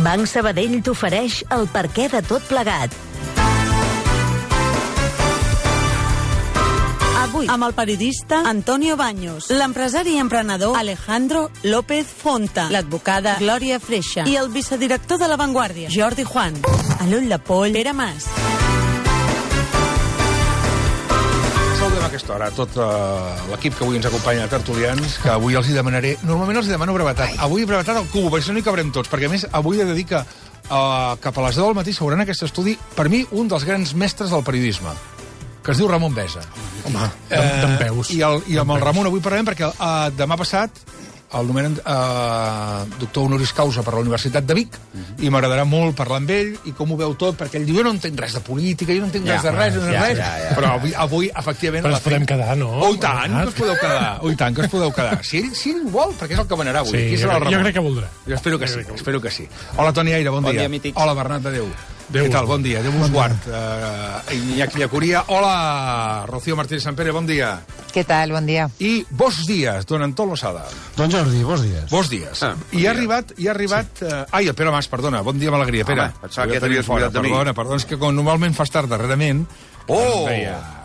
Banc Sabadell t'ofereix el perquè de tot plegat. Avui, amb el periodista Antonio Baños, l'empresari i emprenedor Alejandro López Fonta, l'advocada Glòria Freixa i el vicedirector de La Vanguardia, Jordi Juan, a l'ull de poll, Pere Mas. Saludem a aquesta hora tot l'equip que avui ens acompanya de tertulians, que avui els hi demanaré... Normalment els hi demano brevetat. Avui brevetat al cubo, perquè si no hi cabrem tots, perquè a més avui he de dir que cap a les 10 del matí s'hauran aquest estudi, per mi, un dels grans mestres del periodisme, que es diu Ramon Besa. Home, d'en veus. I amb el Ramon avui parlarem perquè demà passat el nomenen doctor honoris causa per la Universitat de Vic i m'agradarà molt parlar amb ell i com ho veu tot, perquè ell diu, jo no entenc res de política, jo no entenc res de res, però avui, efectivament... Però ens podem quedar, no? Oh, i tant, que us podeu quedar. Oh, i tant, que us podeu quedar. Si ell vol, perquè és el que manarà avui. Sí, jo crec que voldrà. Jo espero que sí. Hola, Toni Aire, bon dia. Hola, Bernat de Déu. Què tal? Bon dia. 10:15. Iñaki Llacuria. Hola, Rocío Martínez Sampere, bon dia. Què tal? Bon dia. I bons dies, don Antón Losada. Don Jordi, bons dies. Bons dies. I ha arribat... Ai, el Pere Mas, perdona. Bon dia amb alegria, Pere. Pensava que t'havies oblidat de mi. Perdona, és que com normalment fas tard darrerament... Oh!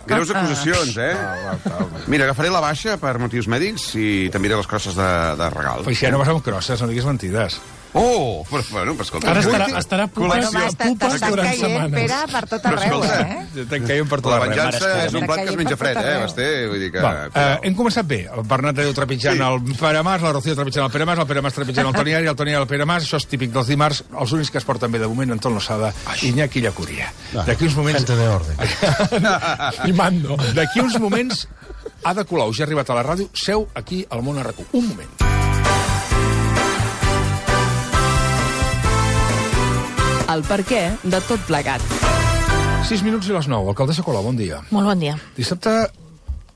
Greus acusacions, eh? Mira, agafaré la baixa per motius mèdics i t'enviaré les crosses de regal. Però si ja no vas amb crosses, no diguis mentides. Oh! Bueno, escolta... Ara estarà Bueno, pupes durant caient, setmanes. Pere, per tot arreu, Te'n caiem per tot La arreu. venjança és un plat que es menja fred, Basté? Vull dir que... Hem començat bé. El Bernat de Déu trepitjant el Pere Mas, la Rocío trepitjant el Pere Mas trepitjant el Toni Aire, el Toni Aire el Pere Mas. Això és típic dels dimarts. Els únics que es porten bé de moment, Antón Losada i Iñaki Llacuria. D'aquí uns moments... Gente de orden. I mando. D'aquí uns moments, Ada Colau ja ha arribat a la ràdio, seu aquí al Món RQ. Un moment. El perquè de tot plegat. 6 minuts i les 9. Alcaldessa Colau, bon dia. Molt bon dia. Dissabte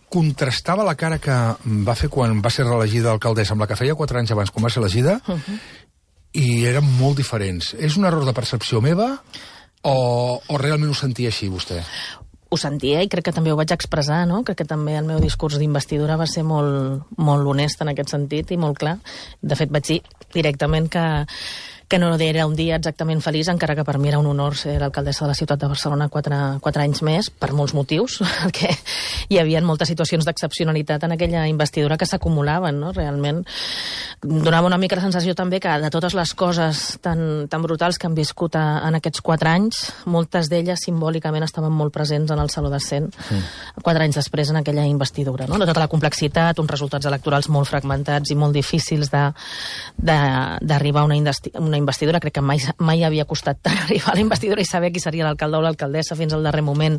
contrastava la cara que va fer quan va ser reelegida alcaldessa amb la que feia 4 anys abans quan va ser elegida i eren molt diferents. És un error de percepció meva o realment ho sentia així, vostè? Ho sentia i crec que també ho vaig expressar, no? Crec que també el meu discurs d'investidura va ser molt honest en aquest sentit i molt clar. De fet, vaig dir directament que no era un dia exactament feliç, encara que per mi era un honor ser l'alcaldessa de la ciutat de Barcelona 4 anys més, per molts motius, perquè hi havia moltes situacions d'excepcionalitat en aquella investidura que s'acumulaven, no? Realment donava una mica la sensació també que de totes les coses tan brutals que han viscut en aquests 4 anys, moltes d'elles simbòlicament estaven molt presents en el Saló de Cent 4 anys després en aquella investidura, no? De tota la complexitat, uns resultats electorals molt fragmentats i molt difícils d'arribar a una investidura. Crec que mai havia costat tant arribar a la investidura i saber qui seria l'alcalde o l'alcaldessa fins al darrer moment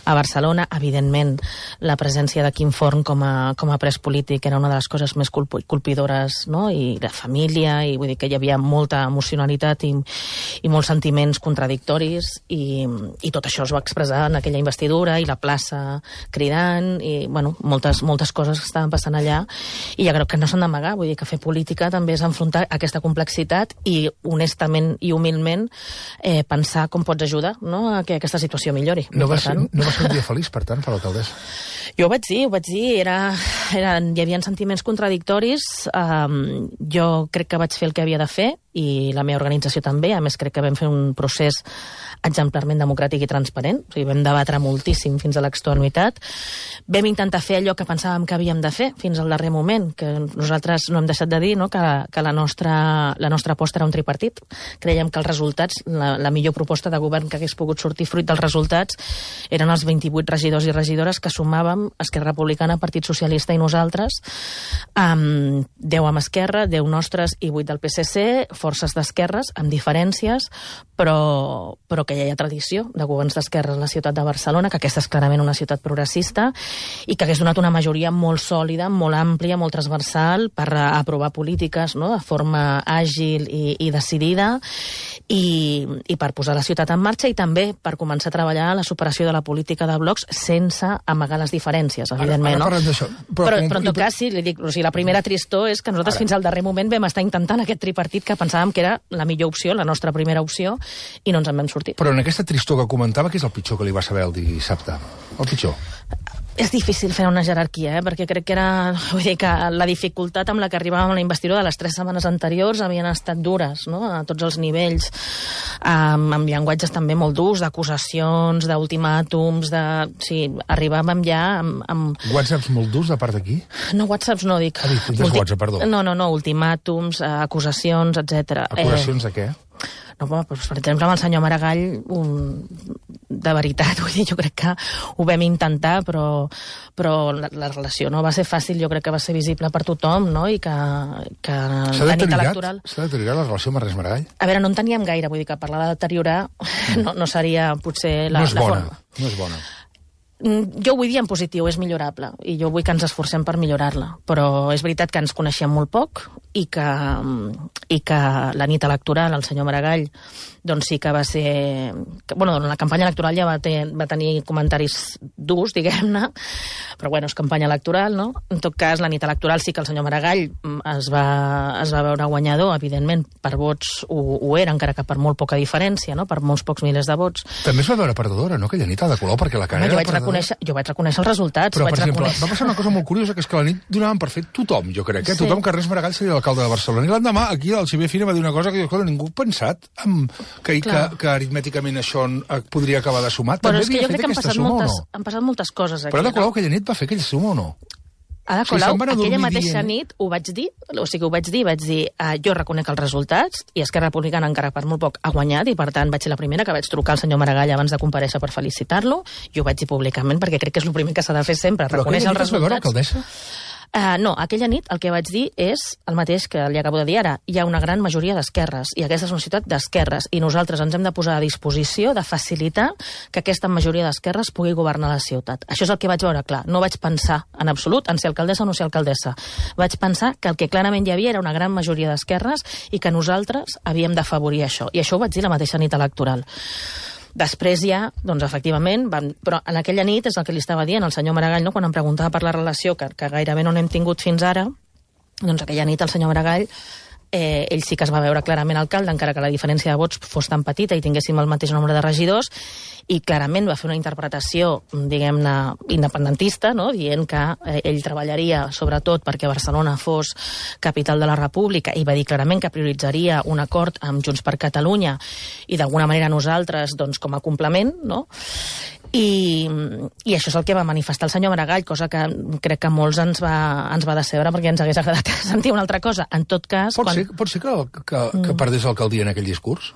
a Barcelona. Evidentment, la presència de Quim Forn com a pres polític era una de les coses més colpidores, no? I de família, i vull dir que hi havia molta emocionalitat i molts sentiments contradictoris i tot això es va expressar en aquella investidura i la plaça cridant i, bueno, moltes coses que estaven passant allà i jo crec que no s'han d'amagar, vull dir que fer política també és enfrontar aquesta complexitat i honestament i humilment pensar com pots ajudar, no?, a que aquesta situació millori. No va ser un dia feliç, per tant, per l'alcaldessa? Jo ho vaig dir, hi havia sentiments contradictoris, jo crec que vaig fer el que havia de fer i la meva organització també, a més crec que vam fer un procés exemplarment democràtic i transparent, o sigui, vam debatre moltíssim fins a l'extenuïtat, vam intentar fer allò que pensàvem que havíem de fer fins al darrer moment, que nosaltres no hem deixat de dir, no?, que la nostra aposta era un tripartit. Creiem que els resultats, la millor proposta de govern que hagués pogut sortir fruit dels resultats eren els 28 regidors i regidores que sumàvem Esquerra Republicana, Partit Socialista i nosaltres, 10 amb Esquerra, 10 nostres i 8 del PSC, forces d'esquerres, amb diferències, però que ja hi ha tradició de governs d'esquerres a la ciutat de Barcelona, que aquesta és clarament una ciutat progressista i que hagués donat una majoria molt sòlida, molt àmplia, molt transversal per aprovar polítiques, no?, de forma àgil i decidida i per posar la ciutat en marxa i també per començar a treballar la superació de la política de blocs sense amagar les diferències, evidentment. Però en tot cas, sí, li dic, o sigui, la primera tristor és que nosaltres fins al darrer moment vam estar intentant aquest tripartit que pensàvem que era la millor opció, la nostra primera opció, i no ens en vam sortir. Però en aquesta tristor que comentava, què és el pitjor que li va saber el dissabte? El pitjor? És difícil fer una jerarquia, perquè crec que vull dir que la dificultat amb la que arribàvem a la investidura de les 3 setmanes anteriors havien estat dures, no?, a tots els nivells, amb llenguatges també molt durs, d'acusacions, d'ultimàtums, sí, arribàvem ja amb... WhatsApps molt durs de part d'aquí? No, WhatsApps no, dic... WhatsApp, perdó. No, ultimàtums, acusacions, etc. Acusacions de què? No, doncs, per exemple, amb el senyor Maragall, de veritat, vull dir, jo crec que ho vam intentar, però la relació no va ser fàcil, jo crec que va ser visible per tothom, no?, i que la nit electoral... S'ha deteriorat la relació amb Ernest Maragall? A veure, no en teníem gaire, vull dir que parlar de deteriorar no seria potser la forma. No és bona. Jo ho vull dir en positiu, és millorable, i jo vull que ens esforcem per millorar-la, però és veritat que ens coneixíem molt poc i que la nit electoral, el senyor Maragall, doncs sí que va ser... Bueno, la campanya electoral ja va tenir comentaris durs, diguem-ne, però bueno, és campanya electoral, no? En tot cas, la nit electoral sí que el senyor Maragall es va veure guanyador, evidentment, per vots ho era, encara que per molt poca diferència, no?, per molts pocs milers de vots. També es va veure perdedora, no?, aquella nit a de color, perquè la cara era perdedora. Jo vaig reconèixer els resultats. Però, per exemple, va passar una cosa molt curiosa, que és que la nit donaven per fet tothom, jo crec, Sí. tothom que Ernest Maragall seria l'alcalde de Barcelona. I l'endemà, aquí, el Xavier Fina va dir una cosa que jo, ningú ha pensat que aritmèticament això podria acabar de sumar. Però També és que jo havia crec fet aquesta suma o no? han passat moltes coses aquí. Però Ada Colau aquella nit va fer aquella suma o no? Ada Colau, aquella mateixa nit ho vaig dir, vaig dir jo reconec els resultats i Esquerra Republicana encara per molt poc ha guanyat i per tant vaig ser la primera que vaig trucar al senyor Maragall abans de comparèixer per felicitar-lo i ho vaig dir públicament perquè crec que és el primer que s'ha de fer sempre, reconèixer els resultats. Però aquella nit es va veure alcaldessa? No, aquella nit el que vaig dir és el mateix que li acabo de dir ara. Hi ha una gran majoria d'esquerres i aquesta és una ciutat d'esquerres i nosaltres ens hem de posar a disposició de facilitar que aquesta majoria d'esquerres pugui governar la ciutat. Això és el que vaig veure clar. No vaig pensar en absolut en ser alcaldessa o no ser alcaldessa. Vaig pensar que el que clarament hi havia era una gran majoria d'esquerres i que nosaltres havíem d'afavorir això. I això ho vaig dir la mateixa nit electoral. Després ja, doncs efectivament, però en aquella nit és el que li estava dient el senyor Maragall, no? Quan em preguntava per la relació, que gairebé no n'hem tingut fins ara, doncs aquella nit el senyor Maragall, ell sí que es va veure clarament alcalde, encara que la diferència de vots fos tan petita i tinguéssim el mateix nombre de regidors, i clarament va fer una interpretació, diguem-ne, independentista, no?, dient que ell treballaria sobretot perquè Barcelona fos capital de la República i va dir clarament que prioritzaria un acord amb Junts per Catalunya i d'alguna manera nosaltres, doncs, com a complement, no?, i això és el que va manifestar el senyor Maragall, cosa que crec que molts ens va decebre perquè ens hagués agradat sentir una altra cosa. En tot cas... Pot ser que perdés l'alcaldia en aquell discurs?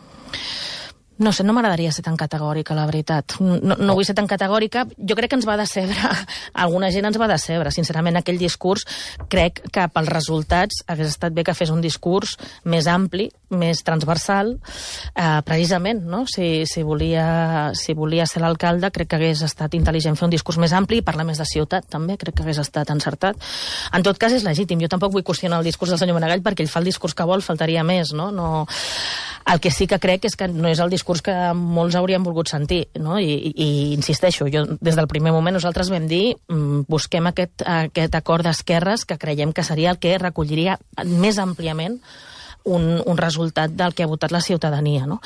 No sé, no m'agradaria ser tan categòrica, la veritat. No vull ser tan categòrica. Jo crec que ens va decebre. Alguna gent ens va decebre. Sincerament, aquell discurs, crec que pels resultats hagués estat bé que fes un discurs més ampli, més transversal, precisament, no? Si volia ser l'alcalde, crec que hagués estat intel·ligent fer un discurs més ampli i parlar més de ciutat, també. Crec que hagués estat encertat. En tot cas, és legítim. Jo tampoc vull qüestionar el discurs del senyor Maragall perquè ell fa el discurs que vol, faltaria més, no? El que sí que crec és que no és el discurs que molts haurien volgut sentir, no? I insisteixo, jo des del primer moment nosaltres vam dir busquem aquest acord d'esquerres que creiem que seria el que recolliria més àmpliament un resultat del que ha votat la ciutadania, no?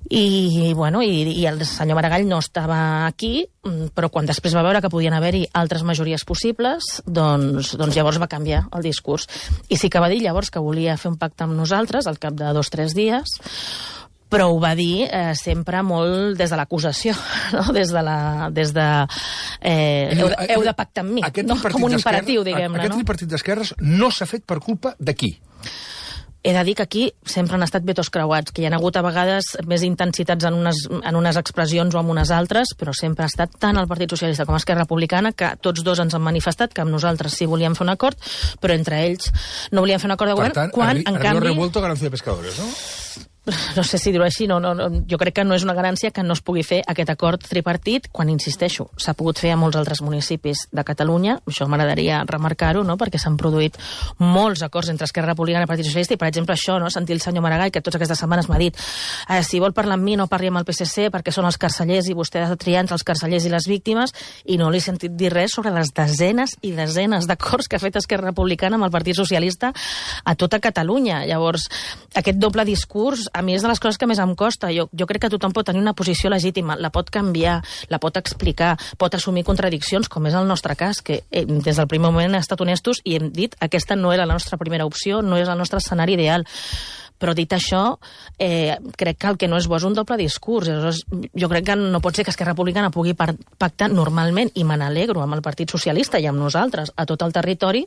I el senyor Maragall no estava aquí, però quan després va veure que podien haver-hi altres majories possibles, doncs llavors va canviar el discurs. I sí que va dir llavors que volia fer un pacte amb nosaltres al cap de 2 o 3 dies, però ho va dir sempre molt des de l'acusació, no? Heu de pactar amb mi, no? Com un imperatiu, diguem-ne. Aquest tripartit d'esquerres no s'ha fet per culpa de qui? He de dir que aquí sempre han estat vetos creuats, que hi ha hagut a vegades més intensitats en unes expressions o en unes altres, però sempre ha estat tant el Partit Socialista com Esquerra Republicana que tots dos ens han manifestat que amb nosaltres sí volíem fer un acord, però entre ells no volien fer un acord de govern. Per tant, arriba revuelto garancia de pescadores, no? No sé si dir-ho així, jo crec que no és una garància que no es pugui fer aquest acord tripartit, quan, insisteixo, s'ha pogut fer a molts altres municipis de Catalunya, això m'agradaria remarcar-ho, no? Perquè s'han produït molts acords entre Esquerra Republicana i Partit Socialista, i per exemple això, no? Sentir el senyor Maragall, que totes aquestes setmanes m'ha dit si vol parlar amb mi no parli amb el PSC perquè són els carcellers i vostè ha de triar entre els carcellers i les víctimes, i no li he sentit dir res sobre les desenes i desenes d'acords que ha fet Esquerra Republicana amb el Partit Socialista a tota Catalunya. Llavors, aquest doble discurs a mi és de les coses que més em costa. Jo crec que tothom pot tenir una posició legítima, la pot canviar, la pot explicar, pot assumir contradiccions, com és el nostre cas, que des del primer moment hem estat honestos i hem dit aquesta no era la nostra primera opció, no és el nostre escenari ideal. Però dit això, crec que el que no és bo és un doble discurs. Aleshores, jo crec que no pot ser que Esquerra Republicana pugui pactar normalment, i me n'alegro, amb el Partit Socialista i amb nosaltres, a tot el territori,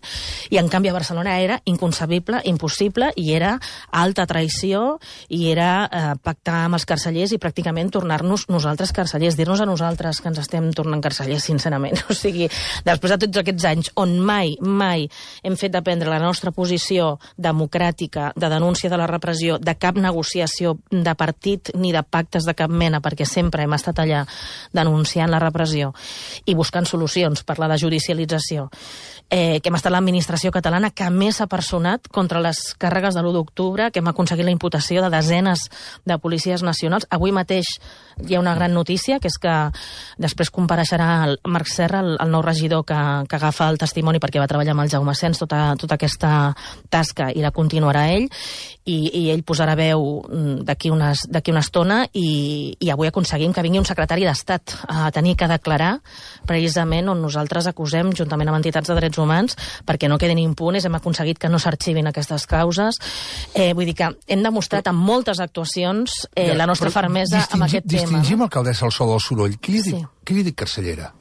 i en canvi a Barcelona era inconcebible, impossible, i era alta traïció, i era pactar amb els carcellers i pràcticament tornar-nos nosaltres carcellers, dir-nos a nosaltres que ens estem tornant carcellers, sincerament. O sigui, després de tots aquests anys on mai hem fet dependre la nostra posició democràtica de denúncia de la repressió, de cap negociació de partit ni de pactes de cap mena, perquè sempre hem estat allà denunciant la repressió i buscant solucions per la desjudicialització, que hem estat l'administració catalana que més s'ha personat contra les càrregues de l'1 d'octubre, que hem aconseguit la imputació de desenes de policies nacionals. Avui mateix hi ha una gran notícia, que és que després compareixerà el Marc Serra, el nou regidor que agafa el testimoni perquè va treballar amb el Jaume Sens tota aquesta tasca, i la continuarà ell, i ell posarà veu d'aquí una estona, i avui aconseguim que vingui un secretari d'Estat a tenir que declarar precisament on nosaltres acusem, juntament amb entitats de drets humans, perquè no quedin impunes. Hem aconseguit que no s'arxivin aquestes causes. Vull dir que hem demostrat amb moltes actuacions la nostra fermesa amb aquest tema. Distingim, alcaldessa, el so del soroll. Qui li dic carcellera?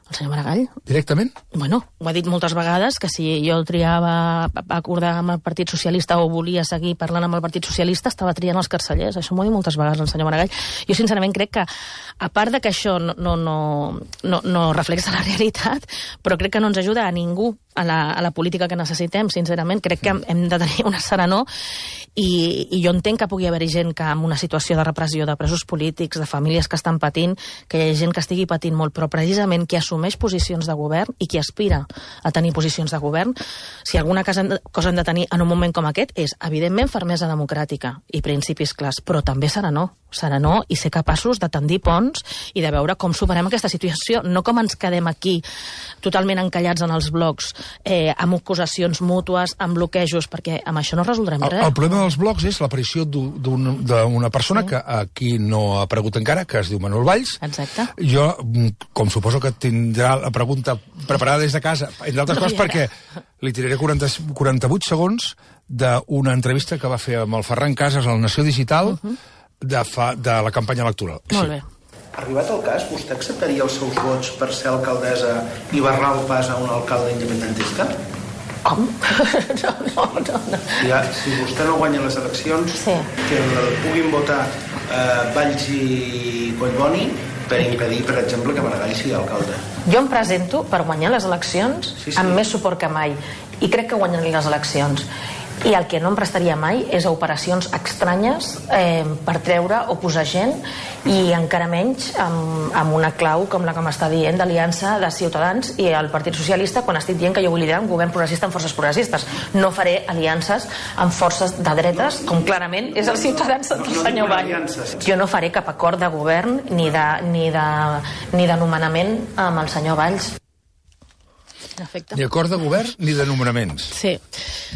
El senyor Maragall. Directament? Bueno, ho ha dit moltes vegades, que si jo triava acordar amb el Partit Socialista o volia seguir parlant amb el Partit Socialista, estava triant els carcellers. Això m'ho ha dit moltes vegades el senyor Maragall. Jo, sincerament, crec que, a part de que això no reflexa la realitat, però crec que no ens ajuda a ningú a la política que necessitem, sincerament. Crec que hem de tenir una serenor, i jo entenc que pugui haver-hi gent que en una situació de repressió, de presos polítics, de famílies que estan patint, que hi ha gent que estigui patint molt, però precisament qui assumeix posicions de govern i qui aspira a tenir posicions de govern, si alguna cosa hem de tenir en un moment com aquest, és, evidentment, fermesa democràtica i principis clars, però també serenor i ser capaços de tendir ponts i de veure com superem aquesta situació, no com ens quedem aquí totalment encallats en els blocs, amb acusacions mútues, amb bloquejos, perquè amb això no resoldrem res. El problema dels blocs és l'aparició d'una persona que aquí no ha aparegut encara, que es diu Manuel Valls. Exacte. Jo, com suposo que tindrà la pregunta preparada des de casa, entre altres coses perquè li tiraré 48 segons d'una entrevista que va fer amb el Ferran Casas a la Nació Digital de la campanya electoral. Molt bé. Arribat el cas, vostè acceptaria els seus vots per ser alcaldessa i barrar el pas a un alcalde independentista? Com? No. Si vostè no guanya les eleccions, que puguin votar Valls i Collboni per impedir, per exemple, que Maragall sigui alcalde. Jo em presento per guanyar les eleccions amb més suport que mai, i crec que guanyaré les eleccions. I el que no em prestaria mai és a operacions estranyes per treure o posar gent, i encara menys amb una clau com la que m'està dient d'aliança de Ciutadans i el Partit Socialista, quan estic dient que jo vull liderar un govern progressista amb forces progressistes. No faré aliances amb forces de dretes, com clarament és el Ciutadans del senyor Valls. Jo no faré cap acord de govern ni de nomenament amb el senyor Valls. Ni acord de govern ni de nomenaments. Sí.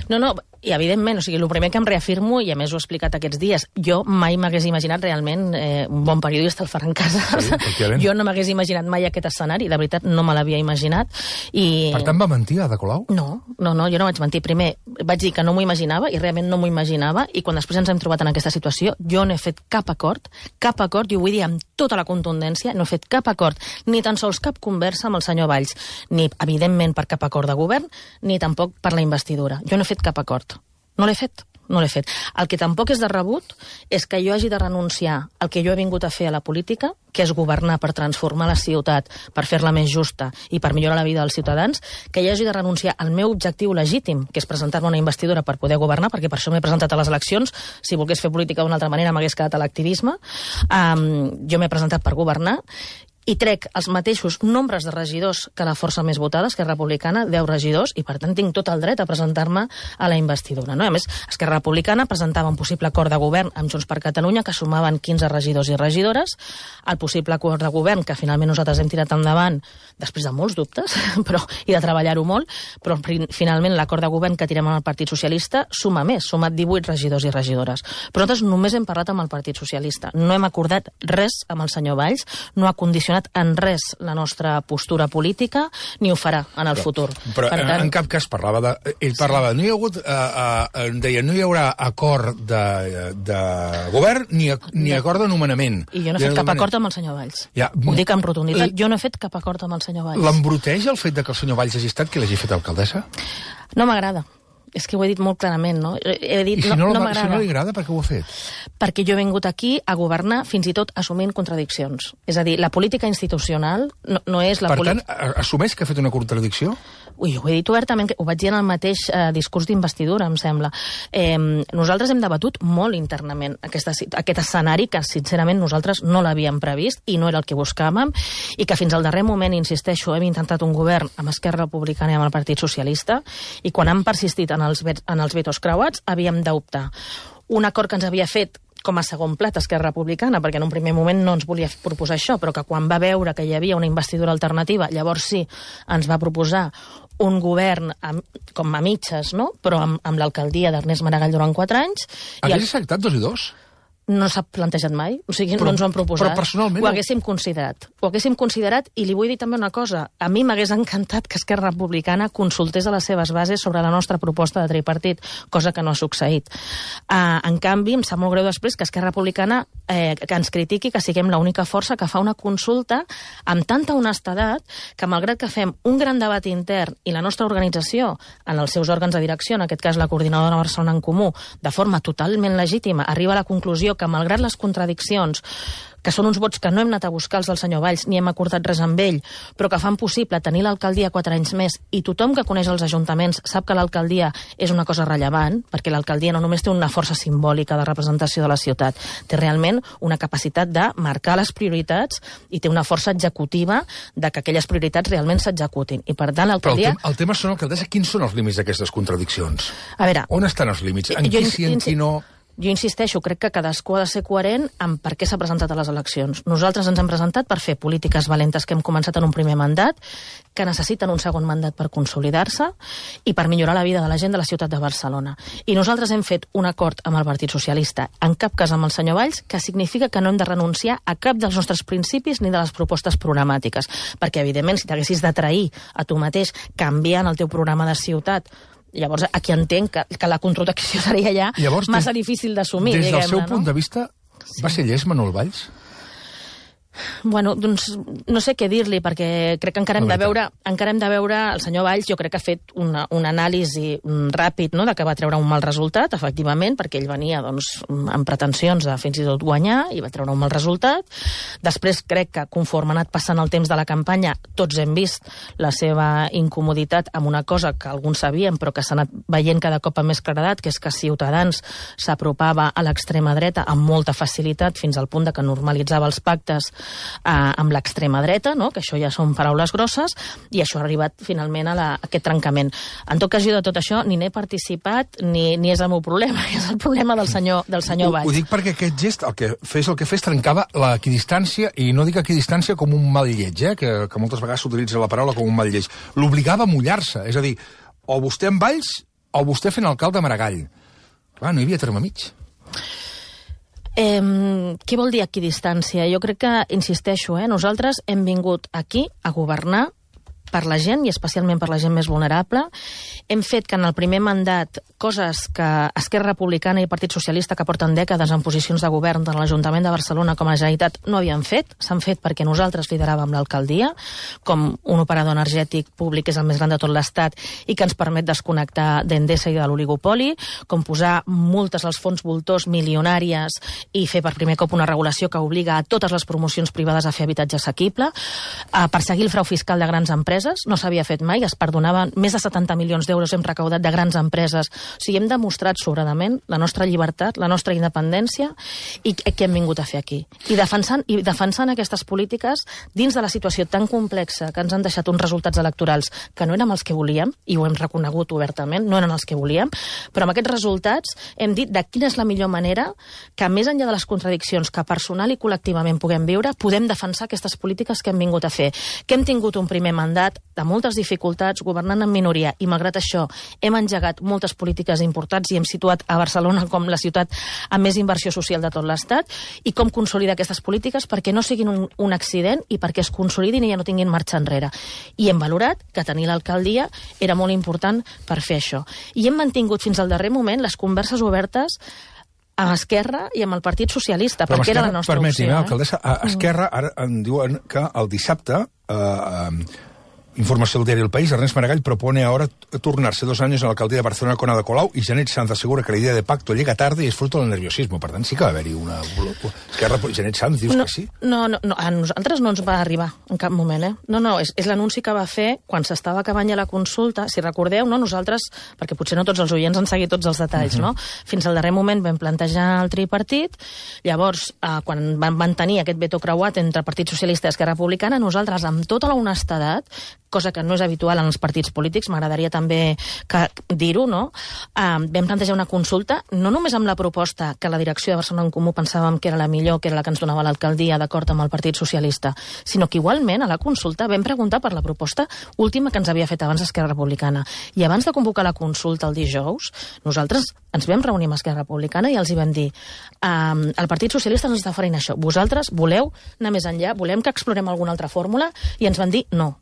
No, i evidentment, o sigui, el primer que em reafirmo, i a més ho he explicat aquests dies, jo mai m'hagués imaginat realment, un bon periodista, el Ferran Casas, jo no m'hagués imaginat mai aquest escenari, de veritat no me l'havia imaginat. Per tant, va mentir Ada Colau? No, jo no vaig mentir. Primer, vaig dir que no m'ho imaginava, i realment no m'ho imaginava, i quan després ens hem trobat en aquesta situació, jo no he fet cap acord, i ho vull dir amb tota la contundència, no he fet cap acord, ni tan sols cap conversa amb el senyor Valls, ni, evidentment, per cap acord de govern, ni tampoc per la investidura. Jo no he fet cap acord. No l'he fet. El que tampoc és de rebut és que jo hagi de renunciar al que jo he vingut a fer a la política, que és governar per transformar la ciutat, per fer-la més justa i per millorar la vida dels ciutadans, que jo hagi de renunciar al meu objectiu legítim, que és presentar-me una investidura per poder governar, perquè per això m'he presentat a les eleccions. Si volgués fer política d'una altra manera m'hagués quedat a l'activisme. Jo m'he presentat per governar, i trec els mateixos nombres de regidors que la força més votada, Esquerra Republicana, 10 regidors, i per tant tinc tot el dret a presentar-me a la investidura. No? A més, Esquerra Republicana presentava un possible acord de govern amb Junts per Catalunya que sumaven 15 regidors i regidores, el possible acord de govern que finalment nosaltres hem tirat endavant després de molts dubtes i de treballar-ho molt, però finalment l'acord de govern que tirem amb el Partit Socialista suma més, suma 18 regidors i regidores. Però nosaltres només hem parlat amb el Partit Socialista, no hem acordat res amb el senyor Valls, no ha condicionat en res la nostra postura política, ni ho farà en el futur. Però en cap cas parlava ell parlava, no hi ha hagut, deia, no hi haurà acord de govern ni acord de nomenament. I jo no he fet cap acord amb el senyor Valls. Ho dic amb rotunditat, jo no he fet cap acord amb el senyor Valls. L'embruteix el fet que el senyor Valls hagi estat qui l'hagi fet alcaldessa? No m'agrada. És que ho he dit molt clarament, no? He dit, I si no li agrada, per què ho ha fet? Perquè jo he vingut aquí a governar fins i tot assumint contradiccions. És a dir, la política institucional no és la política... Per tant, assumeix que ha fet una contradicció? Ui, ho he dit obertament, ho vaig dir en el mateix discurs d'investidura, em sembla. Nosaltres hem debatut molt internament aquest escenari que, sincerament, nosaltres no l'havíem previst i no era el que buscàvem, i que fins al darrer moment, insisteixo, hem intentat un govern amb Esquerra Republicana i amb el Partit Socialista, i quan han persistit en els vetos creuats, havíem d'optar. Un acord que ens havia fet com a segon plat Esquerra Republicana, perquè en un primer moment no ens volia proposar això, però que quan va veure que hi havia una investidura alternativa, llavors sí, ens va proposar un govern com a mitges, no? Però amb l'alcaldia d'Ernest Maragall durant 4 anys. Hagués acceptat 2 i 2? No s'ha plantejat mai, o sigui, no ens ho han proposat. Però personalment... Ho haguéssim considerat, i li vull dir també una cosa. A mi m'hagués encantat que Esquerra Republicana consultés a les seves bases sobre la nostra proposta de tripartit, cosa que no ha succeït. En canvi, em sap molt greu després que Esquerra Republicana que ens critiqui que siguem l'única força que fa una consulta amb tanta honestedat que, malgrat que fem un gran debat intern i la nostra organització, en els seus òrgans de direcció, en aquest cas la Coordinadora de Barcelona en Comú, de forma totalment legítima, arriba a la conclusió que, malgrat les contradiccions, que són uns vots que no hem anat a buscar els del senyor Valls, ni hem acordat res amb ell, però que fan possible tenir l'alcaldia 4 anys més, i tothom que coneix els ajuntaments sap que l'alcaldia és una cosa rellevant, perquè l'alcaldia no només té una força simbòlica de representació de la ciutat, té realment una capacitat de marcar les prioritats i té una força executiva de que aquelles prioritats realment s'executin. I per tant, l'alcaldia... Però el tema són, alcaldessa, quins són els límits d'aquestes contradiccions? A veure... On estan els límits? En qui sí, en qui no... Jo insisteixo, crec que cadascú ha de ser coherent amb per què s'ha presentat a les eleccions. Nosaltres ens hem presentat per fer polítiques valentes que hem començat en un primer mandat, que necessiten un segon mandat per consolidar-se i per millorar la vida de la gent de la ciutat de Barcelona. I nosaltres hem fet un acord amb el Partit Socialista, en cap cas amb el senyor Valls, que significa que no hem de renunciar a cap dels nostres principis ni de les propostes programàtiques. Perquè, evidentment, si t'haguessis de trair a tu mateix canviant el teu programa de ciutat, llavors aquí entenc que la contradicció seria ja massa difícil d'assumir. Des del seu punt de vista, va ser llest Manuel Valls? Bueno, doncs no sé què dir-li, perquè crec que encara hem de veure el senyor Valls. Jo crec que ha fet un anàlisi ràpid, no?, de que va treure un mal resultat, efectivament, perquè ell venia amb pretensions de fins i tot guanyar i va treure un mal resultat. Després crec que conforme ha anat passant el temps de la campanya tots hem vist la seva incomoditat amb una cosa que alguns sabíem però que s'ha anat veient cada cop amb més claredat, que és que Ciutadans s'apropava a l'extrema dreta amb molta facilitat fins al punt de que normalitzava els pactes amb l'extrema dreta, no?, que això ja són paraules grosses, i això ha arribat finalment a aquest trencament. En tot cas, jo de tot això ni n'he participat ni és el meu problema, és el problema del senyor Valls. Ho dic perquè aquest gest, el que fes, trencava l'equidistància, i no dic equidistància com un mal lleig, que moltes vegades s'utilitza la paraula com un mal lleig. L'obligava a mullar-se, és a dir, o vostè amb Valls o vostè fent alcalde a Maragall. Clar, no hi havia terme mig. Què vol dir equidistància? Jo crec que, insisteixo, nosaltres hem vingut aquí a governar per la gent, i especialment per la gent més vulnerable. Hem fet que en el primer mandat coses que Esquerra Republicana i Partit Socialista, que porten dècades en posicions de govern tant a l'Ajuntament de Barcelona com a la Generalitat, no havien fet. S'han fet perquè nosaltres lideràvem l'alcaldia, com un operador energètic públic que és el més gran de tot l'Estat i que ens permet desconnectar d'Endesa i de l'oligopoli, com posar multes als fons voltors milionàries i fer per primer cop una regulació que obliga a totes les promocions privades a fer habitatge assequible, perseguir el frau fiscal de grans empreses, empreses, no s'havia fet mai, es perdonaven més de 70 milions d'euros hem recaudat de grans empreses. O sigui, hem demostrat sobradament la nostra llibertat, la nostra independència i què hem vingut a fer aquí. I defensant aquestes polítiques dins de la situació tan complexa que ens han deixat uns resultats electorals que no érem els que volíem, i ho hem reconegut obertament, no eren els que volíem, però amb aquests resultats hem dit de quina és la millor manera que, més enllà de les contradiccions que personal i col·lectivament puguem viure, podem defensar aquestes polítiques que hem vingut a fer. Que hem tingut un primer mandat de moltes dificultats, governant en minoria, i malgrat això hem engegat moltes polítiques importants i hem situat a Barcelona com la ciutat amb més inversió social de tot l'Estat, i com consolidar aquestes polítiques perquè no siguin un accident i perquè es consolidin i ja no tinguin marxa enrere. I hem valorat que tenir l'alcaldia era molt important per fer això. I hem mantingut fins al darrer moment les converses obertes amb Esquerra i amb el Partit Socialista, perquè era la nostra opció. Permeti'm, alcaldessa, a Esquerra ara em diuen que el dissabte, informació del diari El País, Ernest Maragall propone ahora turnarse 2 años en la alcaldía de Barcelona con Ada Colau y Janet Sanz asegura que la idea de pacto llega tarde y es fruto del nerviosismo. Per tant, sí que va haver-hi una... Esquerra, Janet Sanz, dius que sí? No, a nosaltres no ens va arribar en cap moment, No, és l'anunci que va fer quan s'estava acabant ja la consulta. Si recordeu, nosaltres, perquè potser no tots els oients han seguit tots els detalls, Fins al darrer moment vam plantejar el tripartit, llavors, quan van tenir aquest veto creuat entre el Partit Socialista i Esquerra Republicana, nosaltres, amb tota la honestedat, cosa que no és habitual en els partits polítics, m'agradaria també dir-ho, vam plantejar una consulta, no només amb la proposta que la direcció de Barcelona en Comú pensàvem que era la millor, que era la que ens donava l'alcaldia d'acord amb el Partit Socialista, sinó que igualment a la consulta vam preguntar per la proposta última que ens havia fet abans Esquerra Republicana. I abans de convocar la consulta el dijous, nosaltres ens vam reunir amb Esquerra Republicana i els hi vam dir el Partit Socialista ens està oferint això, vosaltres voleu anar més enllà, volem que explorem alguna altra fórmula? I ens van dir no.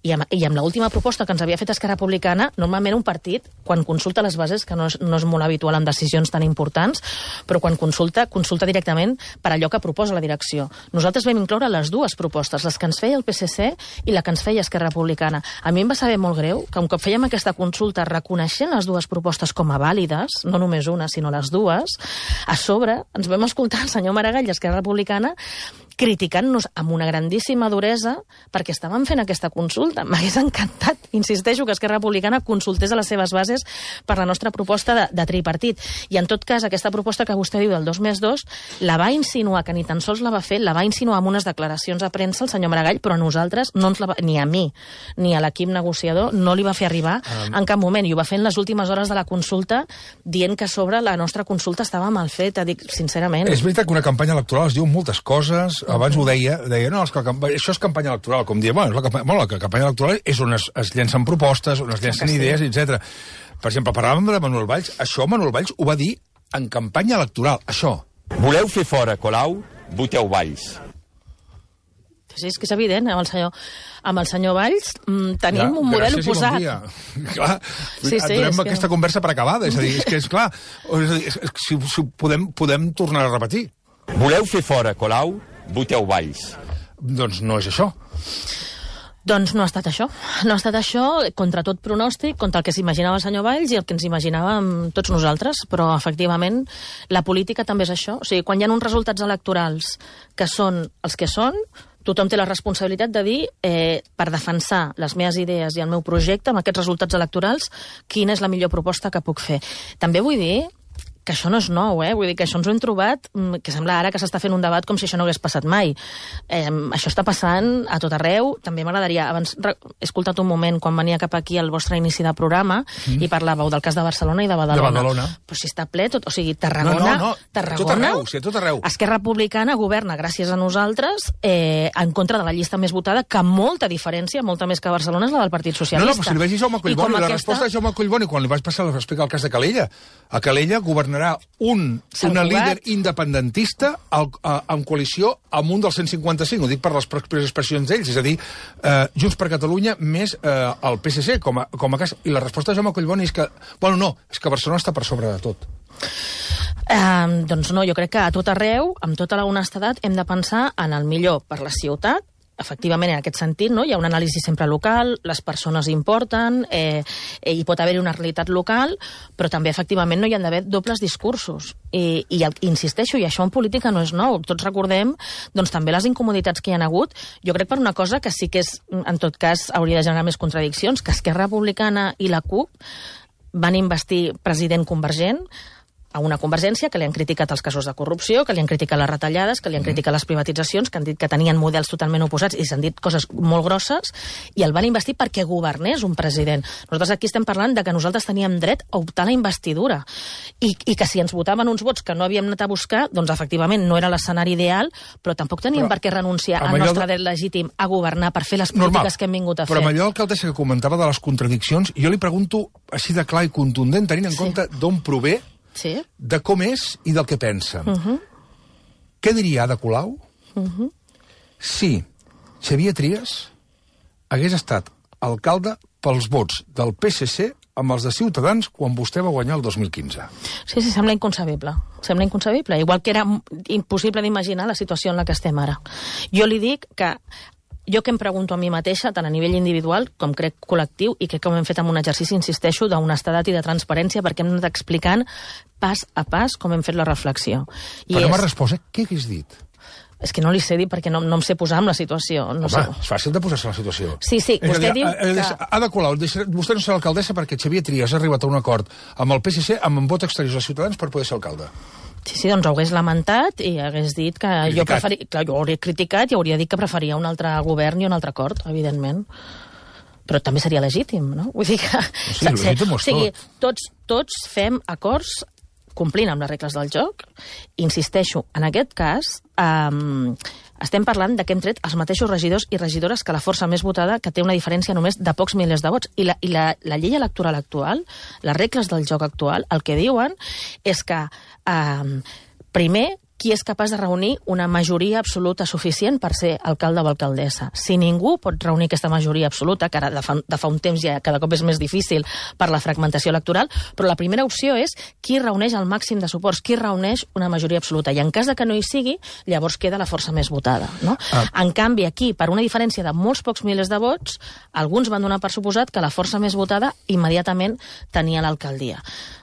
I amb l'última proposta que ens havia fet Esquerra Republicana, normalment un partit, quan consulta les bases, que no és molt habitual en decisions tan importants, però quan consulta directament per allò que proposa la direcció. Nosaltres vam incloure les dues propostes, les que ens feia el PSC i la que ens feia Esquerra Republicana. A mi em va saber molt greu que un cop fèiem aquesta consulta reconeixent les dues propostes com a vàlides, no només una, sinó les dues, a sobre ens vam escoltar el senyor Maragall i Esquerra Republicana criticant-nos amb una grandíssima duresa perquè estàvem fent aquesta consulta. M'hagués encantat, insisteixo, que Esquerra Republicana consultés a les seves bases per la nostra proposta de tripartit. I en tot cas, aquesta proposta que vostè diu del 2+2 la va insinuar, que ni tan sols la va fer, la va insinuar amb unes declaracions a premsa el senyor Maragall, però a nosaltres, ni a mi, ni a l'equip negociador, no li va fer arribar en cap moment. I ho va fer en les últimes hores de la consulta, dient que sobre la nostra consulta estava mal feta, dic sincerament. És veritat que una campanya electoral es diu moltes coses. Abans ho deia, no, això és campanya electoral, com diem, la campanya electoral és on es llencen propostes, on es llencen idees, etc. Per exemple, parlàvem de Manuel Valls, això Manuel Valls ho va dir en campanya electoral, això. Voleu fer fora Colau? Voteu Valls. Sí, és que és evident, amb el senyor Valls tenim un model oposat. Bon clar, donem aquesta conversa per acabada, és a dir, és clar, si podem tornar a repetir. Voleu fer fora Colau? Voteu Valls. Doncs no és això. Doncs no ha estat això. No ha estat això contra tot pronòstic, contra el que s'imaginava el senyor Valls i el que ens imaginàvem tots nosaltres, però efectivament la política també és això. O sigui, quan hi ha uns resultats electorals que són els que són, tothom té la responsabilitat de dir, per defensar les meves idees i el meu projecte amb aquests resultats electorals, quina és la millor proposta que puc fer. També vull dir que això no és nou, vull dir que això ens ho hem trobat, que sembla ara que s'està fent un debat com si això no hagués passat mai. Això està passant a tot arreu. També m'agradaria, abans he escoltat un moment quan venia cap aquí al vostre inici de programa i parlàveu del cas de Barcelona i de Badalona. Però si està ple tot, o sigui, Tarragona... No, tot arreu. Esquerra Republicana governa gràcies a nosaltres en contra de la llista més votada, que amb molta diferència, molta més que Barcelona, és la del Partit Socialista. No, però si li vaig dir Jaume Collboni, la resposta de Jaume Collboni, quan li vaig passar l'explicar el cas de Calella. A Calella governarà una líder independentista en coalició amb un dels 155, ho dic per les pròximes expressions d'ells, és a dir, Junts per Catalunya més el PSC com a cas. I la resposta de Jaume Collboni és que, bueno, no, és que Barcelona està per sobre de tot. Doncs no, jo crec que a tot arreu, amb tota la honestedat, hem de pensar en el millor per la ciutat efectivament, en aquest sentit, no? Hi ha una anàlisi sempre local, les persones importen, hi pot haver una realitat local, però també, efectivament, no hi ha d'haver dobles discursos. I insisteixo, i això en política no és nou. Tots recordem, doncs, també les incomoditats que hi ha hagut. Jo crec per una cosa que sí que és, en tot cas, hauria de generar més contradiccions, que Esquerra Republicana i la CUP van investir president convergent, a una Convergència que li han criticat els casos de corrupció, que li han criticat les retallades, que li han criticat les privatitzacions, que han dit que tenien models totalment oposats i s'han dit coses molt grosses, i el van investir perquè governés un president. Nosaltres aquí estem parlant de que nosaltres teníem dret a optar a la investidura i que si ens votaven uns vots que no havíem anat a buscar, doncs efectivament no era l'escenari ideal, però tampoc teníem per què renunciar al nostre dret legítim a governar per fer les polítiques que hem vingut a fer. Però amb allò, alcaldessa, que comentava de les contradiccions, jo li pregunto així de clar i contundent, tenint en compte d'on prové, de com és i del que pensa. Què diria Ada Colau si Xavier Trias hagués estat alcalde pels vots del PSC amb els de Ciutadans quan vostè va guanyar el 2015? Sí, sembla inconcebible. Sembla inconcebible. Igual que era impossible d'imaginar la situació en la que estem ara. Jo li dic que jo que em pregunto a mi mateixa, tant a nivell individual com crec col·lectiu, i crec que ho hem fet amb un exercici, insisteixo, d'honestedat i de transparència, perquè hem anat explicant pas a pas com hem fet la reflexió. Però no m'ha respost, què hagués dit? És que no li sé dir perquè no em sé posar en la situació. No sé. És fàcil de posar-se en la situació. Sí, vostè diu que... Ada Colau, vostè no serà alcaldessa perquè Xavier Trias ha arribat a un acord amb el PSC amb un vot exterior de Ciutadans per poder ser alcalde. Sí, doncs ho hagués lamentat i hagués dit que jo preferia... Clar, jo ho hauria criticat i hauria dit que preferia un altre govern i un altre acord, evidentment. Però també seria legítim, no? Vull dir que... Sí, legítim ho és tot. Tots fem acords complint amb les regles del joc. Insisteixo, en aquest cas, estem parlant de que hem tret els mateixos regidors i regidores que la força més votada, que té una diferència només de pocs milers de vots. I la llei electoral actual, les regles del joc actual, el que diuen és que, primer, qui és capaç de reunir una majoria absoluta suficient per ser alcalde o alcaldessa. Si ningú pot reunir aquesta majoria absoluta, que ara de fa un temps ja cada cop és més difícil per la fragmentació electoral, però la primera opció és qui reuneix el màxim de suports, qui reuneix una majoria absoluta. I en cas de que no hi sigui, llavors queda la força més votada. No? En canvi, aquí, per una diferència de molts pocs milers de vots, alguns van donar per suposat que la força més votada immediatament tenia l'alcaldia.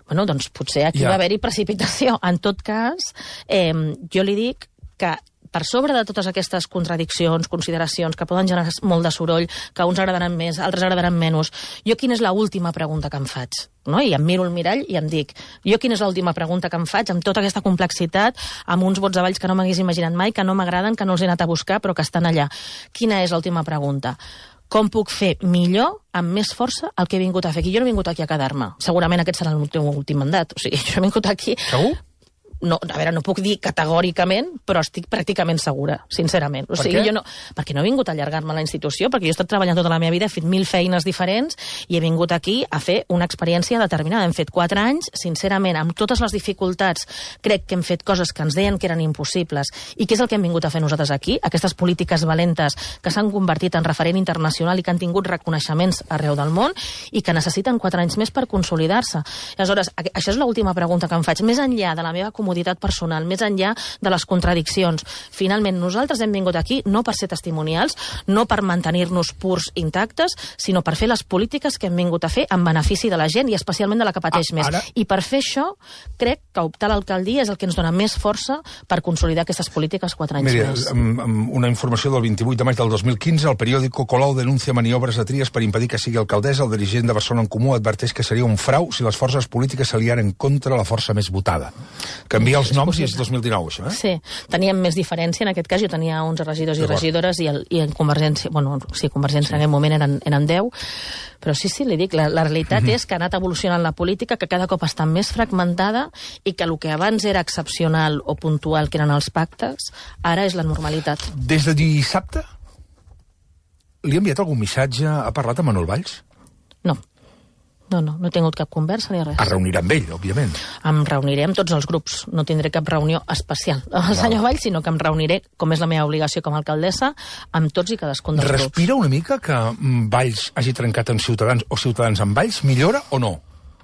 Bueno, doncs potser aquí va haver-hi precipitació. En tot cas, jo li dic que per sobre de totes aquestes contradiccions, consideracions, que poden generar molt de soroll, que uns agradaran més, altres agradaran menys, jo quina és l'última pregunta que em faig? No? I em miro al mirall i em dic, jo quina és l'última pregunta que em faig amb tota aquesta complexitat, amb uns vots avalls que no m'hagués imaginat mai, que no m'agraden, que no els he anat a buscar, però que estan allà. Quina és l'última pregunta? Com puc fer millor, amb més força, el que he vingut a fer aquí? Jo no he vingut aquí a quedar-me. Segurament aquest serà el meu últim mandat. O sigui, jo he vingut aquí... Segur? No, a veure, no puc dir categòricament, però estic pràcticament segura, sincerament. O sigui, jo no, perquè no he vingut a allargar-me a la institució, perquè jo he estat treballant tota la meva vida, he fet 1000 feines diferents i he vingut aquí a fer una experiència determinada. Hem fet 4 anys, sincerament, amb totes les dificultats, crec que hem fet coses que ens deien que eren impossibles. I què és el que hem vingut a fer nosaltres aquí? Aquestes polítiques valentes que s'han convertit en referent internacional i que han tingut reconeixements arreu del món i que necessiten 4 anys més per consolidar-se. Aleshores, això és l'última pregunta que em faig. Més enllà de la meva comoditat personal, més enllà de les contradiccions. Finalment, nosaltres hem vingut aquí no per ser testimonials, no per mantenir-nos purs intactes, sinó per fer les polítiques que hem vingut a fer en benefici de la gent i especialment de la que pateix més. I per fer això, crec que optar a l'alcaldia és el que ens dona més força per consolidar aquestes polítiques 4 anys més. Una informació del 28 de maig del 2015, el periòdico Colau denuncia maniobres de Trias per impedir que sigui alcaldessa. El dirigent de Barcelona en Comú adverteix que seria un frau si les forces polítiques s'aliaren contra la força més votada. Canvia els noms i és 2019, això, eh? Sí, teníem més diferència, en aquest cas jo tenia 11 regidors i regidores i en Convergència, bueno, sí, Convergència en aquell moment eren 10, però sí, li dic, la realitat és que ha anat evolucionant la política, que cada cop està més fragmentada i que el que abans era excepcional o puntual, que eren els pactes, ara és la normalitat. Des de dissabte, li ha enviat algun missatge, ha parlat amb Manuel Valls? No he tingut cap conversa ni res. Es reunirà amb ell, òbviament. Em reuniré amb tots els grups. No tindré cap reunió especial amb el senyor Valls, sinó que em reuniré, com és la meva obligació com a alcaldessa, amb tots i cadascun dels grups. Respira una mica que Valls hagi trencat amb Ciutadans o Ciutadans amb Valls? Millora o no?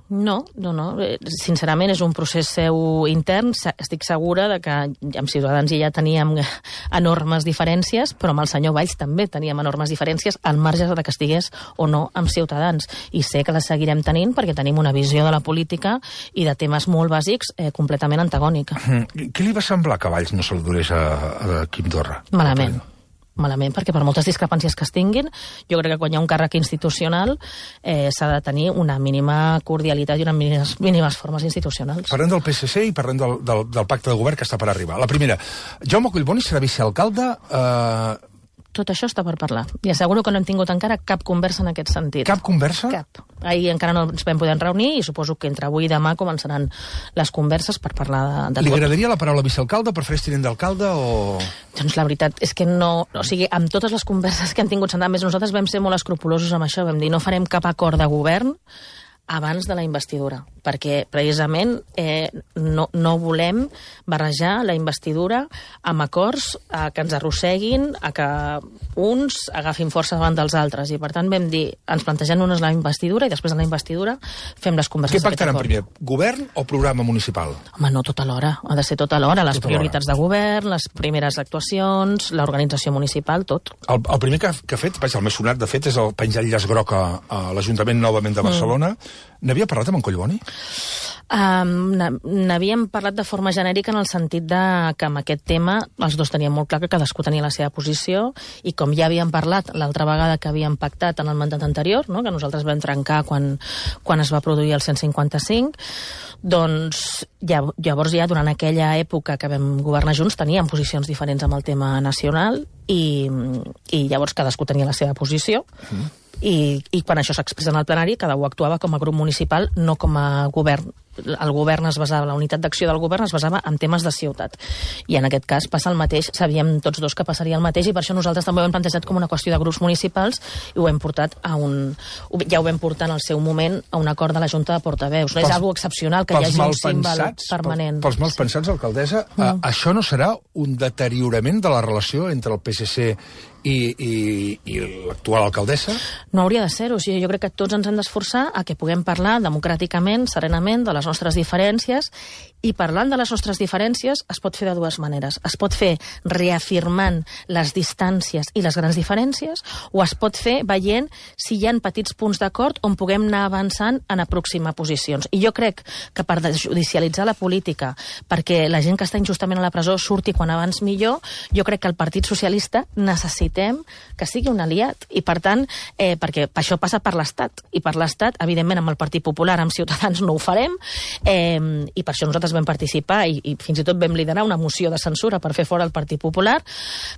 No. Sincerament, és un procés seu intern. Estic segura de que amb Ciutadans ja teníem enormes diferències, però amb el senyor Valls també teníem enormes diferències al marge de que estigués o no amb Ciutadans. I sé que les seguirem tenint perquè tenim una visió de la política i de temes molt bàsics completament antagònica. Què li va semblar que Valls no saludés a Quim Torra? Malament, perquè per moltes discrepàncies que es tinguin, jo crec que quan hi ha un càrrec institucional s'ha de tenir una mínima cordialitat i unes mínimes formes institucionals. Parlem del PSC i parlem del pacte de govern que està per arribar. La primera, Jaume Collboni serà vicealcalde... Tot això està per parlar. I asseguro que no hem tingut encara cap conversa en aquest sentit. Cap conversa? Cap. Ahir encara no ens vam poder reunir i suposo que entre avui i demà començaran les converses per parlar de tot. Li agradaria la paraula vicealcalde? Prefereix tinent d'alcalde o...? Doncs la veritat és que no... O sigui, amb totes les converses que han tingut més, nosaltres vam ser molt escrupulosos amb això. Vam dir, no farem cap acord de govern abans de la investidura, perquè precisament no volem barrejar la investidura amb acords que ens arrosseguin, a que uns agafin força davant dels altres, i per tant vam dir, ens plantegem-nos la investidura i després de la investidura fem les converses. Què pactaran primer, govern o programa municipal? Home, no tot alhora, ha de ser tot alhora, les prioritats de govern, les primeres actuacions, l'organització municipal, tot. El primer que ha fet, el més sonat de fet, és el penjar el llaç groc a l'Ajuntament novament de Barcelona. N'havia parlat amb en Collboni? N'havíem parlat de forma genèrica en el sentit que amb aquest tema els dos tenien molt clar que cadascú tenia la seva posició, i com ja havíem parlat l'altra vegada que havíem pactat en el mandat anterior, no? Que nosaltres vam trencar quan es va produir el 155, doncs llavors ja durant aquella època que vam governar junts teníem posicions diferents amb el tema nacional i llavors cadascú tenia la seva posició. I quan això s'expressa en el plenari, cada un actuava com a grup municipal, no com a govern. El govern es basava, la unitat d'acció del govern es basava en temes de ciutat. I en aquest cas passa el mateix, sabíem tots dos que passaria el mateix, i per això nosaltres també ho hem plantejat com una qüestió de grups municipals i ho hem portat ja ho vam portar en el seu moment a un acord de la Junta de Portaveus. No és algo excepcional que hi hagi un símbol permanent. Pels mals pensats, alcaldessa, això no serà un deteriorament de la relació entre el PSC i l'actual alcaldessa? No hauria de ser-ho. O sigui, jo crec que tots ens hem d'esforçar a que puguem parlar democràticament, serenament, de les nostres diferències, i parlant de les nostres diferències es pot fer de dues maneres. Es pot fer reafirmant les distàncies i les grans diferències, o es pot fer veient si hi ha petits punts d'acord on puguem anar avançant en aproximar posicions. I jo crec que per desjudicialitzar la política, perquè la gent que està injustament a la presó surti quan abans millor, jo crec que el Partit Socialista necessitem que sigui un aliat. I per tant, perquè això passa per l'Estat. I per l'Estat, evidentment, amb el Partit Popular, amb Ciutadans no ho farem, i per això nosaltres vam participar i fins i tot vam liderar una moció de censura per fer fora el Partit Popular.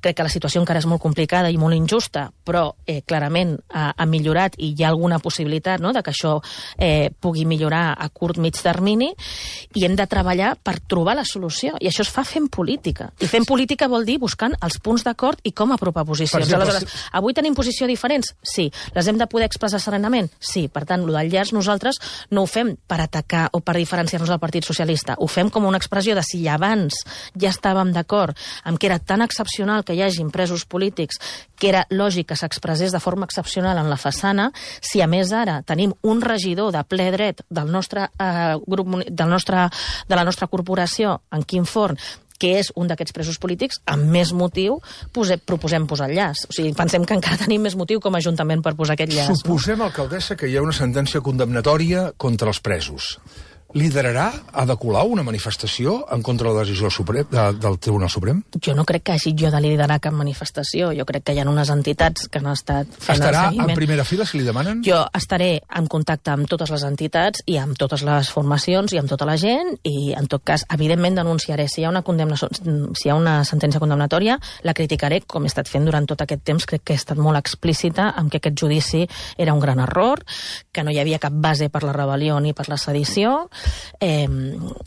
Crec que la situació encara és molt complicada i molt injusta, però clarament ha millorat i hi ha alguna possibilitat, no?, de que això pugui millorar a curt mig termini, i hem de treballar per trobar la solució. I això es fa fent política. I fent política vol dir buscant els punts d'acord i com apropar posicions. Aleshores, avui tenim posicions diferents? Sí. Les hem de poder expressar serenament? Sí. Per tant, el del llaç nosaltres no ho fem per atacar o per diferenciar-nos del Partit Socialista. Ho fem com una expressió de si abans ja estàvem d'acord amb que era tan excepcional que hi hagin presos polítics, que era lògic que s'expressés de forma excepcional en la façana, si a més ara tenim un regidor de ple dret del nostre grup, de la nostra corporació, en Quim Forn, que és un d'aquests presos polítics, amb més motiu proposem posar el llaç. O sigui, pensem que encara tenim més motiu com a Ajuntament per posar aquest llaç. Suposem, alcaldessa, que hi ha una sentència condemnatòria contra els presos. Liderarà Ada Colau una manifestació en contra de la decisió del Tribunal Suprem? Jo no crec que hagi jo de liderar cap manifestació. Jo crec que hi ha unes entitats que han estat fent el seguiment. Estarà en primera fila si li demanen? Jo estaré en contacte amb totes les entitats i amb totes les formacions i amb tota la gent, i en tot cas, evidentment, denunciaré. Si hi ha una sentència condemnatòria, la criticaré, com he estat fent durant tot aquest temps. Crec que he estat molt explícita en que aquest judici era un gran error, que no hi havia cap base per la rebel·lió ni per la sedició,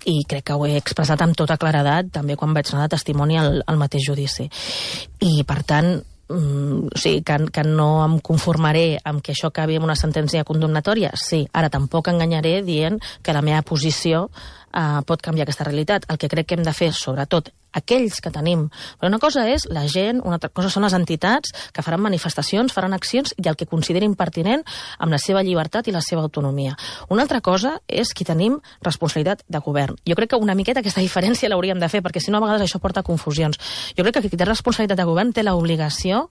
i crec que ho he expressat amb tota claredat també quan vaig anar de testimoni al mateix judici. I per tant, o sigui, que no em conformaré amb que això acabi amb una sentència condemnatòria, sí. Ara tampoc enganyaré dient que la meva posició pot canviar aquesta realitat. El que crec que hem de fer, sobretot aquells que tenim. Però una cosa és la gent, una altra cosa són les entitats que faran manifestacions, faran accions i el que considerin pertinent amb la seva llibertat i la seva autonomia. Una altra cosa és qui tenim responsabilitat de govern. Jo crec que una miqueta aquesta diferència l'hauríem de fer, perquè si no a vegades això porta a confusions. Jo crec que qui té responsabilitat de govern té l'obligació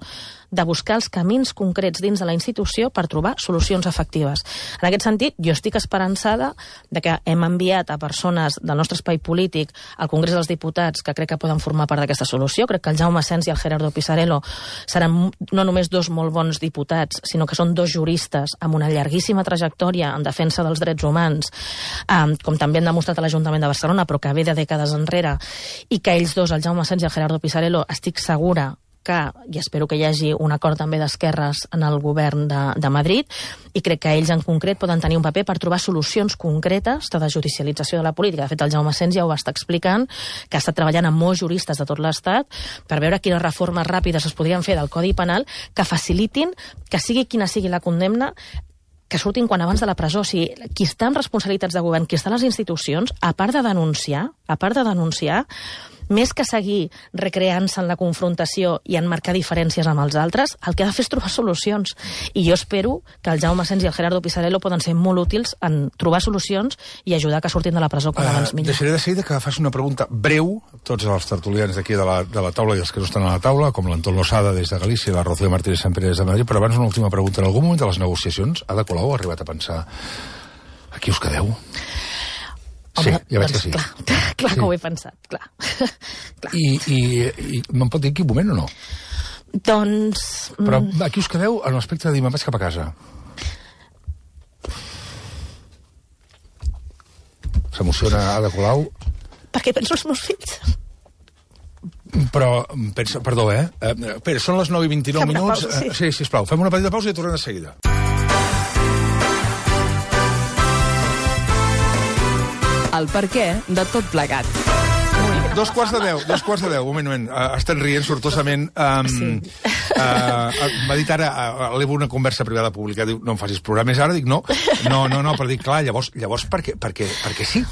de buscar els camins concrets dins de la institució per trobar solucions efectives. En aquest sentit, jo estic esperançada de que hem enviat a persones del nostre espai polític al Congrés dels Diputats que crec que poden formar part d'aquesta solució. Crec que el Jaume Asens i el Gerardo Pisarello seran no només dos molt bons diputats, sinó que són dos juristes amb una llarguíssima trajectòria en defensa dels drets humans, com també han demostrat a l'Ajuntament de Barcelona, però que ve de dècades enrere, i que ells dos, el Jaume Asens i el Gerardo Pisarello, estic segura que, i espero que hi hagi un acord també d'esquerres en el govern de Madrid, i crec que ells en concret poden tenir un paper per trobar solucions concretes de desjudicialització de la política. De fet, el Jaume Asens ja ho va estar explicant, que ha estat treballant amb molts juristes de tot l'Estat per veure quines reformes ràpides es podrien fer del Codi Penal que facilitin que sigui quina sigui la condemna, que surtin quan abans de la presó. O sigui, qui està en responsabilitats de govern, qui està a les institucions, a part de denunciar, més que seguir recreant-se en la confrontació i en marcar diferències amb els altres, el que ha de fer és trobar solucions. I jo espero que el Jaume Asens i el Gerardo Pisarello poden ser molt útils en trobar solucions i ajudar que surtin de la presó com abans millor. Deixaré de seguida que faci una pregunta breu, tots els tertulians d'aquí de la taula i els que no estan a la taula, com l'Anton Losada des de Galícia i la Rocío Martínez Sampere des de Madrid, però abans una última pregunta. En algun moment de les negociacions, Ada Colau ha arribat a pensar a qui us quedeu? Home, sí, ja veig que sí. Clar que ho he pensat, clar. I me'n pot dir en quin moment o no? Doncs... Però aquí us quedeu en l'aspecte de dir, me'n vaig cap a casa. S'emociona Ada Colau? Perquè penso els meus fills. Però, pensa, perdó, Espera, són les 9:29 minuts. Pausa, sí, sisplau, fem una petita pausa i tornem de seguida. El perquè de tot plegat. 2:45, un moment, estan rient sortosament. M'ha dit ara, elevo una conversa privada pública, diu, no em facis plorar més ara, dic, no, però dic, clar, llavors perquè sí.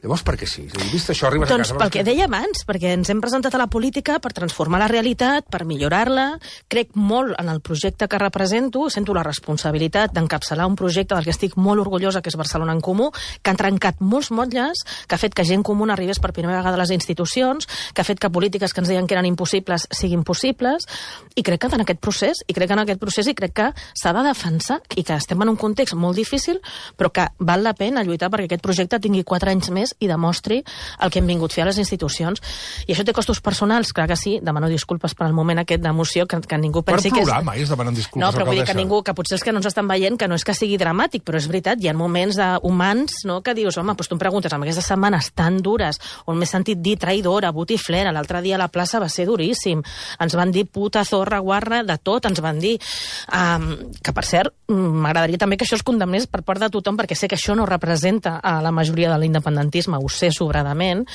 Llavors, per què sí? Vist això, arribes a casa... Doncs pel que deia abans, perquè ens hem presentat a la política per transformar la realitat, per millorar-la. Crec molt en el projecte que represento, sento la responsabilitat d'encapçalar un projecte del que estic molt orgullosa, que és Barcelona en Comú, que han trencat molts motlles, que ha fet que gent comuna arribés per primera vegada a les institucions, que ha fet que polítiques que ens deien que eren impossibles siguin possibles, i crec que en aquest procés, i crec que s'ha de defensar, i que estem en un context molt difícil, però que val la pena lluitar perquè aquest projecte tingui 4 anys més i demostri el que hem vingut a fer a les institucions. I això té costos personals, clar que sí, demano disculpes per al moment aquest d'emoció, que ningú pensi que és... Per plorar mai es demanen disculpes, no, però vull dir que ningú, que potser els que no ens estan veient, que no és que sigui dramàtic, però és veritat, hi ha moments humans, no?, que dius, home, doncs tu em preguntes, amb aquestes setmanes tan dures, on m'he sentit dir traïdora, botiflera, l'altre dia a la plaça va ser duríssim, ens van dir puta, zorra, guarra, de tot ens van dir, que per cert, m'agradaria també que això es condemnés per part de tothom, perquè sé que això no representa a la majoria de l'independentisme, ho sé sobradament,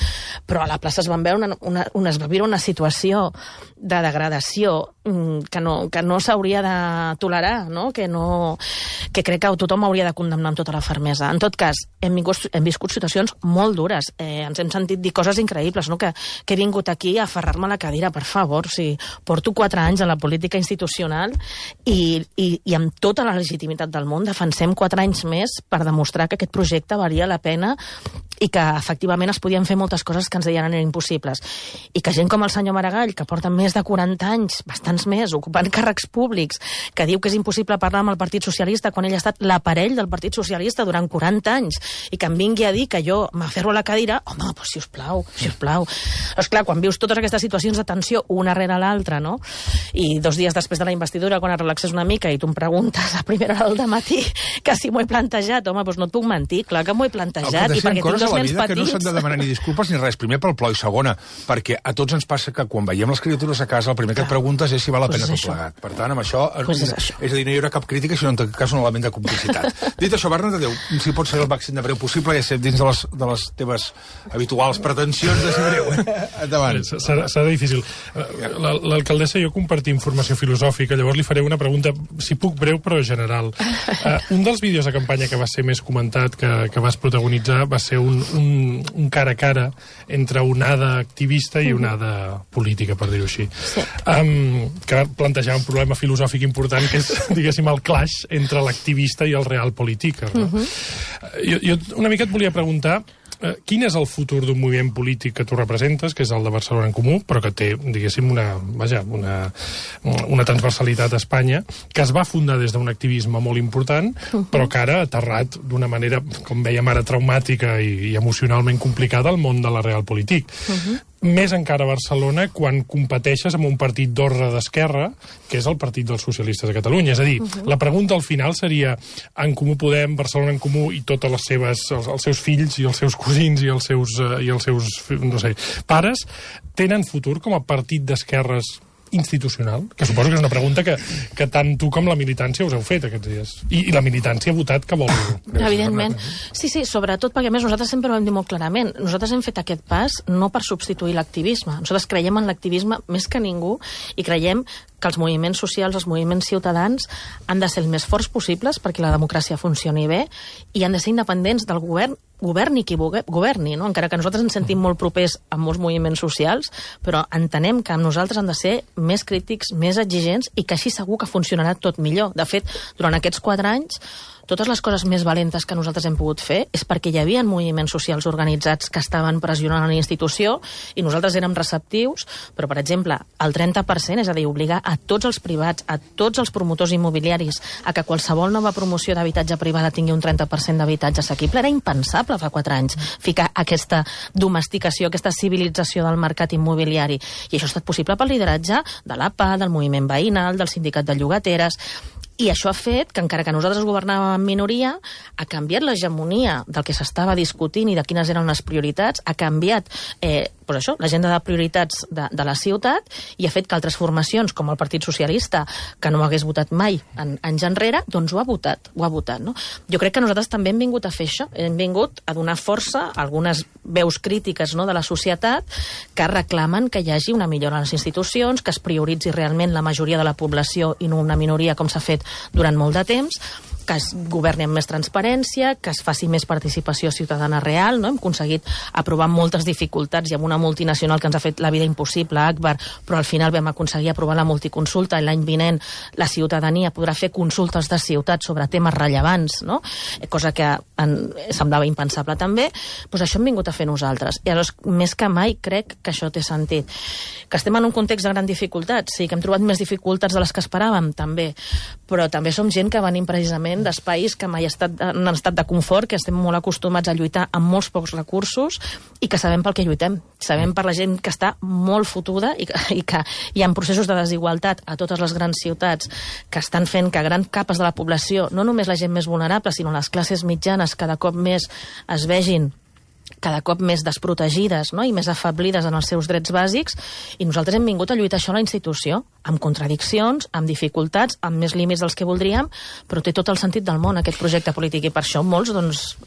però a la plaça es va viure una situació de degradació que no s'hauria de tolerar, no? Que crec que tothom hauria de condemnar amb tota la fermesa. En tot cas, hem viscut situacions molt dures, ens hem sentit dir coses increïbles, no? Que he vingut aquí a aferrar-me a la cadira, per favor, porto 4 anys a la política institucional i amb tota la legitimitat del món defensem 4 anys més per demostrar que aquest projecte valia la pena i que efectivament es podien fer moltes coses que ens deien eren impossibles. I que gent com el senyor Maragall, que porta més de 40 anys, bastants més, ocupant càrrecs públics, que diu que és impossible parlar amb el Partit Socialista quan ell ha estat l'aparell del Partit Socialista durant 40 anys, i que em vingui a dir que jo m'aferro a la cadira, home, doncs sisplau. Doncs clar, quan vius totes aquestes situacions de tensió una rere l'altra, no? I 2 dies després de la investidura, quan es relaxes una mica i tu em preguntes a primera hora del matí que si m'ho he plantejat, home, doncs no et puc mentir, clar que m'ho he plantejat, i perquè tinc 2 nens petits. Que no s'han de demanar ni disculpes ni res. Primer pel plor i segona, perquè a tots ens passa que quan veiem les criatures a casa el primer que et preguntes és si val la pena tot plegat. Per tant, amb això, és a dir, no hi haurà cap crítica, sinó en tot cas un element de complicitat. Dit això, Bernat, adéu, si pots ser el màxim de breu possible, ja sé, dins de les teves habituals pretensions de ser breu. Endavant. Serà difícil. L'alcaldessa i jo compartim formació filosòfica, llavors li faré una pregunta, si puc, breu però general. Un dels vídeos de campanya que va ser més comentat, que vas protagonitzar, va ser un un cara a cara entre onada activista i onada política, per dir-ho així. Sí. Que plantejava un problema filosòfic important, que és, diguéssim, el clash entre l'activista i el real polític. Jo una mica et volia preguntar quin és el futur d'un moviment polític que tu representes, que és el de Barcelona en Comú, però que té, diguéssim, una transversalitat a Espanya, que es va fundar des d'un activisme molt important, però que ara ha aterrat d'una manera, com veiem ara, traumàtica i emocionalment complicada al món de la real polític. Més encara a Barcelona quan competeixes amb un partit d'ordre d'esquerra, que és el Partit dels Socialistes de Catalunya. És a dir, la pregunta al final seria En Comú Podem, Barcelona en Comú i totes les seves, els seus fills i els seus cosins i els seus no sé, pares, tenen futur com a partit d'esquerres institucional? Que suposo que és una pregunta que tant tu com la militància us heu fet aquests dies. I la militància ha votat que vol... Evidentment. Sí, sobretot perquè, a més, nosaltres sempre ho hem dit molt clarament. Nosaltres hem fet aquest pas no per substituir l'activisme. Nosaltres creiem en l'activisme més que ningú i creiem que els moviments socials, els moviments ciutadans han de ser els més forts possibles perquè la democràcia funcioni bé i han de ser independents del govern, governi qui governi, no? Encara que nosaltres ens sentim molt propers a molts moviments socials, però entenem que amb nosaltres han de ser més crítics, més exigents i que així segur que funcionarà tot millor. De fet, durant aquests 4 anys, totes les coses més valentes que nosaltres hem pogut fer és perquè hi havia moviments socials organitzats que estaven pressionant a la institució i nosaltres érem receptius, però, per exemple, el 30%, és a dir, obligar a tots els privats, a tots els promotors immobiliaris a que qualsevol nova promoció d'habitatge privada tingui un 30% d'habitatge assequible, era impensable fa 4 anys ficar aquesta domesticació, aquesta civilització del mercat immobiliari. I això ha estat possible pel lideratge de l'APA, del moviment veïnal, del sindicat de llogateres. I això ha fet que, encara que nosaltres governàvem en minoria, ha canviat l'hegemonia del que s'estava discutint i de quines eren les prioritats, ha canviat l'agenda de prioritats de la ciutat i ha fet que altres formacions, com el Partit Socialista, que no hagués votat mai anys enrere, doncs ho ha votat. No? Jo crec que nosaltres també hem vingut a fer això, hem vingut a donar força a algunes veus crítiques, no, de la societat que reclamen que hi hagi una millora a les institucions, que es prioritzi realment la majoria de la població i no una minoria com s'ha fet durant molt de temps, que es governi amb més transparència, que es faci més participació ciutadana real, no? Hem aconseguit aprovar moltes dificultats i amb una multinacional que ens ha fet la vida impossible, Akbar, però al final vam aconseguir aprovar la multiconsulta i l'any vinent la ciutadania podrà fer consultes de ciutat sobre temes rellevants, no? Cosa que semblava impensable també. Doncs això hem vingut a fer nosaltres. I llavors, més que mai, crec que això té sentit. Que estem en un context de gran dificultat, sí, que hem trobat més dificultats de les que esperàvem, també, però també som gent que venim precisament d'espais que mai han estat de confort, que estem molt acostumats a lluitar amb molts pocs recursos i que sabem pel que lluitem. Sabem per la gent que està molt fotuda i que hi ha processos de desigualtat a totes les grans ciutats que estan fent que grans capes de la població, no només la gent més vulnerable, sinó les classes mitjanes, cada cop més es vegin cada cop més desprotegides, no? I més afeblides en els seus drets bàsics, i nosaltres hem vingut a lluitar això a la institució, amb contradiccions, amb dificultats, amb més límits dels que voldríem, però té tot el sentit del món aquest projecte polític, i per això molts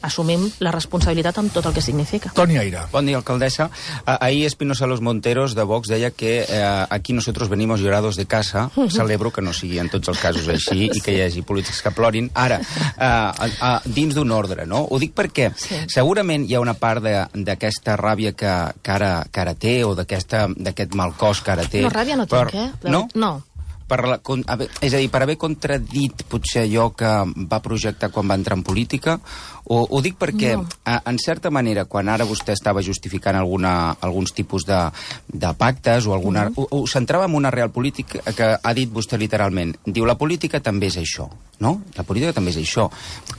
assumim la responsabilitat amb tot el que significa. Toni Aire. Bon dia, alcaldessa. Ahir Espinosa Los Monteros de Vox deia que aquí nosotros venimos llorados de casa. Celebro que no sigui en tots els casos així i que hi hagi polítics que plorin. Ara, dins d'un ordre, no? Ho dic perquè segurament hi ha una part d'aquesta ràbia que ara té, o d'aquest mal cos que ara té. No, ràbia no tinc, No? No. És a dir, per haver contradit potser allò que va projectar quan va entrar en política, ho dic perquè, en certa manera, quan ara vostè estava justificant alguns tipus de pactes, o ho centrava en una real política que ha dit vostè literalment. Diu, la política també és això, no? La política també és això.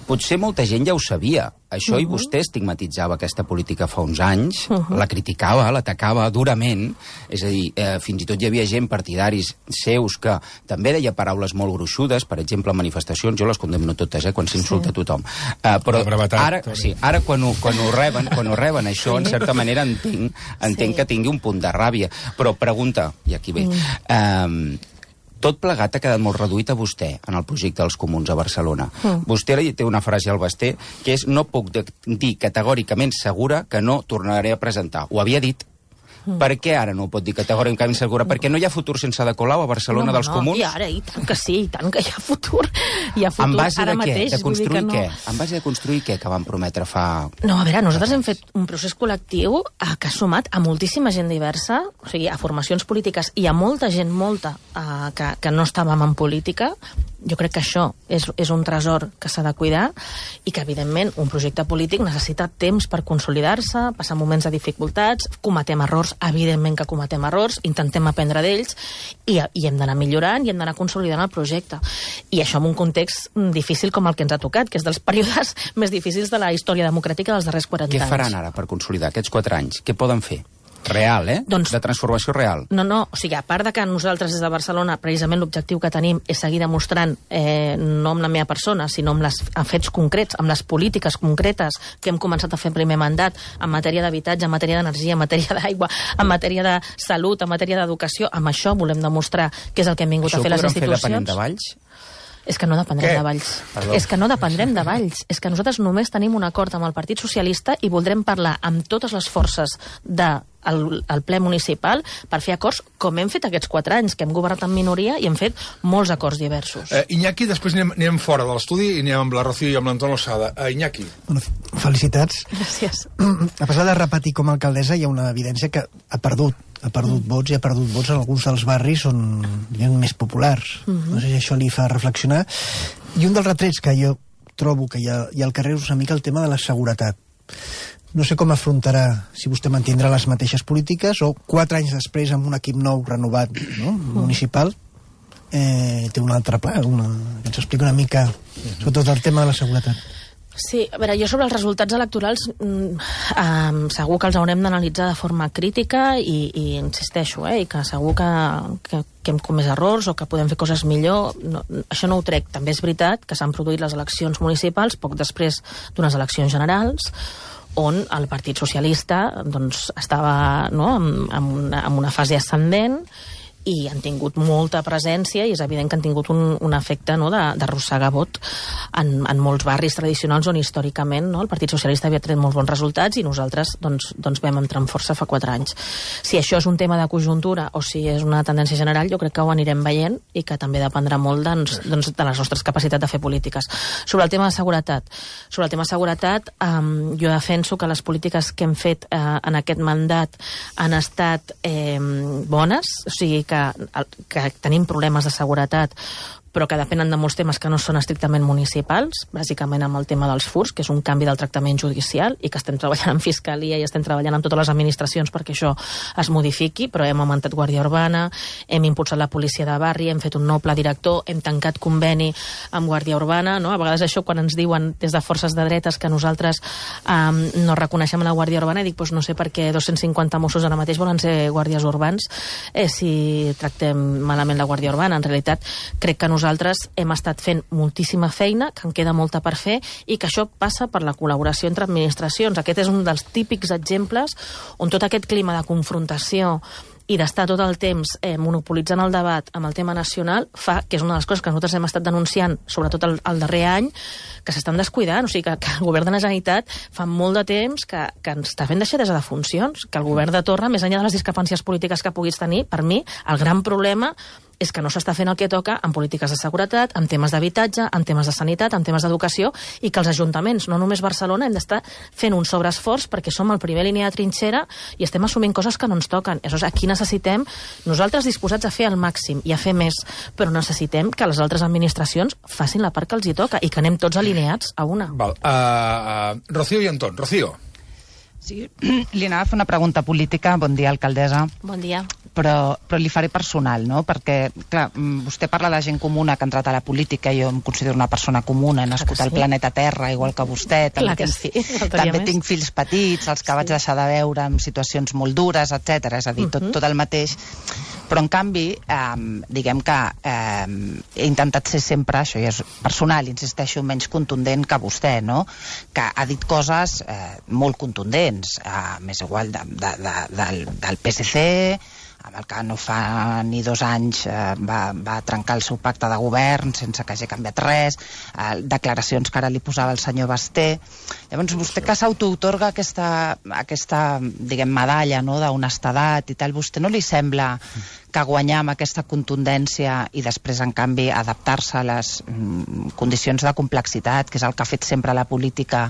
Potser molta gent ja ho sabia, això, i vostè estigmatitzava aquesta política fa uns anys, la criticava, l'atacava durament, és a dir, fins i tot hi havia gent, partidaris seus, que també deia paraules molt gruixudes, per exemple, manifestacions, jo les condemno totes, quan s'insulta tothom. Però ara quan ho reben això, en certa manera entenc que tingui un punt de ràbia. Però pregunta, i aquí ve, tot plegat ha quedat molt reduït a vostè en el projecte dels comuns a Barcelona. Vostè té una frase al Basté que és: no puc dir categòricament segura que no tornaré a presentar. Ho havia dit. Per què ara no ho pot dir categòricament segura? Perquè no hi ha futur sense Ada Colau a Barcelona dels Comuns? I ara, i tant que sí, i tant que hi ha futur. Hi ha futur en base ara de què? mateix. De construir què? En base de construir què que van prometre fa... No, a veure, nosaltres hem fet un procés col·lectiu que ha sumat a moltíssima gent diversa, o sigui, a formacions polítiques i a molta gent, que no estàvem en política. Jo crec que això és un tresor que s'ha de cuidar i que, evidentment, un projecte polític necessita temps per consolidar-se, passar moments de dificultats, cometem errors, evidentment que cometem errors, intentem aprendre d'ells i hem d'anar millorant i hem d'anar consolidant el projecte. I això en un context difícil com el que ens ha tocat, que és dels períodes més difícils de la història democràtica dels darrers 40 anys. Què faran ara per consolidar aquests 4 anys? Què poden fer? Real, Doncs, de transformació real. No, o sigui, a part de que nosaltres des de Barcelona precisament l'objectiu que tenim és seguir demostrant no amb la meva persona, sinó amb fets concrets, amb les polítiques concretes que hem començat a fer en primer mandat en matèria d'habitatge, en matèria d'energia, en matèria d'aigua, en matèria de salut, en matèria d'educació. Amb això volem demostrar què és el que hem vingut a fer les institucions. Això ho podran fer depenent de Valls? És que no dependrem de Valls. És que no dependrem de Valls. És que nosaltres només tenim un acord amb el Partit Socialista i voldrem parlar amb totes les forces del ple municipal per fer acords com hem fet aquests 4 anys, que hem governat en minoria i hem fet molts acords diversos. Iñaki, després anem fora de l'estudi i anem amb la Rocío i amb l'Anton Losada. Iñaki. Bueno, felicitats. Gràcies. A pesar de repetir com a alcaldessa, hi ha una evidència que ha perdut vots i ha perdut vots en alguns dels barris on hi ha més populars. No sé si això li fa reflexionar. I un dels retrets que jo trobo que hi ha al carrer és una mica el tema de la seguretat. No sé com afrontarà, si vostè mantindrà les mateixes polítiques o 4 anys després amb un equip nou renovat, no? Municipal, té un altre pla, que ens explica una mica sobretot el tema de la seguretat. Sí, a veure, jo sobre els resultats electorals segur que els haurem d'analitzar de forma crítica i insisteixo, i que segur que hem comès errors o que podem fer coses millor. No, això no ho trec. També és veritat que s'han produït les eleccions municipals poc després d'unes eleccions generals on el Partit Socialista doncs, estava en una fase ascendent i han tingut molta presència i és evident que han tingut un efecte d'arrossegar vot en molts barris tradicionals on històricament el Partit Socialista havia tret molts bons resultats i nosaltres doncs vam entrar amb força fa 4 anys. Si això és un tema de conjuntura o si és una tendència general, jo crec que ho anirem veient i que també dependrà molt de les nostres capacitats de fer polítiques. Sobre el tema de seguretat, jo defenso que les polítiques que hem fet en aquest mandat han estat bones, o sigui que tenim problemes de seguretat però que depenen de molts temes que no són estrictament municipals, bàsicament amb el tema dels furts, que és un canvi del tractament judicial i que estem treballant en Fiscalia i estem treballant amb totes les administracions perquè això es modifiqui, però hem augmentat Guàrdia Urbana, hem impulsat la policia de barri, hem fet un nou pla director, hem tancat conveni amb Guàrdia Urbana, no? A vegades això quan ens diuen des de forces de dretes que nosaltres no reconeixem la Guàrdia Urbana, dic, no sé per què 250 Mossos ara mateix volen ser guàrdies urbans si tractem malament la Guàrdia Urbana. En realitat, crec que nosaltres hem estat fent moltíssima feina, que en queda molta per fer, i que això passa per la col·laboració entre administracions. Aquest és un dels típics exemples on tot aquest clima de confrontació i d'estar tot el temps monopolitzant el debat amb el tema nacional fa que és una de les coses que nosaltres hem estat denunciant, sobretot el darrer any, que s'estan descuidant. O sigui, que el govern de la Generalitat fa molt de temps que ens està fent deixadesa de funcions, que el govern de Torra, més enllà de les discrepàncies polítiques que puguis tenir, per mi, el gran problema és que no s'està fent el que toca en polítiques de seguretat, en temes d'habitatge, en temes de sanitat, en temes d'educació, i que els ajuntaments, no només Barcelona, hem d'estar fent un sobreesforç perquè som el primer línia de trinxera i estem assumint coses que no ens toquen. Aleshores, aquí necessitem, nosaltres disposats a fer el màxim i a fer més, però necessitem que les altres administracions facin la part que els hi toca i que anem tots alineats a una. Val. Rocío i Anton. Rocío. Sí, li anava a fer una pregunta política. Bon dia, alcaldessa. Bon dia. Però li faré personal, no? Perquè, clar, vostè parla de gent comuna que ha entrat a la política, jo em considero una persona comuna, he nascut al planeta Terra, igual que vostè, també tinc fills petits, els que vaig deixar de veure en situacions molt dures, etc. És a dir, tot el mateix. Però, en canvi, diguem que he intentat ser sempre, això ja és personal, insisteixo, menys contundent que vostè, no? Que ha dit coses molt contundents, més igual del PSC, amb el que no fa ni 2 anys va trencar el seu pacte de govern sense que hagi canviat res, declaracions que ara li posava el senyor Basté. Llavors, vostè que s'autoautorga aquesta diguem, medalla, no?, d'honestedat i tal, vostè no li sembla que guanyar amb aquesta contundència i després, en canvi, adaptar-se a les condicions de complexitat, que és el que ha fet sempre la política,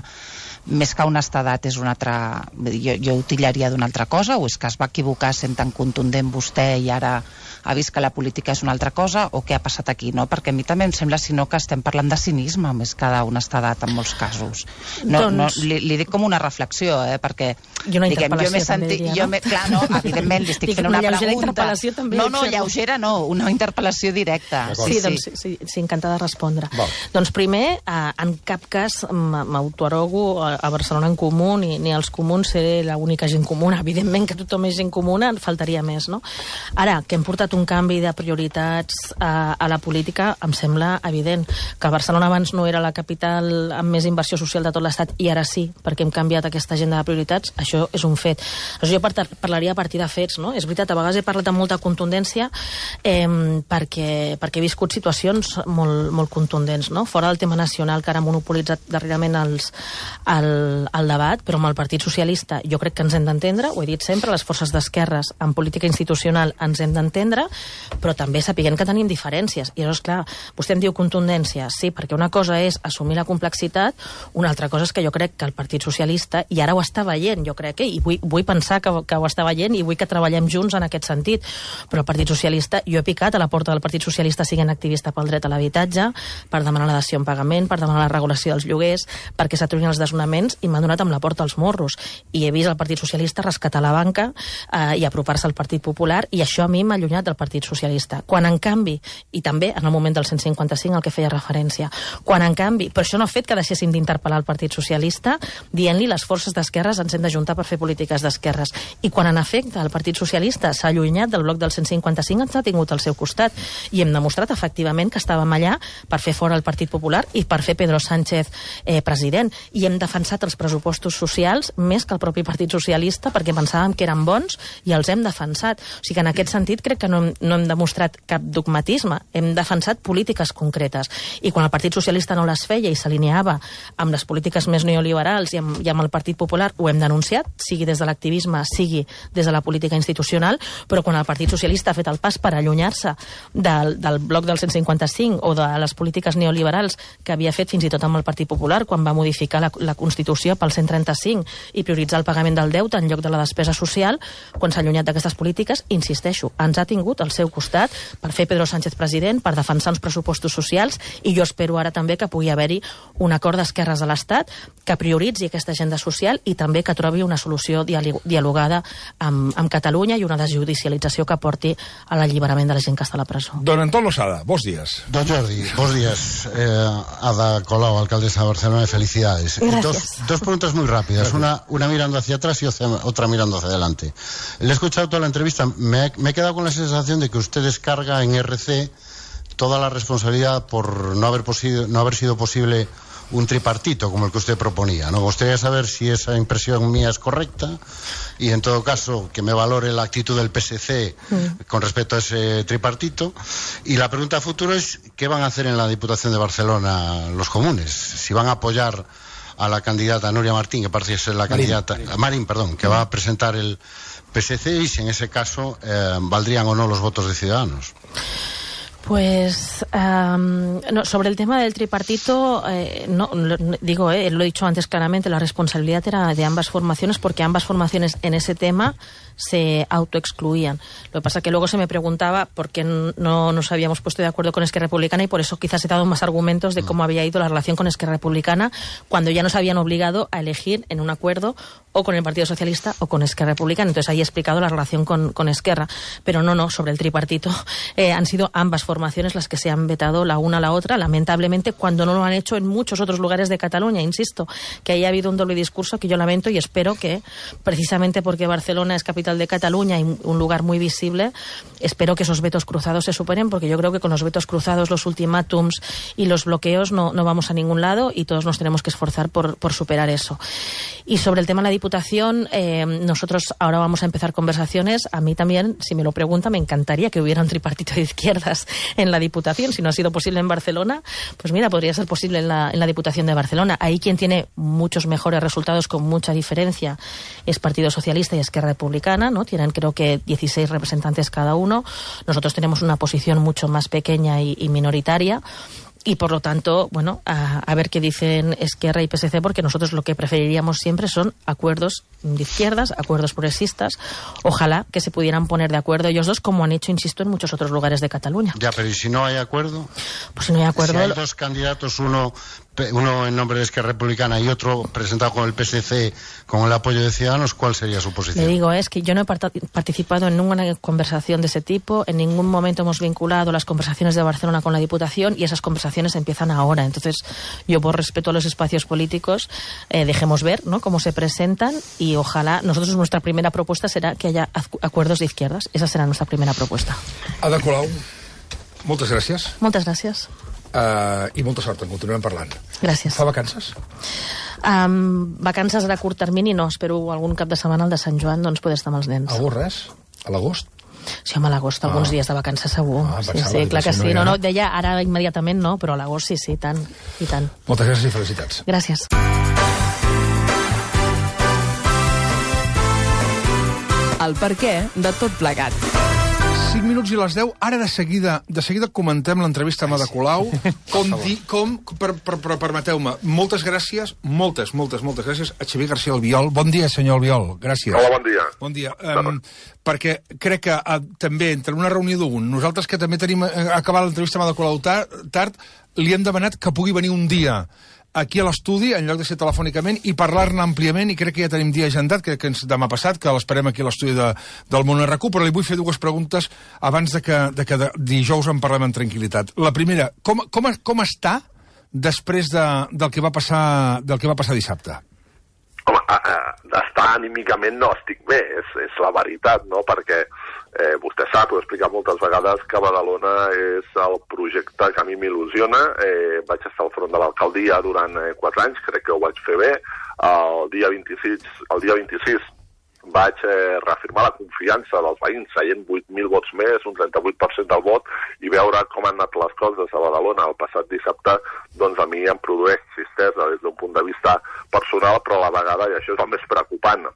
més que honestedat és una altra... Jo ho titllaria d'una altra cosa, o és que es va equivocar sent tan contundent vostè i ara ha vist que la política és una altra cosa, o què ha passat aquí, no? Perquè a mi també em sembla, si no, que estem parlant de cinisme més que d'honestedat en molts casos. Li dic com una reflexió, perquè... I una interpel·lació, també diria, no? Clar, no, evidentment, li estic fent una pregunta. No, lleugera no, una interpel·lació directa. Sí, encantada de respondre. Doncs primer, en cap cas m'autoarrogo a Barcelona en Comú, ni als comuns ser l'única gent comuna. Evidentment que tothom és gent comuna, faltaria més, no? Ara, que hem portat un canvi de prioritats a la política, em sembla evident que Barcelona abans no era la capital amb més inversió social de tot l'Estat i ara sí, perquè hem canviat aquesta agenda de prioritats, això és un fet. Jo parlaria a partir de fets, no? És veritat, a vegades he parlat amb molta contundència perquè he viscut situacions molt contundents, no? Fora del tema nacional, que ara ha monopolitzat darrerament el debat, però amb el Partit Socialista jo crec que ens hem d'entendre, ho he dit sempre, les forces d'esquerres en política institucional ens hem d'entendre, però també sapiguem que tenim diferències. I llavors, clar, vostè em diu contundència, sí, perquè una cosa és assumir la complexitat, una altra cosa és que jo crec que el Partit Socialista, i ara ho està veient, jo crec, i vull pensar que ho està veient i vull que treballem junts en aquest sentit, però el Partit Socialista, jo he picat a la porta del Partit Socialista siguent activista pel dret a l'habitatge, per demanar la dació en pagament, per demanar la regulació dels lloguers, perquè s'aturin els desnonaments, i m'han donat amb la porta als morros. I he vist el Partit Socialista rescatar la banca i apropar-se al Partit Popular, i això a mi m'ha allunyat del Partit Socialista. Quan, en canvi, i també en el moment del 155 al que feia referència, quan, en canvi, però això no ha fet que deixéssim d'interpel·lar el Partit Socialista dient-li les forces d'esquerres ens hem d'ajuntar per fer polítiques d'esquerres. I quan, en efecte, el Partit Socialista s'ha allunyat del bloc del 155, ens ha tingut al seu costat i hem demostrat efectivament que estàvem allà per fer fora el Partit Popular i per fer Pedro Sánchez president. I hem defensat els pressupostos socials més que el propi Partit Socialista perquè pensàvem que eren bons i els hem defensat. O sigui que en aquest sentit crec que no hem demostrat cap dogmatisme, hem defensat polítiques concretes. I quan el Partit Socialista no les feia i s'alineava amb les polítiques més neoliberals i amb el Partit Popular, ho hem denunciat, sigui des de l'activisme, sigui des de la política institucional, però quan el Partit Socialista ha fet el pas per allunyar-se del bloc del 155 o de les polítiques neoliberals que havia fet fins i tot amb el Partit Popular quan va modificar la Constitució pel 135 i prioritzar el pagament del deute en lloc de la despesa social, quan s'ha allunyat d'aquestes polítiques, insisteixo, ens ha tingut al seu costat per fer Pedro Sánchez president, per defensar uns pressupostos socials, i jo espero ara també que pugui haver-hi un acord d'esquerres de l'Estat que prioritzi aquesta agenda social i també que trobi una solució dialogada amb Catalunya i una desjudicialització que porti a l'alliberament de la gent que està a la presó. Don Antón Losada, bons días. Don Jordi, bons días. Ada Colau, alcaldesa de Barcelona, felicidades. Dos preguntas muy rápidas, una mirando hacia atrás y otra mirando hacia adelante. Le he escuchado toda la entrevista, me he quedado con la sensación de que usted descarga en RC toda la responsabilidad por no haber sido posible un tripartito como el que usted proponía. Me gustaría saber si esa impresión mía es correcta y, en todo caso, que me valore la actitud del PSC con respecto a ese tripartito. Y la pregunta a futuro es ¿qué van a hacer en la Diputación de Barcelona los comunes? Si van a apoyar a la candidata Núria Martín, que parece ser la candidata... Marín, perdón, que va a presentar el PSC, y si en ese caso valdrían o no los votos de Ciudadanos. Pues no, sobre el tema del tripartito, lo he dicho antes claramente, la responsabilidad era de ambas formaciones porque ambas formaciones en ese tema se autoexcluían. Lo que pasa es que luego se me preguntaba por qué no nos habíamos puesto de acuerdo con Esquerra Republicana, y por eso quizás he dado más argumentos de cómo había ido la relación con Esquerra Republicana cuando ya nos habían obligado a elegir en un acuerdo o con el Partido Socialista o con Esquerra Republicana. Entonces ahí he explicado la relación con Esquerra. Pero no, sobre el tripartito han sido ambas formaciones las que se han vetado la una a la otra, lamentablemente, cuando no lo han hecho en muchos otros lugares de Cataluña. Insisto, que ahí ha habido un doble discurso que yo lamento y espero que, precisamente porque Barcelona es capital de Cataluña y un lugar muy visible, espero que esos vetos cruzados se superen, porque yo creo que con los vetos cruzados, los ultimátums y los bloqueos no vamos a ningún lado y todos nos tenemos que esforzar por superar eso. Y sobre el tema de la Diputación, nosotros ahora vamos a empezar conversaciones. A mí también, si me lo pregunta, me encantaría que hubiera un tripartito de izquierdas en la Diputación. Si no ha sido posible en Barcelona, pues mira, podría ser posible en la Diputación de Barcelona. Ahí quien tiene muchos mejores resultados con mucha diferencia es Partido Socialista y Esquerra Republicana, ¿no? Tienen creo que 16 representantes cada uno. Nosotros tenemos una posición mucho más pequeña y minoritaria. Y por lo tanto, bueno, a ver qué dicen Esquerra y PSC, porque nosotros lo que preferiríamos siempre son acuerdos de izquierdas, acuerdos progresistas. Ojalá que se pudieran poner de acuerdo ellos dos, como han hecho, insisto, en muchos otros lugares de Cataluña. Ya, pero ¿y si no hay acuerdo? Pues si no hay acuerdo... Si hay dos candidatos, uno en nombre de Esquerra Republicana y otro presentado con el PSC con el apoyo de Ciudadanos, ¿cuál sería su posición? Le digo, es que yo no he participado en ninguna conversación de ese tipo, en ningún momento hemos vinculado las conversaciones de Barcelona con la Diputación y esas conversaciones empiezan ahora. Entonces, yo por respeto a los espacios políticos, dejemos ver, ¿no?, cómo se presentan y ojalá, nuestra primera propuesta será que haya acuerdos de izquierdas. Esa será nuestra primera propuesta. Ada Colau, moltes gràcies. Moltes gràcies. I molta sort, en continuem parlant. Gràcies. Fa vacances? Vacances a curt termini no, espero algun cap de setmana, el de Sant Joan, doncs poder estar amb els nens. Algú res? A l'agost? Sí, home, a l'agost, alguns dies de vacances segur. Sí, clar que sí. No, deia ara immediatament no, però a l'agost sí, tant, i tant. Moltes gràcies i felicitats. Gràcies. El perquè de tot plegat. 5 minuts i les 10. Ara de seguida comentem l'entrevista amb Ada Colau. Permeteu-me, moltes gràcies, moltes gràcies a Xavier García Albiol. Bon dia, senyor Albiol. Gràcies. Hola, bon dia. Bon dia. Perquè crec que també, entre una reunió d'un, nosaltres que també tenim acabat l'entrevista amb Ada Colau tard, li hem demanat que pugui venir un dia aquí a l'estudi, en lloc de ser telefònicament, i parlar-ne àmpliament, i crec que ja tenim dia agendat, crec que demà passat, que l'esperem aquí a l'estudi del Món RQ, però li vull fer dues preguntes abans de que dijous en parlem amb tranquil·litat. La primera, com està després del que va passar dissabte? Home, d'estar anímicament no estic bé, és la veritat, no?, perquè vostè sap, ho he explicat moltes vegades, que Badalona és el projecte que a mi m'il·lusiona. Vaig estar al front de l'alcaldia durant 4 anys, crec que ho vaig fer bé. El dia 26 vaig reafirmar la confiança dels veïns, seient 8.000 vots més, un 38% del vot, i veure com han anat les coses a Badalona el passat dissabte, doncs a mi em produeix tristesa des d'un punt de vista personal, però a la vegada, i això és el més preocupant,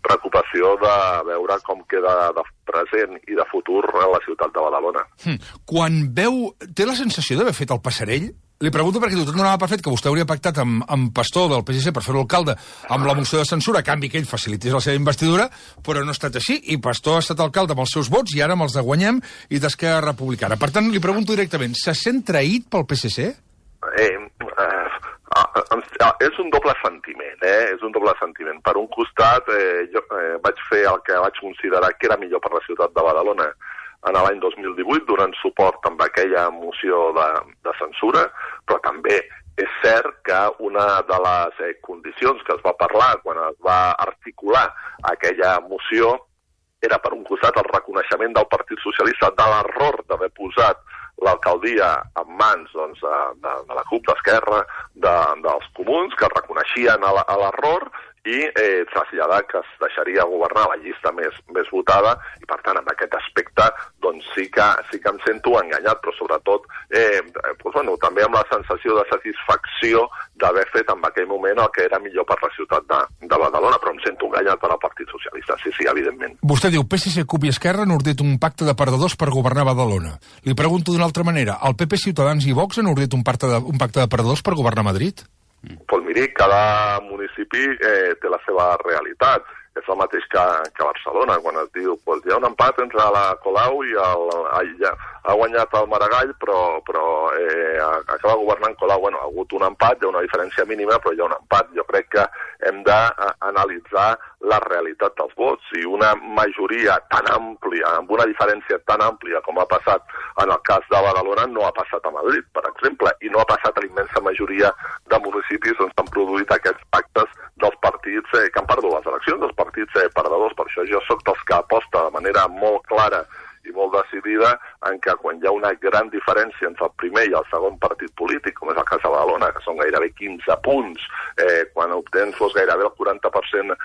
preocupació de veure com queda de present i de futur la ciutat de Badalona. Quan té la sensació d'haver fet el passarell? Li pregunto perquè tot donava per fet que vostè hauria pactat amb Pastor del PSC per fer-lo alcalde amb la moció de censura, a canvi que ell facilités la seva investidura, però no ha estat així, i Pastor ha estat alcalde amb els seus vots i ara amb els de Guanyem i d'Esquerra Republicana. Per tant, li pregunto directament, se sent traït pel PSC? És un doble sentiment, és un doble sentiment. Per un costat, jo vaig fer el que vaig considerar que era millor per la ciutat de Badalona en l'any 2018, donant suport amb aquella moció de censura, però també és cert que una de les condicions que es va parlar quan es va articular aquella moció era, per un costat, el reconeixement del Partit Socialista de l'error d'haver posat l'alcaldia en mans de la CUP, d'Esquerra, dels Comuns, que reconeixien l'error i traslladar que es deixaria governar la llista més votada, i per tant, en aquest aspecte, doncs sí que em sento enganyat, però sobretot també amb la sensació de satisfacció d'haver fet en aquell moment el que era millor per la ciutat de Badalona, però em sento enganyat per al Partit Socialista, sí, evidentment. Vostè diu, PSC, CUP i Esquerra han ordit un pacte de perdedors per governar Badalona. Li pregunto d'una altra manera, el PP, Ciutadans i Vox han ordit un pacte de perdedors per governar Madrid? Doncs miri, cada municipi té la seva realitat. és el mateix que Barcelona, quan es diu pues, hi ha un empat entre la Colau i ha guanyat el Maragall, però acaba governant Colau. Bueno, ha hagut un empat, hi ha una diferència mínima, però hi ha un empat. Jo crec que hem d'analitzar la realitat dels vots, i una majoria tan àmplia, amb una diferència tan àmplia com ha passat en el cas de Badalona, no ha passat a Madrid, per exemple, i no ha passat a la immensa majoria de municipis on s'han produït aquests pactes dels partits que han perdut les eleccions, dels partits perdedors. Per això jo soc dels que aposta de manera molt clara i molt decidida en que quan hi ha una gran diferència entre el primer i el segon partit polític, com és el cas de Badalona, que són gairebé 15 punts, quan obtens gairebé el 40%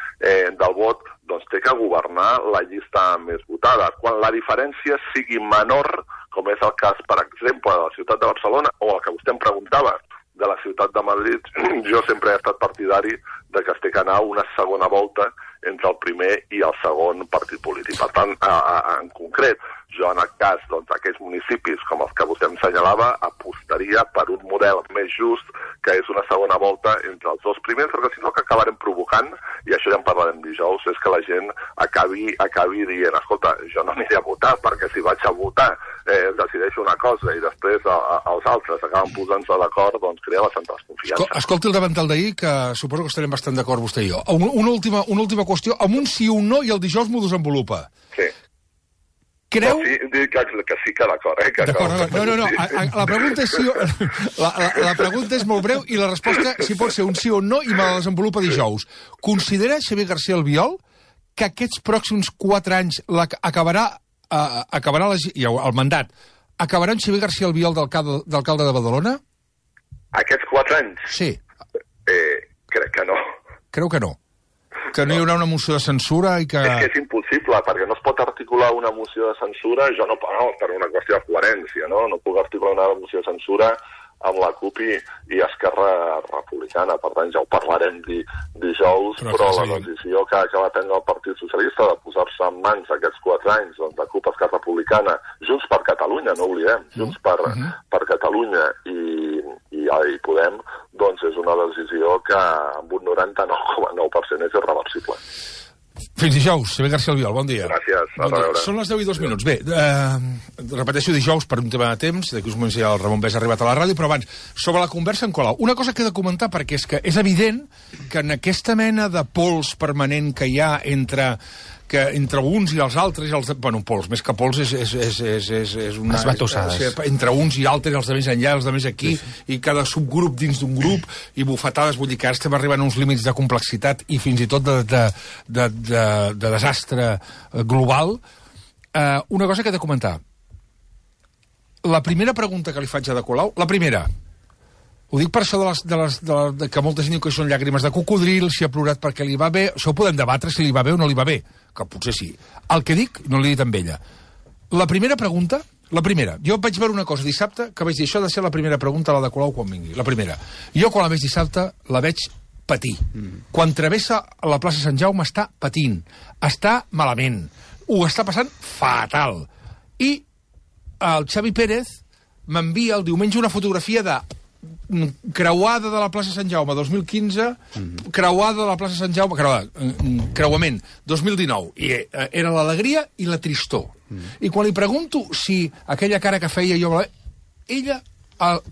del vot, doncs té que governar la llista més votada. Quan la diferència sigui menor, com és el cas, per exemple, de la ciutat de Barcelona, o el que vostè em preguntava, de la ciutat de Madrid, jo sempre he estat partidari de que es té que anar una segona volta entre el primer i el segon partit polític. Per tant, en concret, jo en el cas d'aquells municipis com els que vostè em senyalava, apostaria per un model més just, que és una segona volta entre els dos primers, perquè si no el que acabarem provocant, i això ja en parlarem dijous, és que la gent acabi dient, escolta, jo no aniré a votar, perquè si vaig a votar decideixo una cosa i després els altres acaben posant-se d'acord, doncs crea bastanta desconfiança. Escolti el davantal d'ahir, que suposo que estarem bastant d'acord vostè i jo. Una última qüestió, amb un sí o un no, i el dijous m'ho desenvolupa. Sí. Creu... No, sí, dic que sí que d'acord, D'acord, no. La pregunta és sí o... La pregunta és molt breu i la resposta, si pot ser un sí o un no, i me la desenvolupa dijous. Considera Xavier García Albiol que aquests pròxims 4 anys acabarà el mandat, acabarà en Xavier García Albiol d'alcalde de Badalona? Aquests 4 anys? Sí. Crec que no. Creu que no? Que no hi haurà una moció de censura i que... És que és impossible, perquè no es pot articular una moció de censura, jo no, per una qüestió de coherència, no? No puc articular una moció de censura amb la CUP i Esquerra Republicana. Per tant, ja ho parlarem dijous, però la decisió que va prendre el Partit Socialista de posar-se en mans aquests 4 anys de CUP, Esquerra Republicana, Junts per Catalunya, no oblidem, Junts per Catalunya i Podem, doncs és una decisió que amb un 99,9% és irreversible. Fins dijous, Xavier García Albiol, bon dia. Gràcies, a veure. Són les 10:02. Bé, repeteixo dijous per un tema de temps, d'aquí uns moments ja el Ramon Bès ha arribat a la ràdio, però abans, sobre la conversa en Colau, una cosa que he de comentar, perquè és que és evident que en aquesta mena de pols permanent que hi ha entre uns i els altres, bueno, pols, més que pols és una... Esbatossades. Entre uns i altres, els de més enllà, els de més aquí, i cada subgrup dins d'un grup, i bufetades, vull dir que ara estem arribant a uns límits de complexitat i fins i tot de desastre global. Una cosa que he de comentar. La primera pregunta que li faig a Ada Colau, la primera... Ho dic per això que molta gent diu que són llàgrimes de cocodril, si ha plorat perquè li va bé. Això ho podem debatre, si li va bé o no li va bé, que potser sí. El que dic, no l'he dit amb ella. La primera pregunta, jo vaig veure una cosa dissabte, que vaig dir, això ha de ser la primera pregunta a la de Colau quan vingui. La primera. Jo quan la veig dissabte, la veig patir. Quan travessa la plaça Sant Jaume està patint, està malament, ho està passant fatal. I el Xavi Pérez m'envia el diumenge una fotografia de creuada de la plaça Sant Jaume 2015, creuada de la plaça Sant Jaume, creuament 2019, i era l'alegria i la tristor. I quan li pregunto si aquella cara que feia jo, ella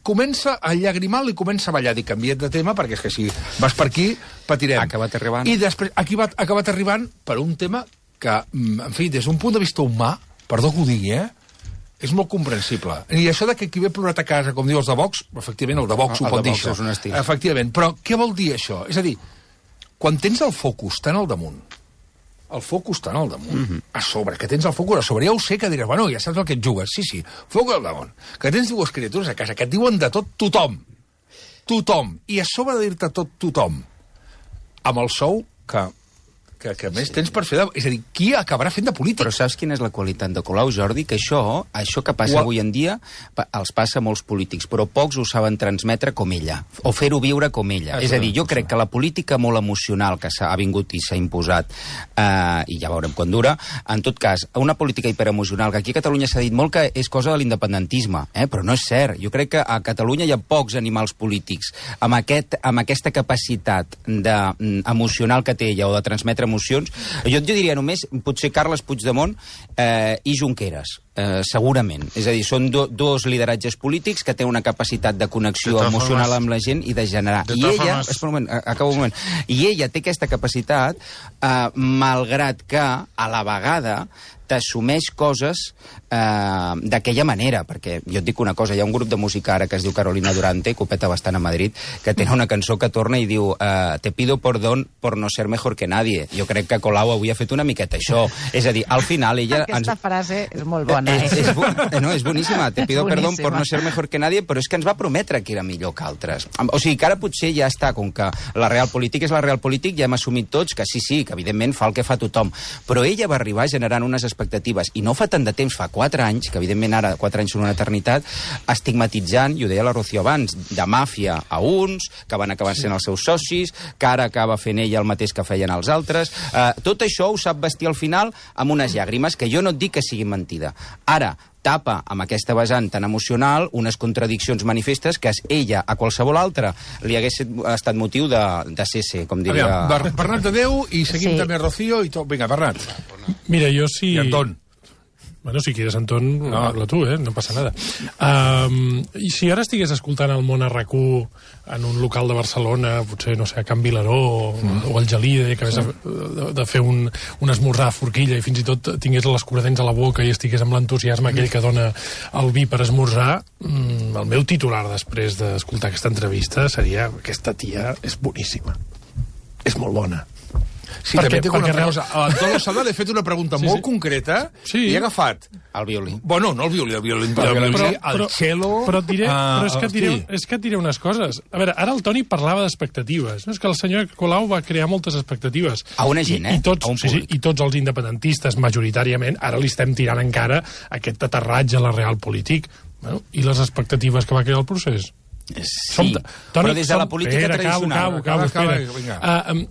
comença a llagrimar, li comença a ballar. Dic, canvia't de tema, perquè és que si vas per aquí patirem. Ha acabat arribant. I després aquí ha acabat arribant per un tema que, en fi, des d'un punt de vista humà, perdó que ho digui, és molt comprensible. I això de que qui ve plorat a casa, com diu els de Vox, efectivament, el de Vox ho pot dir, això. Efectivament, però què vol dir això? És a dir, quan tens el focus tan al damunt, a sobre, que tens el focus a sobre, ja ho sé que diràs, bueno, ja saps el que et jugues, sí, focus al damunt, que tens dues criatures a casa que et diuen de tot tothom, i a sobre de dir-te tot tothom, amb el sou que més tens per fer és a dir, qui acabarà fent de polític? Però saps quina és la qualitat de Colau, Jordi? Que això que passa avui en dia els passa a molts polítics, però pocs ho saben transmetre com ella, o fer-ho viure com ella. És a dir, jo crec que la política molt emocional que ha vingut i s'ha imposat, i ja veurem quan dura, en tot cas, una política hiperemocional, que aquí a Catalunya s'ha dit molt que és cosa de l'independentisme, però no és cert. Jo crec que a Catalunya hi ha pocs animals polítics amb aquesta capacitat emocional que té ella, o de transmetre emocions. Jo diria només, potser Carles Puigdemont i Junqueras, segurament. És a dir, són dos lideratges polítics que tenen una capacitat de connexió emocional amb la gent i de generar. I ella, acabo un moment, i ella té aquesta capacitat, malgrat que a la vegada t'assumeix coses d'aquella manera, perquè jo et dic una cosa, hi ha un grup de música ara que es diu Carolina Durante, que ho peta bastant a Madrid, que té una cançó que torna i diu te pido perdón por no ser mejor que nadie. Jo crec que Colau avui ha fet una miqueta això. És a dir, al final ella... Aquesta frase és molt bona. És boníssima. Te pido perdón por no ser mejor que nadie, però és que ens va prometre que era millor que altres. O sigui, que ara potser ja està, com que la realpolitik és la realpolitik, ja hem assumit tots que sí, que evidentment fa el que fa tothom. Però ella va arribar generant unes expectatives, i no fa tant de temps, fa 4 anys, que evidentment ara 4 anys són una eternitat, estigmatitzant, i ho deia la Rocío abans, de màfia a uns, que van acabar sent els seus socis, que ara acaba fent ella el mateix que feien els altres. Tot això ho sap vestir al final amb unes llàgrimes, que jo no et dic que sigui mentida. Ara, tapa amb aquesta vessant tan emocional unes contradiccions manifestes que ella a qualsevol altre li hagués estat motiu de cese, com diria... Bernat de Déu, i seguim també Rocío i tot. Vinga, Bernat. Mira, jo sí... I Anton. Bueno, si quieres, Antón, habla tu, no passa nada. I si ara estigués escoltant el Món a RAC1 en un local de Barcelona, potser, no sé, a Can Vilaró o al Gelida, que hagués de fer un esmorzar a forquilla i fins i tot tingués l'escuradents a la boca i estigués amb l'entusiasme aquell que dona el vi per esmorzar, el meu titular després d'escoltar aquesta entrevista seria: aquesta tia és boníssima. És molt bona. Sí, també tinc una cosa. A l'Antón Losada li he fet una pregunta molt concreta i he agafat... El violí. Bueno, no el violí, el cello... Però és que et diré unes coses. A veure, ara el Toni parlava d'expectatives. És que el senyor Colau va crear moltes expectatives. A una gent, I tots els independentistes, majoritàriament, ara li estem tirant encara aquest aterratge a la realpolitik. I les expectatives que va crear el procés? Sí, però des de la política tradicional.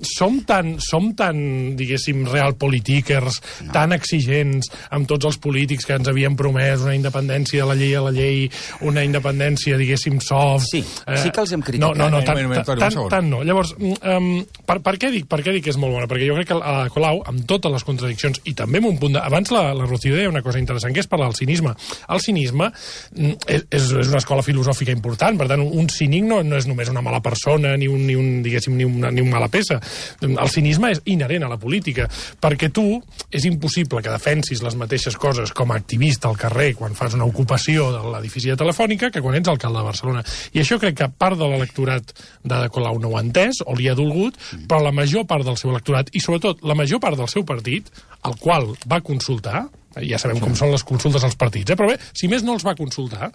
Som tan, diguéssim, realpolitikers, tan exigents amb tots els polítics que ens havien promès una independència de la llei, una independència, diguéssim, soft... Sí que els hem criticat. No, tant no. Llavors, per què dic que és molt bona? Perquè jo crec que a Colau, amb totes les contradiccions, i també amb un punt de... Abans la Rocío deia una cosa interessant, que és parlar del cinisme. El cinisme és una escola filosòfica important, per tant, un cínic no és només una mala persona ni un mala peça. El cinisme és inherent a la política, perquè tu és impossible que defensis les mateixes coses com a activista al carrer quan fas una ocupació de l'edifici de Telefònica que quan ets alcalde de Barcelona. I això crec que part de l'electorat de Colau no ho ha entès o li ha dolgut, però la major part del seu electorat i sobretot la major part del seu partit, al qual va consultar, ja sabem com són les consultes als partits, però bé, si més no els va consultar,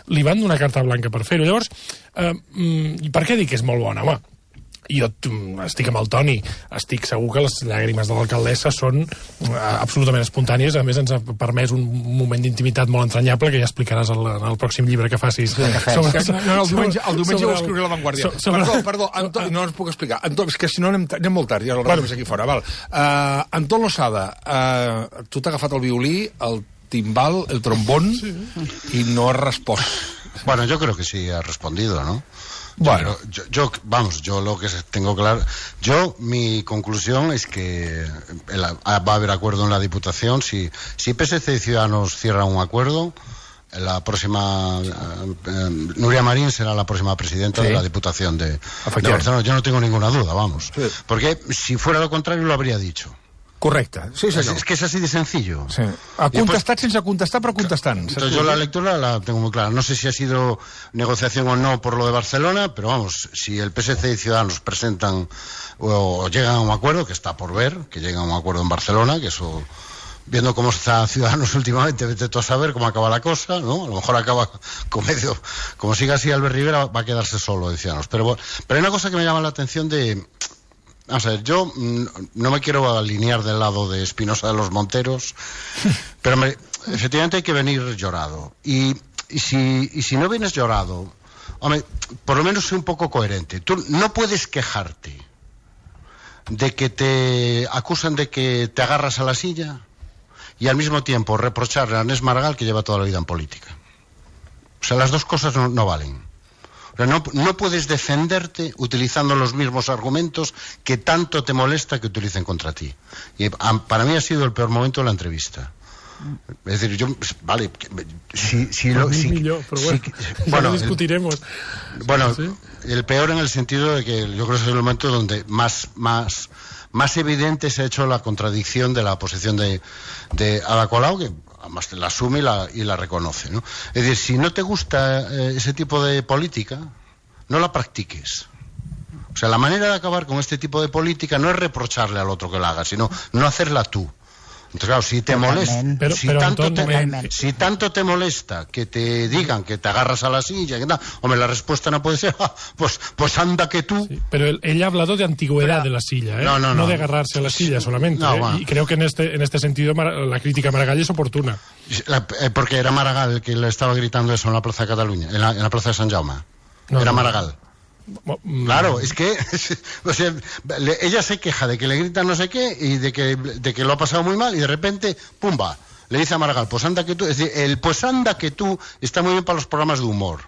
li van donar carta blanca per fer-ho. Llavors, per què dic que és molt bona? Home, jo estic amb el Toni, estic segur que les llàgrimes de l'alcaldessa són absolutament espontànies. A més, ens ha permès un moment d'intimitat molt entranyable que ja explicaràs en el pròxim llibre que facis. El diumenge ho escriuré a La Vanguardia. Perdó, Anton, no ens puc explicar. Anton, és que si no anem molt tard, ja el rebrem aquí fora. Antón Losada, tu t'ha agafat el violí, el timbal, el trombón, y no has respost. Bueno, yo creo que sí ha respondido, ¿no? Bueno, yo lo que tengo claro, mi conclusión es que va a haber acuerdo en la Diputación. Si PSC y Ciudadanos cierran un acuerdo, la próxima Nuria Marín será la próxima presidenta de la Diputación de Barcelona. Yo no tengo ninguna duda, vamos. Sí. Porque si fuera lo contrario lo habría dicho. Correcte, sí senyor. Es que es así de sencillo. Sí. Ha contestat sense contestar, però contestant. Entonces yo la lectura la tengo muy clara. No sé si ha sido negociación o no por lo de Barcelona, pero vamos, si el PSC y Ciudadanos presentan o llegan a un acuerdo, que está por ver, que lleguen a un acuerdo en Barcelona, que eso... Viendo cómo está Ciudadanos últimamente, vete tú a saber cómo acaba la cosa, ¿no? A lo mejor acaba como siga así Albert Rivera, va a quedarse solo de Ciudadanos. Pero hay una cosa que me llama la atención de... Vamos a ver, yo no me quiero alinear del lado de Espinosa de los Monteros, pero efectivamente hay que venir llorado. Y si no vienes llorado, hombre, por lo menos sé un poco coherente. Tú no puedes quejarte de que te acusan de que te agarras a la silla y al mismo tiempo reprocharle a Ernest Maragall que lleva toda la vida en política. O sea, las dos cosas no valen. No puedes defenderte utilizando los mismos argumentos que tanto te molesta que utilicen contra ti. Y para mí ha sido el peor momento de la entrevista. Es decir, vale, bueno, discutiremos. Bueno, ¿sí? El peor en el sentido de que yo creo que es el momento donde más evidente se ha hecho la contradicción de la posición de Ada Colau, que además la asume y la reconoce, ¿no? Es decir, si no te gusta ese tipo de política, no la practiques. O sea, la manera de acabar con este tipo de política no es reprocharle al otro que la haga, sino no hacerla tú. Entonces, claro, si te molesta, si tanto te molesta que te digan que te agarras a la silla, que tal, hombre, la respuesta no puede ser, pues anda que tú. Sí, pero ella ha hablado de antigüedad de la silla, no de agarrarse a la silla solamente. Bueno. Y creo que en este sentido la crítica a Maragall es oportuna. Porque era Maragall el que le estaba gritando eso en la Plaza de Cataluña, en la Plaza de Sant Jaume. Era Maragall. Claro, es que o sea, ella se queja de que le gritan no sé qué y de que lo ha pasado muy mal y de repente, pumba, le dice a Maragall, pues anda que tú. Es decir, el pues anda que tú está muy bien para los programas de humor,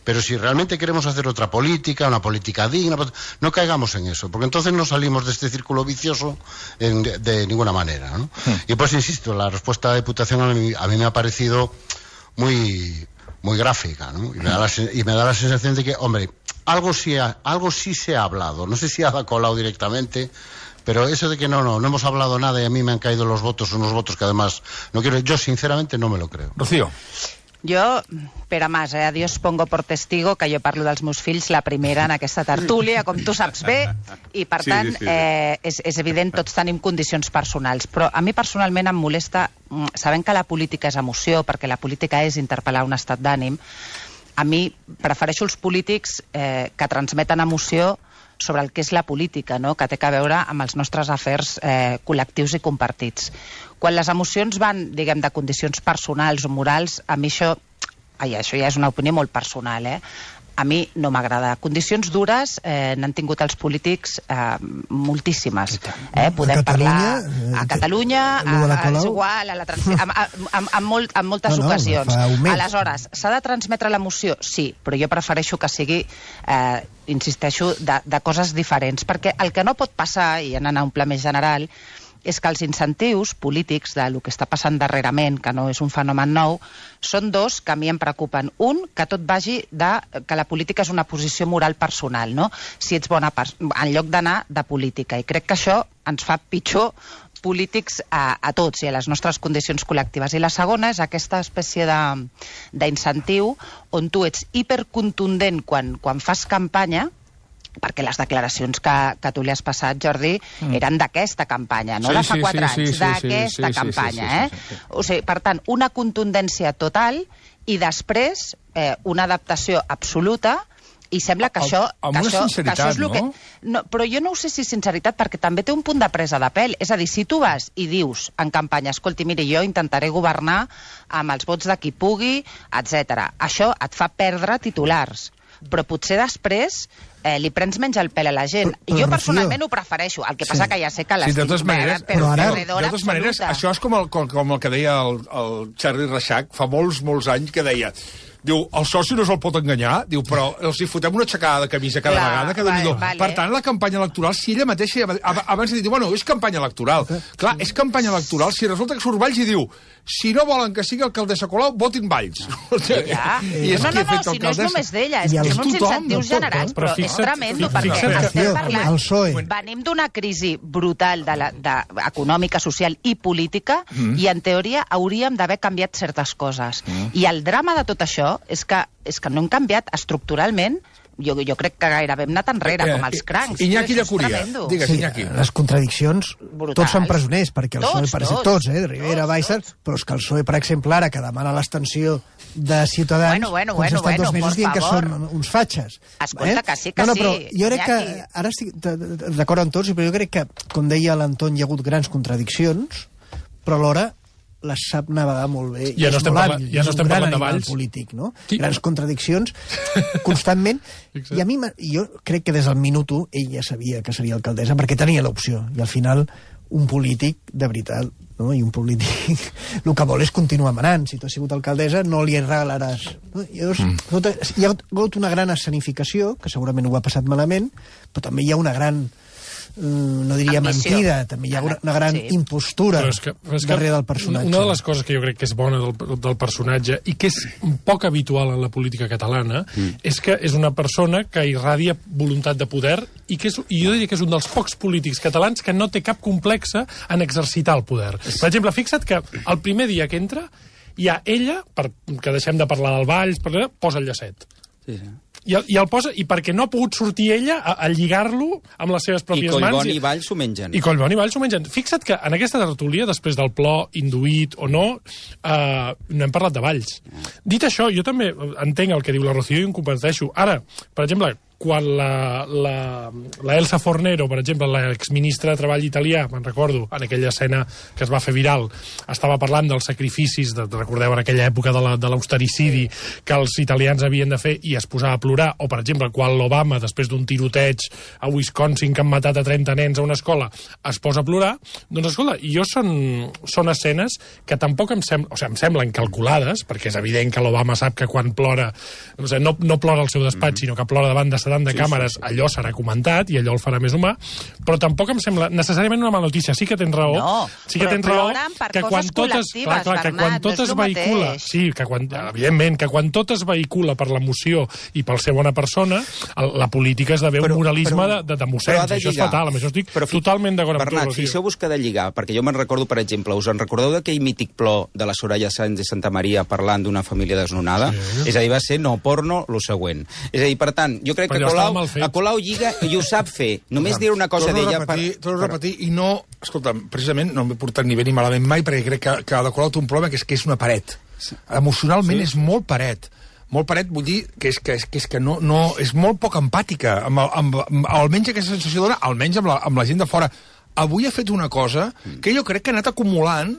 pero si realmente queremos hacer otra política, una política digna, no caigamos en eso, porque entonces no salimos de este círculo vicioso de ninguna manera, ¿no? Y pues insisto, la respuesta de la Diputación a mí me ha parecido muy gráfica, ¿no? Y me da la sensación de que, hombre, algo sí se ha hablado. No sé si ha Colau directamente, pero eso de que no hemos hablado nada y a mí me han caído los votos, unos votos que además no quiero. Yo sinceramente no me lo creo. Rocío. Jo, Pere Mas, a Dios pongo por testigo que jo parlo dels meus fills la primera en aquesta tertúlia, com tu saps bé, i per tant és evident, tots tenim condicions personals, però a mi personalment em molesta, sabent que la política és emoció, perquè la política és interpel·lar un estat d'ànim, a mi prefereixo els polítics que transmeten emoció sobre el que és la política, no? Que té a veure amb els nostres afers col·lectius i compartits. Quan les emocions van, diguem, de condicions personals o morals, a mi això ja és una opinió molt personal, a mi no m'agrada. Condicions dures n'han tingut els polítics moltíssimes. Podem parlar a Catalunya, és igual, en moltes ocasions. Aleshores, s'ha de transmetre l'emoció? Sí, però jo prefereixo que sigui, insisteixo, de coses diferents, perquè el que no pot passar, i anant a un pla més general, és que els incentius polítics del que està passant darrerament, que no és un fenomen nou, són dos que a mi em preocupen. Un, que tot vagi que la política és una posició moral personal, no? Si ets bona en lloc d'anar de política. I crec que això ens fa pitjor polítics a tots i a les nostres condicions col·lectives. I la segona és aquesta espècie d'incentiu on tu ets hipercontundent quan fas campanya, perquè les declaracions que tu li has passat, Jordi, eren d'aquesta campanya, no de fa 4 anys, d'aquesta campanya. O sigui, per tant, una contundència total i després una adaptació absoluta, i sembla que això... Amb una sinceritat, no? Però jo no ho sé si sinceritat, perquè també té un punt de presa de pèl. És a dir, si tu vas i dius en campanya, escolti, miri, jo intentaré governar amb els vots de qui pugui, etc. Això et fa perdre titulars. Però potser després li prens menys el pèl a la gent. Jo personalment ho prefereixo, el que passa que ja sé que l'estic perdedora absoluta. Això és com el que deia el Charlie Reixac fa molts anys, que deia, diu, el soci no se'l pot enganyar, diu, però els hi fotem una aixecada de camisa cada vegada, que Déu-n'hi-do. Per tant, la campanya electoral, si ella mateixa abans de dir, bueno, és campanya electoral. Clar, és campanya electoral, si resulta que surt Valls i diu, si no volen que sigui alcaldessa Colau, votin Valls. No, si no és només d'ella, és que són uns incentius generats, però és tremendo, perquè estem parlant, venim d'una crisi brutal econòmica, social i política, i en teoria hauríem d'haver canviat certes coses. I el drama de tot això és que no hem canviat estructuralment. Jo crec que gairebé hem anat enrere, com els crancs. Iñaki Llacuria, digues, Iñaki. Les contradiccions, tots són presoners, perquè el PSOE parece tots, Rivera, Baixa, però és que el PSOE, per exemple, ara, que demana l'extensió de Ciutadans, doncs ha estat 2 mesos dient que són uns fatxes. Escolta, que sí, però jo crec que, ara estic d'acord amb tots, però jo crec que, com deia l'Anton, hi ha hagut grans contradiccions, però alhora les sap navegar molt bé. Ja no estem parlant de Valls. Polític, no? Grans contradiccions constantment. I a mi, jo crec que des del minut 1 ell ja sabia que seria alcaldessa perquè tenia l'opció. I al final un polític, de veritat, no? I un polític el que vol és continuar manant. Si tu has sigut alcaldessa, no li regalaràs. No? Llavors, hi ha hagut una gran escenificació, que segurament ho ha passat malament, però també hi ha una gran, no diria mentida, també hi ha una gran impostura darrere del personatge. Una de les coses que jo crec que és bona del personatge i que és poc habitual en la política catalana és que és una persona que irradia voluntat de poder i jo diria que és un dels pocs polítics catalans que no té cap complexa en exercitar el poder. Per exemple, fixa't que el primer dia que entra hi ha ella, que deixem de parlar del Valls, posa el llacet. Sí. I el posa, i perquè no ha pogut sortir ella a lligar-lo amb les seves pròpies mans. I Collboni i Valls s'ho mengen. I Collboni i Valls s'ho mengen. Fixa't que en aquesta tertúlia, després del plor induït o no, no hem parlat de Valls. Dit això, jo també entenc el que diu la Rocío i ho comparteixo. Ara, per exemple, quan la Elsa Fornero, per exemple, l'exministra de Treball italià, me'n recordo, en aquella escena que es va fer viral, estava parlant dels sacrificis, recordeu, en aquella època de l'austericidi que els italians havien de fer i es posava a plorar, o per exemple, quan l'Obama, després d'un tiroteig a Wisconsin que han matat a 30 nens a una escola, es posa a plorar, doncs escolta, jo són escenes que tampoc em semblen calculades, perquè és evident que l'Obama sap que quan plora, no plora al seu despatx, sinó que plora davant de de càmeres, allò serà comentat i allò el farà més humà, però tampoc em sembla necessàriament una mala notícia. Sí que tens raó, sí que tens raó que quan tot es vehicula, sí, que evidentment, que quan tot es vehicula per l'emoció i pel ser bona persona, la política esdevé un moralisme de mossens, això és fatal, amb això estic totalment d'acord amb tu. Bernat, fixeu-vos que ha de lligar, perquè jo me'n recordo, per exemple, us en recordeu d'aquell mític plor de la Soraya Sáenz de Santa Maria parlant d'una família desnonada? És a dir, va ser no porno, lo següent. És a dir, per tant, jo crec que a Colau lliga i ho sap fer. Només dir una cosa d'ella... Torno a repetir, i no... Escolta'm, precisament no m'he portat ni bé ni malament mai, perquè crec que de Colau té un problema que és una paret. Emocionalment és molt paret. Molt paret, vull dir que és no és molt poc empàtica. Almenys aquesta sensació dona, almenys amb la gent de fora. Avui ha fet una cosa que jo crec que ha anat acumulant...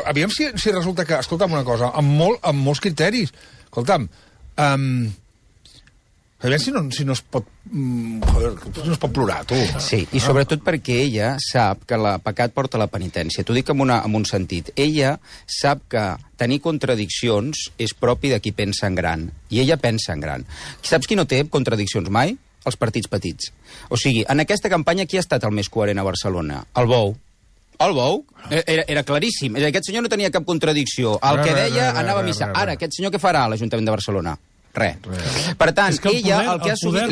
Aviam si resulta que... Escolta'm una cosa, amb molts criteris. Escolta'm... Aviam si no es pot... no es pot plorar, tu. Sí, i sobretot perquè ella sap que el pecat porta la penitència. T'ho dic en un sentit. Ella sap que tenir contradiccions és propi de qui pensa en gran. I ella pensa en gran. Saps qui no té contradiccions mai? Els partits petits. O sigui, en aquesta campanya qui ha estat el més coherent a Barcelona? El Bou. El Bou era claríssim. Aquest senyor no tenia cap contradicció. El que deia anava a missa. Ara, aquest senyor què farà a l'Ajuntament de Barcelona? Res. Per tant, ella el que ha assumit...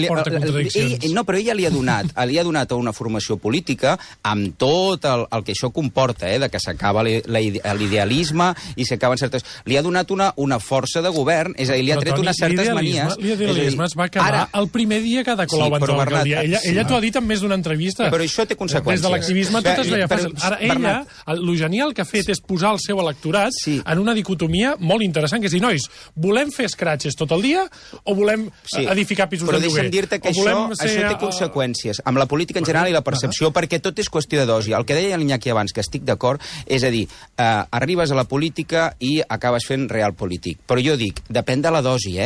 No, però ella li ha donat una formació política amb tot el que això comporta, de que s'acaba l'idealisme i s'acaben certes... Li ha donat una força de govern, és a dir, li ha tret unes certes manies... L'idealisme es va acabar el primer dia que de Colau va entrar a l'alcaldia. Ella t'ho ha dit en més d'una entrevista. Però això té conseqüències. Des de l'activisme tot es veia fàcil. Ara, ella, lo genial que ha fet és posar el seu electorat en una dicotomia molt interessant, que és dir, nois, volem fer escratxes tot el dia o volem edificar pisos de lloguer? Però deixa'm dir-te que això té conseqüències amb la política en general i la percepció, perquè tot és qüestió de dosi. El que deia l'Iñaki abans, que estic d'acord, és a dir, arribes a la política i acabes fent real polític. Però jo dic, depèn de la dosi,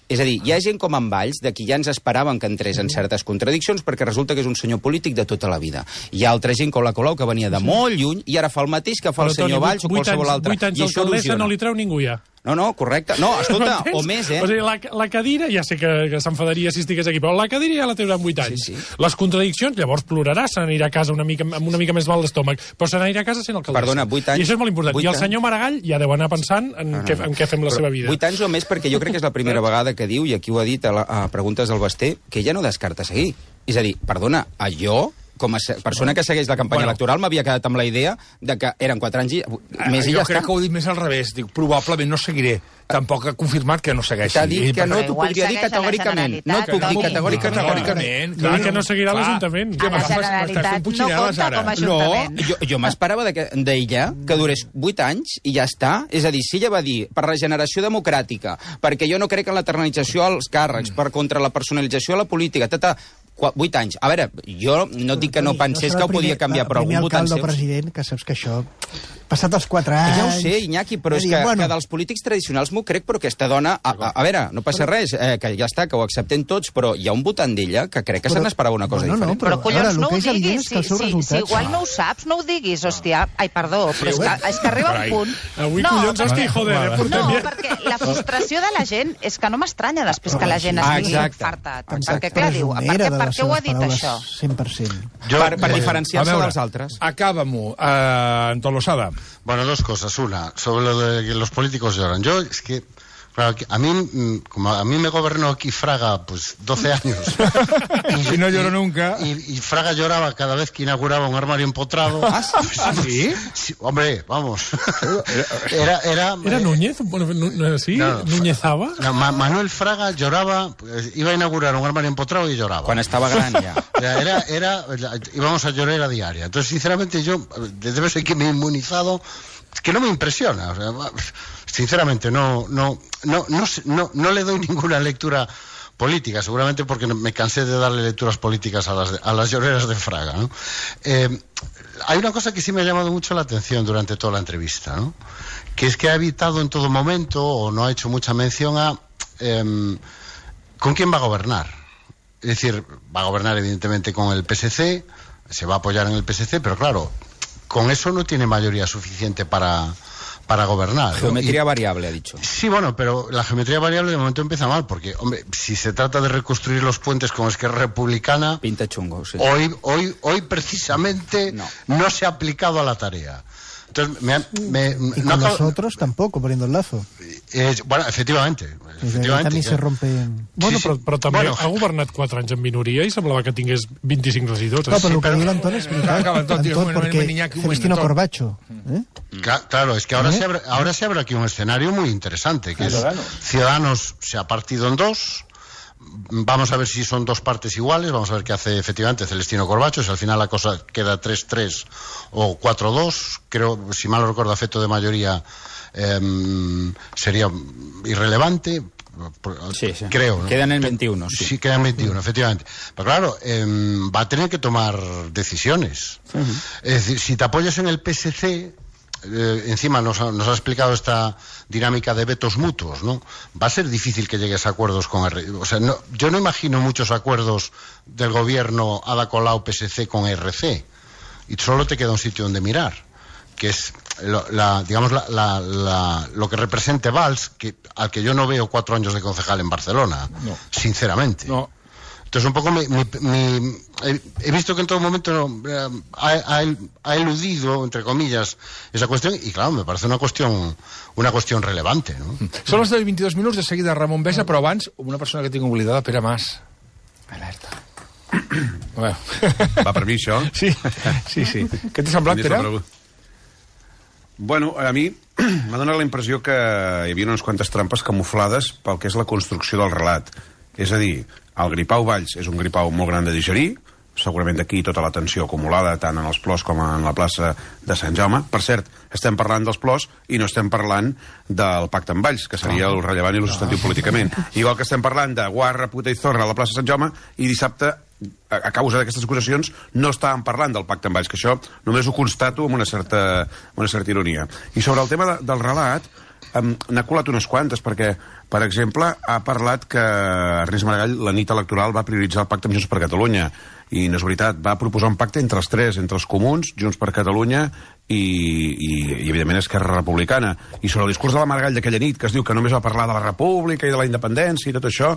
És a dir, hi ha gent com en Valls, de qui ja ens esperàvem que entrés en certes contradiccions, perquè resulta que és un senyor polític de tota la vida. Hi ha altra gent com la Colau, que venia de molt lluny, i ara fa el mateix que fa el senyor Valls o qualsevol altre. 8 anys d'alcaldessa no li treu ningú ja. No, correcte. No, escolta, o més, O sigui, la cadira, ja sé que s'enfadaria si estigués aquí, però la cadira ja la treurà en 8 anys. Les contradiccions, llavors plorarà, se n'anirà a casa amb una mica més mal d'estómac, però se n'anirà a casa sent alcaldessa. Perdona, 8 anys... I això és molt important. I el senyor Maragall ja deu anar pensant en què fem la seva vida. 8 anys o més, perquè jo crec que és la primera vegada que diu, i aquí ho ha dit a preguntes del Basté, que ella no descarta seguir. És a dir, perdona, jo... com a persona que segueix la campanya electoral, m'havia quedat amb la idea de que eren 4 anys i més i ja està. Jo crec que ho he dit més al revés. Dic, probablement no seguiré. Tampoc ha confirmat que no segueixi. T'ha dit que no t'ho podria dir categòricament. No et puc dir categòricament. Clar, que no seguirà l'Ajuntament. La Generalitat no compta com a Ajuntament. Jo m'esperava d'ella que durés 8 anys i ja està. És a dir, si ella va dir per regeneració democràtica, perquè jo no crec en l'eternalització als càrrecs, per contra la personalització a la política, 8 anys. A veure, jo no dic que no pensés que ho podia canviar, però algun votant seu... president, que saps que això passat els 4 anys... Ja ho sé, Iñaki, però és que dels polítics tradicionals m'ho crec, però aquesta dona... A veure, no passa res, que ja està, que ho acceptem tots, però hi ha un votant d'ella que crec que se n'esperava una cosa diferent. Però collons, no ho diguis. Si igual no ho saps, no ho diguis, hòstia. Ai, perdó, però és que arriba un punt... Avui, collons, hòstia, joder, No, perquè la frustració de la gent és que no m'estranya després que la gent estigui farta. Perquè, clar, diu, per què ho ha dit, això? 100%. Per diferenciar-se dels altres. Acábamo, Antón Losada. Bueno, dos cosas. Una, sobre lo de que los políticos lloran. Yo, es que... Claro, como a mí me gobernó aquí Fraga, pues 12 años. Y no lloró nunca. Y Fraga lloraba cada vez que inauguraba un armario empotrado. ¿Ah, sí? Sí, hombre, vamos. ¿Era Núñez? ¿Sí? No, ¿Núñezaba? No, Manuel Fraga lloraba, pues, iba a inaugurar un armario empotrado y lloraba. Cuando estaba grande ya. Íbamos a llorar a diaria. Entonces, sinceramente, yo, debe ser que me he inmunizado, es que no me impresiona. O sea, sinceramente, no le doy ninguna lectura política, seguramente porque me cansé de darle lecturas políticas a las lloreras de Fraga, ¿no? Hay una cosa que sí me ha llamado mucho la atención durante toda la entrevista, ¿no? Que es que ha evitado en todo momento, o no ha hecho mucha mención a con quién va a gobernar. Es decir, va a gobernar evidentemente con el PSC, se va a apoyar en el PSC, pero claro, con eso no tiene mayoría suficiente para gobernar. Geometría variable, ha dicho. Sí, bueno, pero la geometría variable de momento empieza mal, porque, hombre, si se trata de reconstruir los puentes con Esquerra Republicana... Pinta chungo, sí. Hoy precisamente no se ha aplicado a la tarea. Entonces, y con nosotros tampoco, poniendo el lazo. Bueno, efectivamente. También se rompe... Bueno, però també ha governat 4 anys en minoria i semblava que tingués 25 regidors. No, però el que diu l'Anton és veritat, porque Celestino Corbacho. Claro, es que ahora se abre aquí un escenario muy interesante, que es Ciudadanos se ha partido en dos. Vamos a ver si son dos partes iguales, vamos a ver qué hace efectivamente Celestino Corbacho, si al final la cosa queda 3-3 o 4-2, creo, si mal no recuerdo, a efecto de mayoría sería irrelevante. Sí. Creo, ¿no? Quedan en 21. Sí, quedan 21, efectivamente. Pero claro, va a tener que tomar decisiones. Es decir, si te apoyas en el PSC, encima nos ha explicado esta dinámica de vetos mutuos, ¿no? Va a ser difícil que llegues a acuerdos con o sea, yo no imagino muchos acuerdos del gobierno Ada Colau PSC con RC, y solo te queda un sitio donde mirar, que es lo que represente Valls, al que yo no veo 4 años de concejal en Barcelona, sinceramente. No. Entonces, un poco he visto que en todo momento ha eludido, entre comillas, esa cuestión, y claro, me parece una cuestión relevante, ¿no? Són les 22 minuts, de seguida Ramon Besa, però abans, una persona que tinc oblidada, Pere Mas. Alerta. Va per mi, això? Sí. Què t'ha semblat, Pere? Bueno, a mi m'ha donat la impressió que hi havia unes quantes trampes camuflades pel que és la construcció del relat. És a dir, el gripau Valls és un gripau molt gran de digerir, segurament d'aquí tota la tensió acumulada tant en els plors com en la plaça de Sant Jaume. Per cert, estem parlant dels plors i no estem parlant del pacte amb Valls, que seria el rellevant i el substantiu políticament. Igual que estem parlant de guarra, puta i zorra a la plaça de Sant Jaume, i dissabte, a causa d'aquestes acusacions, no estàvem parlant del pacte amb Valls, que això només ho constato amb una certa ironia. I sobre el tema del relat, n'ha colat unes quantes, perquè, per exemple, ha parlat que Ernest Maragall la nit electoral va prioritzar el pacte amb Junts per Catalunya, i no és veritat, va proposar un pacte entre els tres, entre els comuns, Junts per Catalunya i evidentment Esquerra Republicana. I sobre el discurs de la Maragall d'aquella nit, que es diu que només va parlar de la república i de la independència i tot això,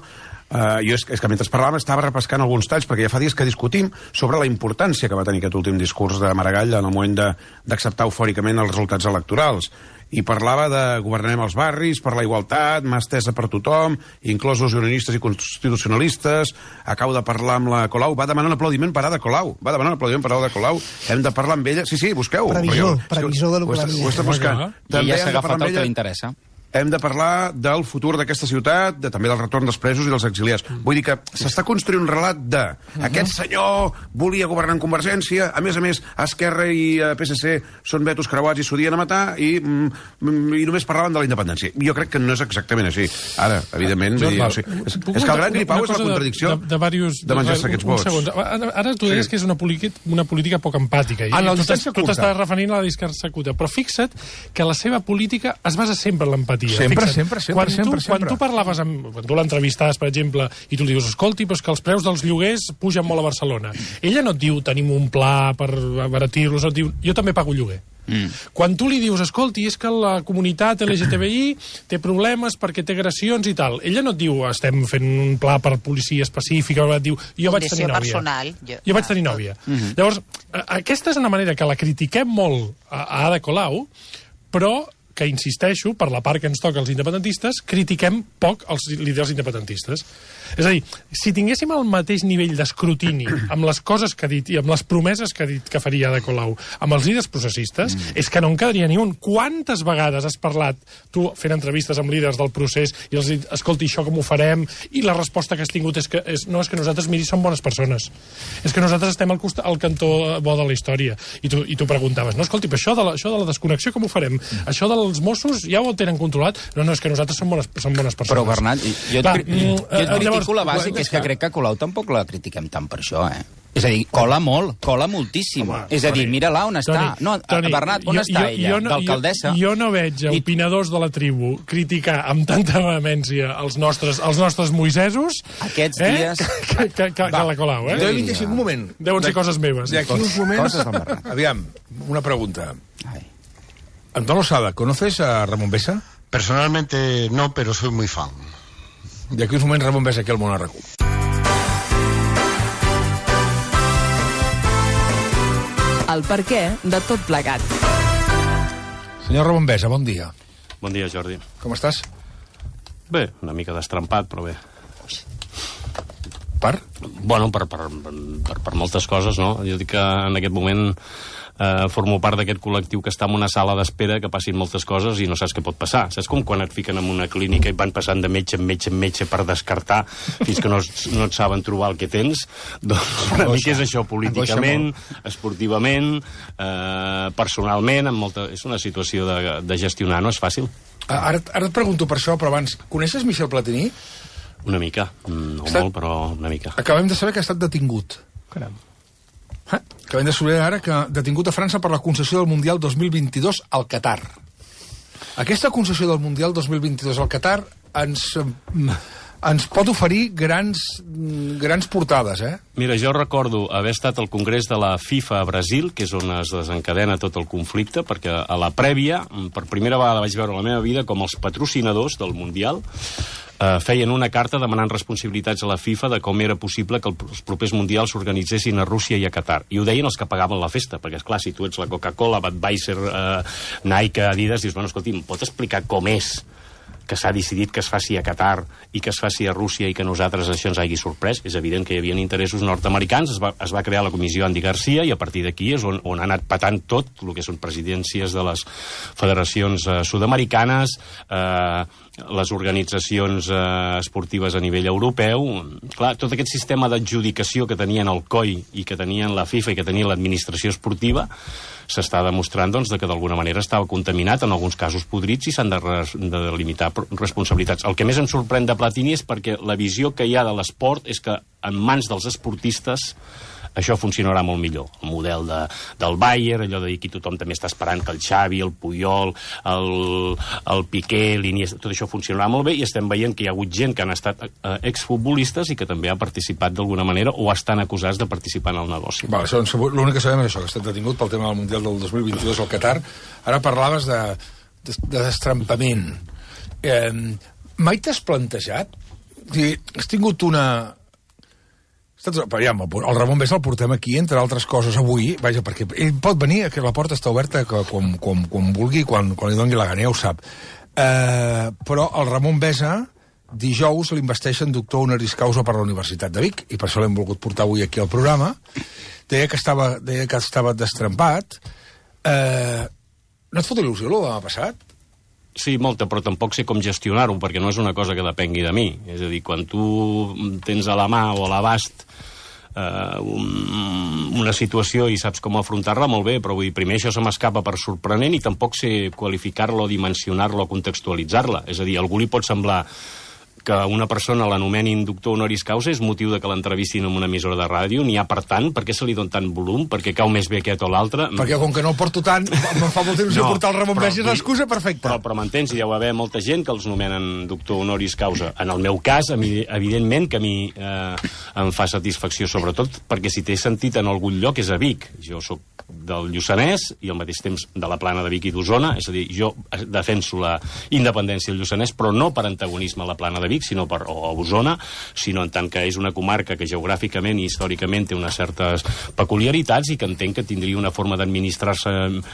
jo és que mentre parlàvem estava repescant alguns talls, perquè ja fa dies que discutim sobre la importància que va tenir aquest últim discurs de Maragall en el moment d'acceptar eufòricament els resultats electorals. I parlava de governarem els barris, per la igualtat, mà estesa per tothom, inclosos unionistes i constitucionalistes. Acabo de parlar amb la Colau, va demanar un aplaudiment per Ada Colau. Hem de parlar amb ella. Sí, busqueu. Previsor de l'economia. Ho està buscant. I ja s'ha agafat el que li interessa. hem de parlar del futur d'aquesta ciutat, també del retorn dels presos i dels exiliats. Vull dir que s'està construint un relat de aquest senyor volia governar en Convergència, a més, Esquerra i PSC són vetos creuats i s'odien a matar i només parlaven de la independència. Jo crec que no és exactament així. Ara, evidentment, és que el gran gripau és la contradicció de menjar-se aquests vots. Ara tu deies que és una política poc empàtica. Tu t'estàs referint a la discursa curta, però fixa't que la seva política es basa sempre en l'empatia. Sempre. Quan tu parlaves quan tu l'entrevistaves, per exemple, i tu li dius, escolti, però és que els preus dels lloguers pugen molt a Barcelona. Ella no et diu, tenim un pla per abaratir-los, et diu, jo també pago lloguer. Quan tu li dius, escolti, és que la comunitat LGTBI té problemes perquè té agressions i tal, ella no et diu, estem fent un pla per policia específica, et diu, jo vaig tenir nòvia. Jo vaig tenir nòvia. Llavors, aquesta és una manera que la critiquem molt a Ada Colau, però que, insisteixo, per la part que ens toca als independentistes, critiquem poc els líders independentistes. És a dir, si tinguéssim el mateix nivell d'escrutini amb les coses que ha dit i amb les promeses que ha dit que faria Ada Colau amb els líders processistes, és que no en quedaria ni un. Quantes vegades has parlat, tu fent entrevistes amb líders del procés, i els dit, escolti, això com ho farem? I la resposta que has tingut és que nosaltres, miri, som bones persones. És que nosaltres estem al cantó bo de la història. I tu preguntaves, no, escolti, però això de la desconnexió com ho farem? Això dels Mossos ja ho tenen controlat? No, és que nosaltres som bones persones. Però, Bernat, jo et critico la base, que és que crec que Colau tampoc la critiquem tant per això, És a dir, cola molt, cola moltíssim. És a dir, mira-la on està. Bernat, on està ella? D'alcaldessa? Jo no veig opinadors de la tribu criticar amb tanta vehemència els nostres moisesos que la Colau, Un moment. Deuen ser coses meves. D'aquí uns moments... Aviam, una pregunta. Antón Losada, ¿conoces a Ramón Besa? Personalmente no, pero soy muy fan. De aquí uns moments Ramon Besa aquí al Món RQ. El perquè de tot plegat. Senyor Ramon Besa, bon dia. Bon dia, Jordi. Com estàs? Bé, una mica destrempat, però bé. Per? Bueno, per moltes coses, no? Jo dic que en aquest moment formo part d'aquest col·lectiu que està en una sala d'espera, que passin moltes coses i no saps què pot passar. Saps com quan et fiquen en una clínica i van passant de metge en metge per descartar fins que no et saben trobar el que tens? Doncs una mica és això, políticament, esportivament, personalment, és una situació de gestionar, no és fàcil. Ara et pregunto per això, però abans, coneixes Michel Platini? Una mica, no molt, però una mica. Acabem de saber que ha estat detingut. Caram. Acabem de saber ara que detingut a França per la concessió del Mundial 2022 al Qatar. Aquesta concessió del Mundial 2022 al Qatar ens pot oferir grans portades, Mira, jo recordo haver estat al Congrés de la FIFA a Brasil, que és on es desencadena tot el conflicte, perquè a la prèvia, per primera vegada vaig veure a la meva vida com els patrocinadors del Mundial feien una carta demanant responsabilitats a la FIFA de com era possible que els propers mundials s'organitzessin a Rússia i a Qatar. I ho deien els que pagaven la festa, perquè, esclar, si tu ets la Coca-Cola, Budweiser, Nike, Adidas, dius, bueno, escolti, em pot explicar com és que s'ha decidit que es faci a Qatar i que es faci a Rússia i que a nosaltres això ens hagi sorprès? És evident que hi havia interessos nord-americans, es va crear la comissió Andy Garcia i a partir d'aquí és on ha anat patant tot el que són presidències de les federacions sud-americanes, les organitzacions esportives a nivell europeu. Clar, tot aquest sistema d'adjudicació que tenien el COI i que tenien la FIFA i que tenia l'administració esportiva s'està demostrant doncs, que d'alguna manera estava contaminat, en alguns casos podrits, i s'han de delimitar responsabilitats. El que més em sorprèn de Platini és perquè la visió que hi ha de l'esport és que en mans dels esportistes això funcionarà molt millor. El model del Bayern, allò de dir que tothom també està esperant que el Xavi, el Puyol, el Piqué, l'Iniesta, tot això funcionarà molt bé, i estem veient que hi ha hagut gent que han estat exfutbolistes i que també ha participat d'alguna manera o estan acusats de participar en el negoci. L'únic que sabem és això, que ha estat detingut pel tema del Mundial del 2022 al Qatar. Ara parlaves de destrampament. Mai t'has plantejat? Has tingut una... El Ramon Besa el portem aquí, entre altres coses, avui, vaja, perquè ell pot venir, que la porta està oberta quan vulgui, quan li doni la gana, ja ho sap. Però el Ramon Besa, dijous, l'investeixen doctor honoris causa per la Universitat de Vic, i per això l'hem volgut portar avui aquí al programa. Deia que estava destrampat. No et fot il·lusió, el demà passat? Sí, molta, però tampoc sé com gestionar-ho, perquè no és una cosa que depengui de mi. És a dir, quan tu tens a la mà o a l'abast una situació i saps com afrontar-la, molt bé, però vull dir, primer això se m'escapa per sorprenent i tampoc sé qualificar-la o dimensionar-la o contextualitzar-la. És a dir, a algú li pot semblar que una persona l'anomenin doctor honoris causa és motiu de que l'entrevistin en una emissora de ràdio, n'hi ha per tant, per què se li dona tant volum, perquè cau més bé aquest o l'altre. Perquè com que no el porto tant, em fa molt temps de portar el Ramon Vegas, és l'excusa perfecta. Però m'entens, hi deu haver molta gent que els nomenen doctor honoris causa. En el meu cas, evidentment que a mi em fa satisfacció, sobretot perquè si té sentit en algun lloc és a Vic. Jo sóc del Lluçanès i al mateix temps de la Plana de Vic i d'Osona, és a dir, jo defenso la independència del Lluçanès, però no per antagonisme a la Plana de Vic, sinó o a Osona, sinó en tant que és una comarca que geogràficament i històricament té unes certes peculiaritats i que entenc que tindria una forma d'administrar-se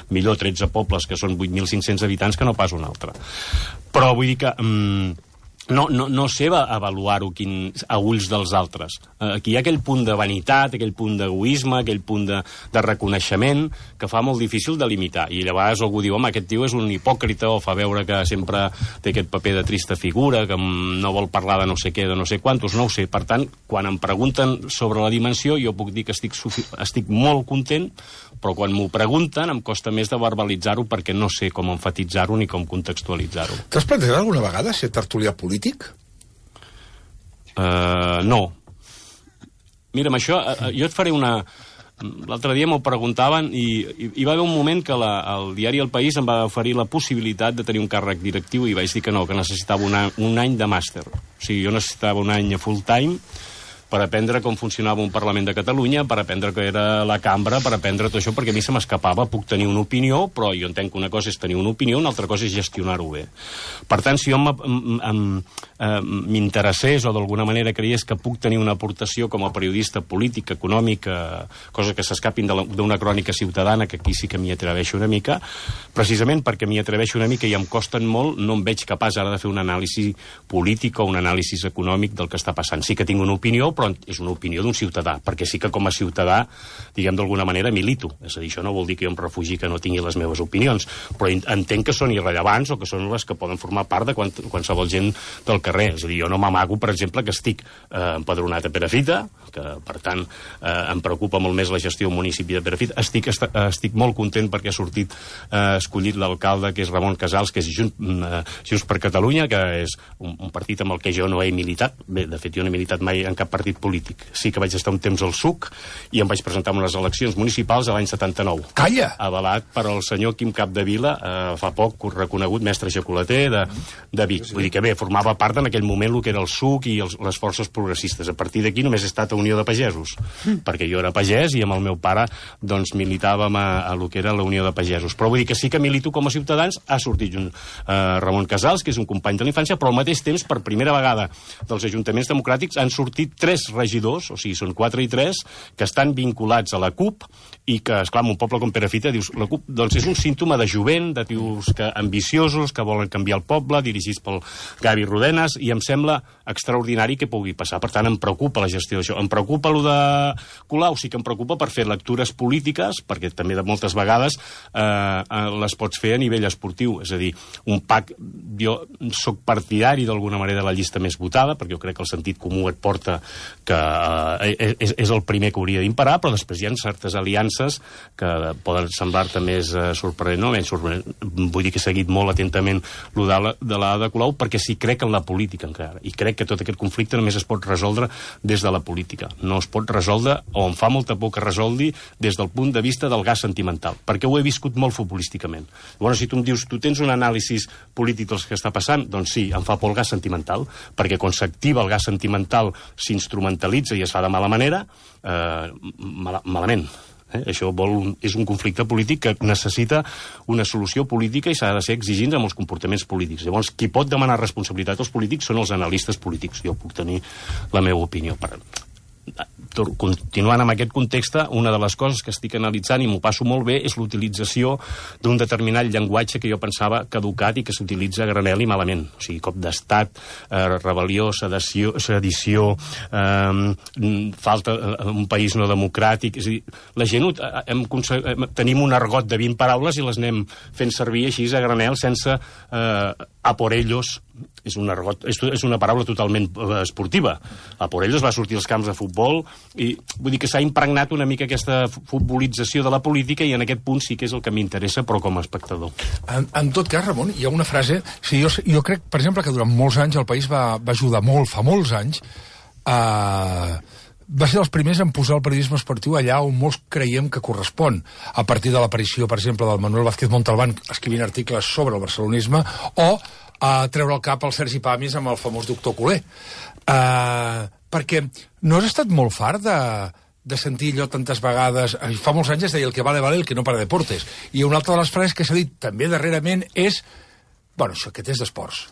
millor 13 pobles, que són 8.500 habitants, que no pas un altre. Però vull dir que no sé avaluar-ho a ulls dels altres. Aquí hi ha aquell punt de vanitat, aquell punt d'egoisme, aquell punt de reconeixement que fa molt difícil de limitar. I llavors algú diu, home, aquest tio és un hipòcrita, o fa veure que sempre té aquest paper de trista figura, que no vol parlar de no sé què, de no sé quantos, no ho sé. Per tant, quan em pregunten sobre la dimensió, jo puc dir que estic molt content, però quan m'ho pregunten em costa més de verbalitzar-ho perquè no sé com emfatitzar-ho ni com contextualitzar-ho. T'has plantejat alguna vegada ser tertulià polític? No. Mira, amb això, jo et faré una... L'altre dia m'ho preguntaven i hi va haver un moment que el diari El País em va oferir la possibilitat de tenir un càrrec directiu i vaig dir que no, que necessitava un any de màster. O sigui, jo necessitava un any full time per aprendre com funcionava un Parlament de Catalunya, per aprendre què era la cambra, per aprendre tot això, perquè a mi se m'escapava. Puc tenir una opinió, però jo entenc que una cosa és tenir una opinió, una altra cosa és gestionar-ho bé. Per tant, si jo m'interessés o d'alguna manera creies que puc tenir una aportació com a periodista polític, econòmic, coses que s'escapin d'una crònica ciutadana, que aquí sí que m'hi atreveixo una mica, precisament perquè m'hi atreveixo una mica i em costen molt, no em veig capaç ara de fer un anàlisi polític o un anàlisi econòmic del que està passant. Sí que tinc una opinió, però és una opinió d'un ciutadà, perquè sí que com a ciutadà, diguem d'alguna manera, milito. És a dir, això no vol dir que jo em refugi que no tingui les meves opinions, però entenc que són irrellevants o que són les que poden formar part de qualsevol gent del carrer. És a dir, jo no m'amago, per exemple, que estic empadronat a Perafita, que, per tant, em preocupa molt més la gestió del municipi de Perafita. Estic molt content perquè ha sortit escollit l'alcalde, que és Ramon Casals, que és Junts per Catalunya, que és un partit amb el que jo no he militat. Bé, de fet, jo no he militat mai en cap partit polític. Sí que vaig estar un temps al SUC i em vaig presentar en unes eleccions municipals a l'any 79. Calla! Avalat per al senyor Quim Capdevila, fa poc reconegut mestre xocolater de Vic. Vull dir que bé, formava part en aquell moment el que era el SUC i les forces progressistes. A partir d'aquí només he estat a Unió de Pagesos, perquè jo era pagès i amb el meu pare doncs militàvem a lo que era la Unió de Pagesos. Però vull dir que sí que milito com a ciutadans. Ha sortit Ramon Casals, que és un company de la infància, però al mateix temps, per primera vegada dels ajuntaments democràtics, han sortit 3 regidors, o sigui, són 4 i 3, que estan vinculats a la CUP i que, esclar, en un poble com Perafita, dius, la CUP doncs és un símptoma de jovent, de tios ambiciosos, que volen canviar el poble, dirigits pel Gavi Rodenas, i em sembla extraordinari que pugui passar. Per tant, em preocupa la gestió d'això. Em preocupa allò de Colau, sí que em preocupa per fer lectures polítiques, perquè també de moltes vegades les pots fer a nivell esportiu. És a dir, un PAC, jo sóc partidari d'alguna manera de la llista més votada, perquè jo crec que el sentit comú et porta que és el primer que hauria d'imperar, però després hi ha certes aliances que poden semblar-te més sorprenent o menys sorprenent. Vull dir que he seguit molt atentament el de la de Colau, perquè sí crec en la política encara, i crec que tot aquest conflicte només es pot resoldre des de la política. No es pot resoldre, o em fa molta por que resolgui, des del punt de vista del gas sentimental, perquè ho he viscut molt futbolísticament. Llavors, si tu em dius, tu tens un anàlisi polític del que està passant, doncs sí, em fa por el gas sentimental, perquè quan s'activa el gas sentimental s'instrumentalitza i es fa de mala manera, malament. Això és un conflicte polític que necessita una solució política i s'ha de ser exigint amb els comportaments polítics. Llavors, qui pot demanar responsabilitat als polítics són els analistes polítics. Jo puc tenir la meva opinió. continuant amb aquest context, una de les coses que estic analitzant i m'ho passo molt bé és l'utilització d'un determinat llenguatge que jo pensava caducat i que s'utilitza a granel i malament. O sigui, cop d'estat, rebel·lió, sedició, falta un país no democràtic... És a dir, la gent tenim un argot de 20 paraules i les anem fent servir així a granel sense a por ellos. És una paraula totalment esportiva. A por ellos va sortir als camps de futbol i vull dir que s'ha impregnat una mica aquesta futbolització de la política i en aquest punt sí que és el que m'interessa, però com a espectador. En tot cas, Ramon, hi ha una frase... Jo crec, per exemple, que durant molts anys el país va ajudar molt, fa molts anys, va ser dels primers en posar el periodisme esportiu allà on molts creiem que correspon, a partir de l'aparició, per exemple, del Manuel Vázquez Montalbán escrivint articles sobre el barcelonisme, o a treure el cap al Sergi Pàmies amb el famós doctor Culer. Perquè no has estat molt fart de sentir allò tantes vegades... Fa molts anys es deia el que vale, vale, el que no para deportes. I una altra de les frases que s'ha dit també darrerament és... Bueno, això aquest és d'esports.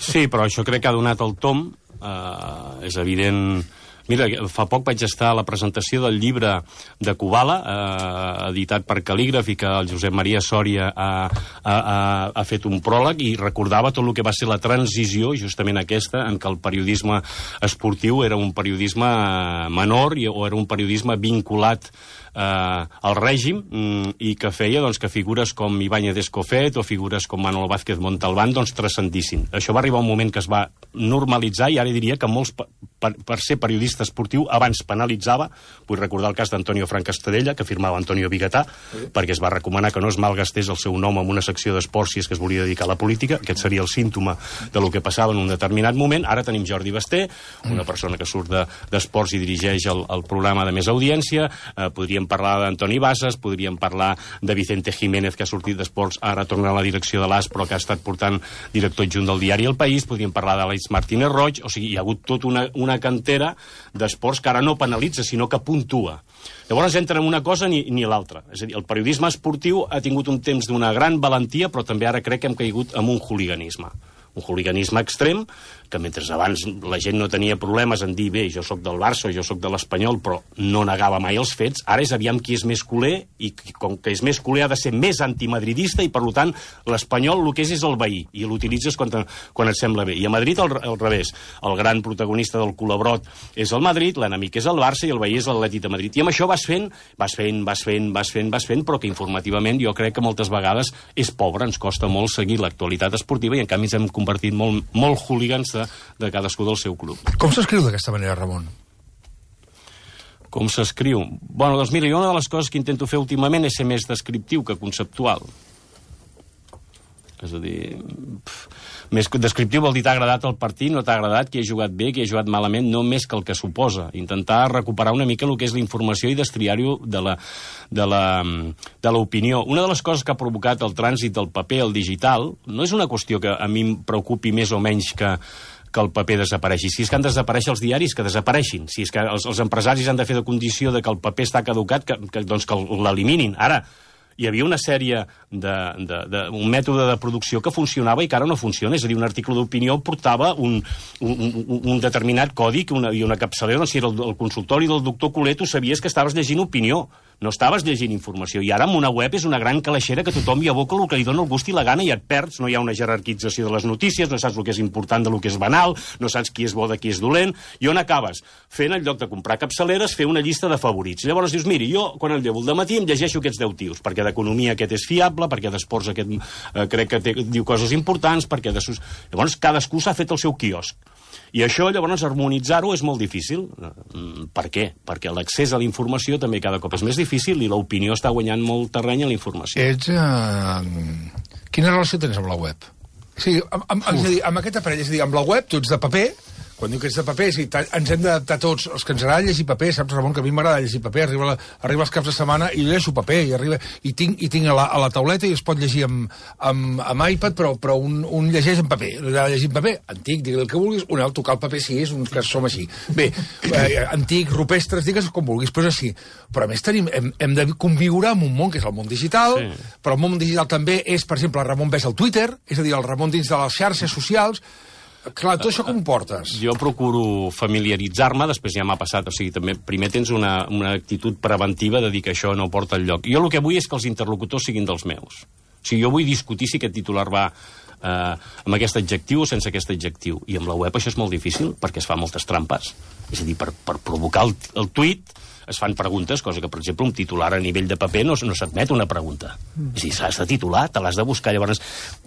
Sí, però això crec que ha donat el tom. És evident... Mira, fa poc vaig estar a la presentació del llibre de Kubala, editat per Cal·lígraf, i que el Josep Maria Sòria ha fet un pròleg, i recordava tot el que va ser la transició, justament aquesta, en què el periodisme esportiu era un periodisme menor o era un periodisme vinculat al règim, i que feia que figures com Ibáñez Escofet o figures com Manuel Vázquez Montalbán transcendissin. Això va arribar un moment que es va normalitzar, i ara diria que molts, per ser periodista esportiu, abans penalitzava. Vull recordar el cas d'Antonio Frank Estadella, que firmava Antonio Bigatà, perquè es va recomanar que no es malgastés el seu nom en una secció d'esports si és que es volia dedicar a la política. Aquest seria el símptoma de lo que passava en un determinat moment. Ara tenim Jordi Basté, una persona que surt d'esports i dirigeix el programa de més audiència. Podríem parlar d'Antoni Bassas, podríem parlar de Vicente Jiménez, que ha sortit d'esports, ara torna a la direcció de l'AS, però que ha estat portant director adjunt del diari El País. Podríem parlar d'Àlex Martínez Roig. O sigui, hi ha hagut tota una cantera d'esports que ara no penalitza, sinó que puntua. Llavors entra en una cosa ni l'altra. És a dir, el periodisme esportiu ha tingut un temps d'una gran valentia, però també ara crec que hem caigut en un hooliganisme. Un hooliganisme extrem, que mentre abans la gent no tenia problemes en dir, bé, jo sóc del Barça o jo sóc de l'Espanyol, però no negava mai els fets, ara és aviam qui és més culer, i com que és més culer ha de ser més antimadridista, i per tant l'Espanyol el que és el veí, i l'utilitzes quan et sembla bé. I a Madrid al revés, el gran protagonista del culebrot és el Madrid, l'enemic és el Barça i el veí és l'Atlètic de Madrid. I amb això vas fent, però que informativament jo crec que moltes vegades és pobre, ens costa molt seguir l'actualitat esportiva, i en canvi ens hem convertit molt hooligans de cadascú del seu club. Com s'escriu d'aquesta manera, Ramon? Com s'escriu? Bueno, doncs mira, una de les coses que intento fer últimament és ser més descriptiu que conceptual. És a dir, més descriptiu vol dir t'ha agradat el partit, no t'ha agradat, qui ha jugat bé, qui ha jugat malament, no més que el que suposa. Intentar recuperar una mica el que és la informació i destriar-ho de l'opinió. Una de les coses que ha provocat el trànsit del paper al digital no és una qüestió que a mi em preocupi més o menys que el paper desapareixi. Si és que han de desaparèixer els diaris, que desapareixin. Si és que els empresaris han de fer de condició de que el paper està caducat, que l'eliminin. Ara, hi havia una sèrie un mètode de producció que funcionava i que ara no funciona. És a dir, un article d'opinió portava un determinat codi i una capçalera. Doncs si era el consultori del doctor Culer, tu sabies que estaves llegint opinió, no estaves llegint informació. I ara amb una web és una gran calaixera que tothom hi aboca el que li dona el gust i la gana, i et perds. No hi ha una jerarquització de les notícies, no saps el que és important de lo que és banal, no saps qui és bo de qui és dolent. I on acabes? Fent, en lloc de comprar capçaleres, fer una llista de favorits. Llavors dius, miri, jo quan em llevo al dematí em llegeixo aquests 10 tios, perquè d'economia aquest és fiable, perquè d'esports aquest crec que diu coses importants, perquè llavors cadascú s'ha fet el seu quiosc. I això, llavors, harmonitzar-ho és molt difícil. Per què? Perquè l'accés a la informació també cada cop és més difícil i l'opinió està guanyant molt terreny a la informació. Quina relació tens amb la web? Sí, amb aquest aparell, és a dir, amb la web tu ets de paper. Quan diu que ets de paper, sí, ens hem d'adaptar tots, els que ens agrada llegir paper, saps, Ramon, que a mi m'agrada llegir paper, arriba els caps de setmana i llegeixo paper, i tinc a la tauleta i es pot llegir amb iPad, però un llegeix en paper, llegir en paper, antic, digui el que vulguis, un altre tocar el paper si és un que som així. Bé, antic, rupestres, digues com vulguis, però és així. Però a més hem de conviure amb un món que és el món digital, però el món digital també és, per exemple, el Ramon ves al Twitter, és a dir, el Ramon dins de les xarxes socials. Clar, tu això com portes? Jo procuro familiaritzar-me, després ja m'ha passat, o sigui, també primer tens una actitud preventiva de dir que això no porta enlloc. Jo el que vull és que els interlocutors siguin dels meus. O sigui, jo vull discutir si aquest titular va amb aquest adjectiu o sense aquest adjectiu. I amb la web això és molt difícil, perquè es fa moltes trampes. És a dir, per provocar el tuit es fan preguntes, cosa que, per exemple, un titular a nivell de paper no s'admet una pregunta. És a dir, s'has de titular, te l'has de buscar, llavors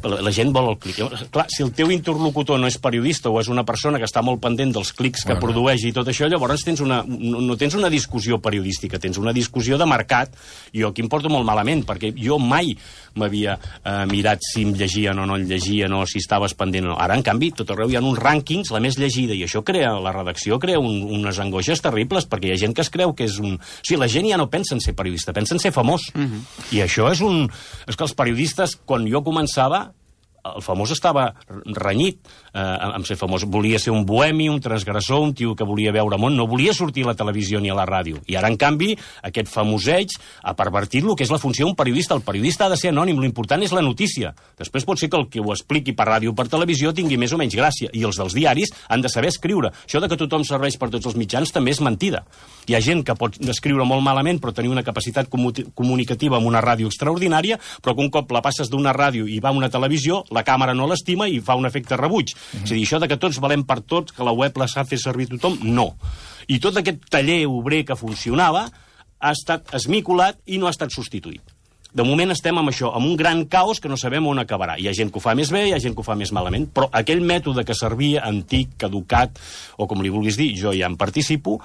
la gent vol el clic. Clar, si el teu interlocutor no és periodista o és una persona que està molt pendent dels clics que produeix i tot això, llavors no tens una discussió periodística, tens una discussió de mercat. Jo aquí em porto molt malament, perquè jo mai m'havia mirat si em llegien o no em llegien o si estaves pendent o no. Ara, en canvi, tot arreu hi ha uns rànquings, la més llegida, i això la redacció crea unes angoixes terribles, perquè hi ha gent que es creu que és un... O sigui, la gent ja no pensa en ser periodista, pensa en ser famós. I això és un... És que els periodistes, quan jo començava, el famós estava renyit amb ser famós. Volia ser un bohemi, un transgressor, un tio que volia veure món, no volia sortir a la televisió ni a la ràdio. I ara, en canvi, aquest famoseig ha pervertit el que és la funció d'un periodista. El periodista ha de ser anònim, l'important és la notícia. Després pot ser que el que ho expliqui per ràdio o per televisió tingui més o menys gràcia. I els dels diaris han de saber escriure. Això de que tothom serveix per tots els mitjans també és mentida. Hi ha gent que pot escriure molt malament però tenir una capacitat comunicativa amb una ràdio extraordinària, però que un cop la passes d'una ràdio i va a una televisió, la càmera no l'estima i fa un efecte rebuig. És a dir, això de que tots valem per tots, que la web la sap fer servir tothom, no. I tot aquest taller obrer que funcionava ha estat esmicolat i no ha estat substituït. De moment estem amb això, amb un gran caos que no sabem on acabarà. Hi ha gent que ho fa més bé, hi ha gent que ho fa més malament, però aquell mètode que servia, antic, caducat, o com li vulguis dir, jo ja en participo,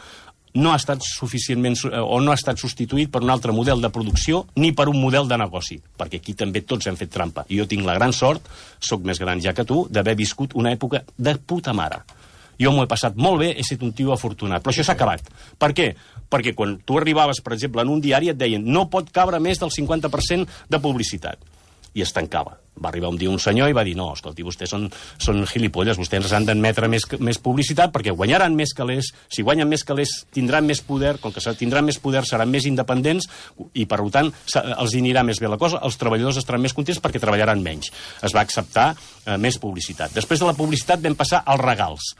no ha estat suficientment o no ha estat substituït per un altre model de producció ni per un model de negoci, perquè aquí també tots hem fet trampa. I jo tinc la gran sort, sóc més gran ja que tu, d'haver viscut una època de puta mare. Jo m'ho he passat molt bé, he estat un tio afortunat, però això s'ha acabat. Per què? Perquè quan tu arribaves, per exemple, en un diari et deien no pot cabre més del 50% de publicitat. I es tancava. Va arribar un dia un senyor i va dir no, escolti, vostès són gilipolles, vostès han d'admetre més publicitat perquè guanyaran més calés, si guanyen més calés tindran més poder, com que tindran més poder seran més independents i per tant els anirà més bé la cosa, els treballadors estaran més contents perquè treballaran menys. Es va acceptar més publicitat. Després de la publicitat vam passar als regals.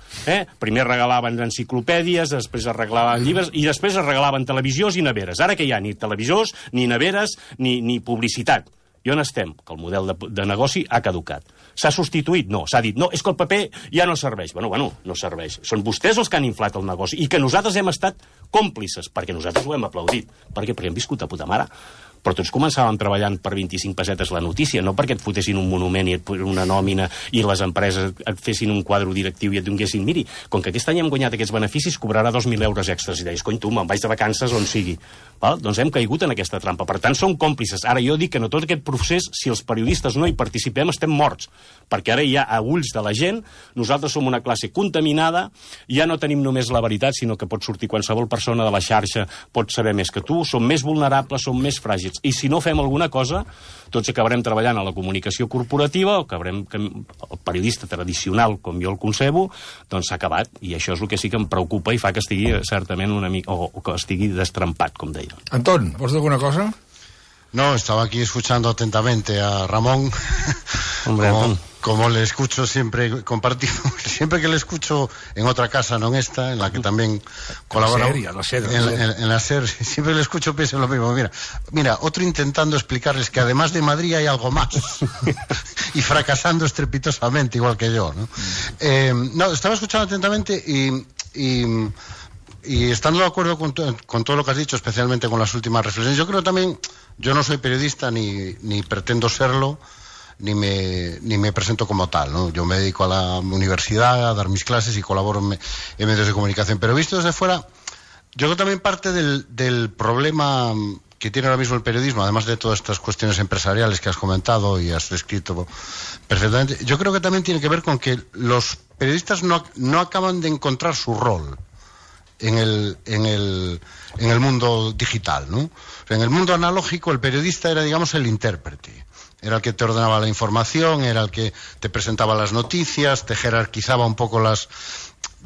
Primer regalaven enciclopèdies, després es regalaven llibres i després es regalaven televisors i neveres. Ara que hi ha ni televisors, ni neveres, ni publicitat. I on estem? Que el model de negoci ha caducat. S'ha substituït? No. S'ha dit, no, és que el paper ja no serveix. Bueno, no serveix. Són vostès els que han inflat el negoci i que nosaltres hem estat còmplices, perquè nosaltres ho hem aplaudit. Per què? Perquè hem viscut a puta mare. Però tots començàvem treballant per 25 pessetes la notícia, no perquè et fotessin un monument i una nòmina i les empreses et fessin un quadre directiu i et donguessin, miri, com que aquest any hem guanyat aquests beneficis, cobrarà 2.000 euros extras. I deies, cony, tu, me'n vaig de vacances on sigui. Val? Doncs hem caigut en aquesta trampa. Per tant, som còmplices. Ara jo dic que en tot aquest procés, si els periodistes no hi participem, estem morts. Perquè ara ja a ulls de la gent, nosaltres som una classe contaminada, ja no tenim només la veritat, sinó que pot sortir qualsevol persona de la xarxa, pot saber més que tu, som més vulnerables, som més fràgils. I si no fem alguna cosa, tots acabarem treballant a la comunicació corporativa, o acabarem el periodista tradicional, com jo el concebo, doncs s'ha acabat. I això és el que sí que em preocupa i fa que estigui certament una mica, o que estigui destrempat, com deia. Antón, ¿vols dir alguna cosa? No, estaba aquí escuchando atentamente a Ramón. Hombre, como le escucho siempre, compartimos, siempre que le escucho en otra casa, no en esta, en la que también colabora. En la SER, siempre le escucho, pienso lo mismo. Mira, otro intentando explicarles que además de Madrid hay algo más. Y fracasando estrepitosamente, igual que yo, ¿no? No, estaba escuchando atentamente y estando de acuerdo con todo lo que has dicho, especialmente con las últimas reflexiones, yo creo también, yo no soy periodista ni pretendo serlo, ni me presento como tal, ¿no? Yo me dedico a la universidad, a dar mis clases y colaboro en medios de comunicación. Pero visto desde fuera, yo creo también parte del problema que tiene ahora mismo el periodismo, además de todas estas cuestiones empresariales que has comentado y has descrito perfectamente, yo creo que también tiene que ver con que los periodistas no acaban de encontrar su rol en el mundo digital, ¿no? O sea, en el mundo analógico el periodista era, digamos, el intérprete. Era el que te ordenaba la información, era el que te presentaba las noticias, te jerarquizaba un poco las...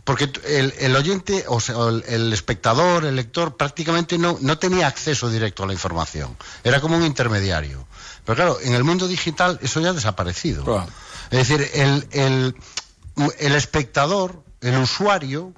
Porque el oyente, o sea, el espectador, el lector, prácticamente no tenía acceso directo a la información. Era como un intermediario. Pero claro, en el mundo digital eso ya ha desaparecido. Claro. Es decir, el espectador, el usuario,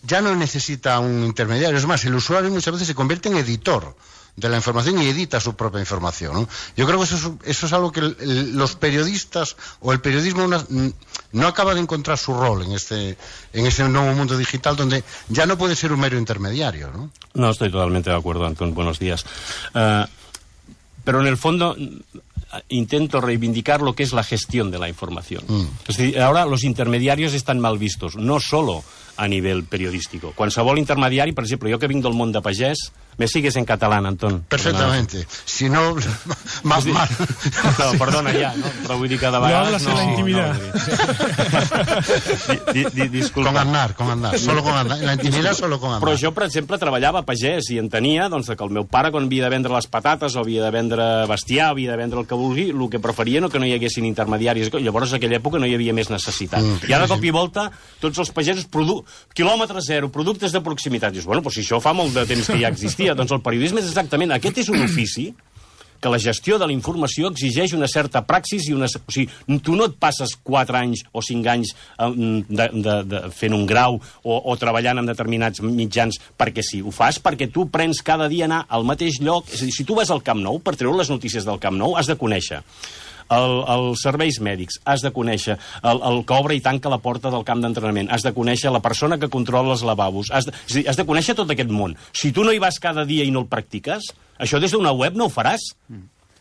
ya no necesita un intermediario. Es más, el usuario muchas veces se convierte en editor de la información y edita su propia información, ¿no? Yo creo que eso es algo que los periodistas o el periodismo no acaba de encontrar su rol en ese nuevo mundo digital donde ya no puede ser un mero intermediario, ¿no? No, estoy totalmente de acuerdo, Antón. Buenos días. Pero en el fondo intento reivindicar lo que es la gestión de la información. Es decir, ahora los intermediarios están mal vistos, no solo a nivell periodístico. Qualsevol intermediari, per exemple, jo que vinc del món de pagès, me sigues en català, Antón. Perfectamente. Si no, más mal. No, perdona ja, no? Però vull dir que de vegades... No hablas en la intimidad. Disculpa. Con Aznar. Solo con Aznar. En la intimidad solo con Aznar. Però jo, per exemple, treballava a pagès i entenia doncs, que el meu pare, quan havia de vendre les patates o havia de vendre bestiar, havia de vendre el que vulgui, el que preferia no que no hi haguessin intermediaris. Llavors, en aquella època no hi havia més necessitat. I ara, de cop i volta, tots els pagesos quilòmetre zero, productes de proximitat. Dius, bueno, doncs si això fa molt de temps que ja existia. Doncs el periodisme és exactament... Aquest és un ofici que la gestió de la informació exigeix una certa praxis i una... O sigui, tu no et passes 4 anys o 5 anys fent un grau o treballant en determinats mitjans perquè sí. Ho fas perquè tu prens cada dia anar al mateix lloc. És a dir, si tu vas al Camp Nou, per treure les notícies del Camp Nou, has de conèixer els serveis mèdics, has de conèixer el que obre i tanca la porta del camp d'entrenament, has de conèixer la persona que controla els lavabos, has de conèixer tot aquest món. Si tu no hi vas cada dia i no el practiques, això des d'una web no ho faràs.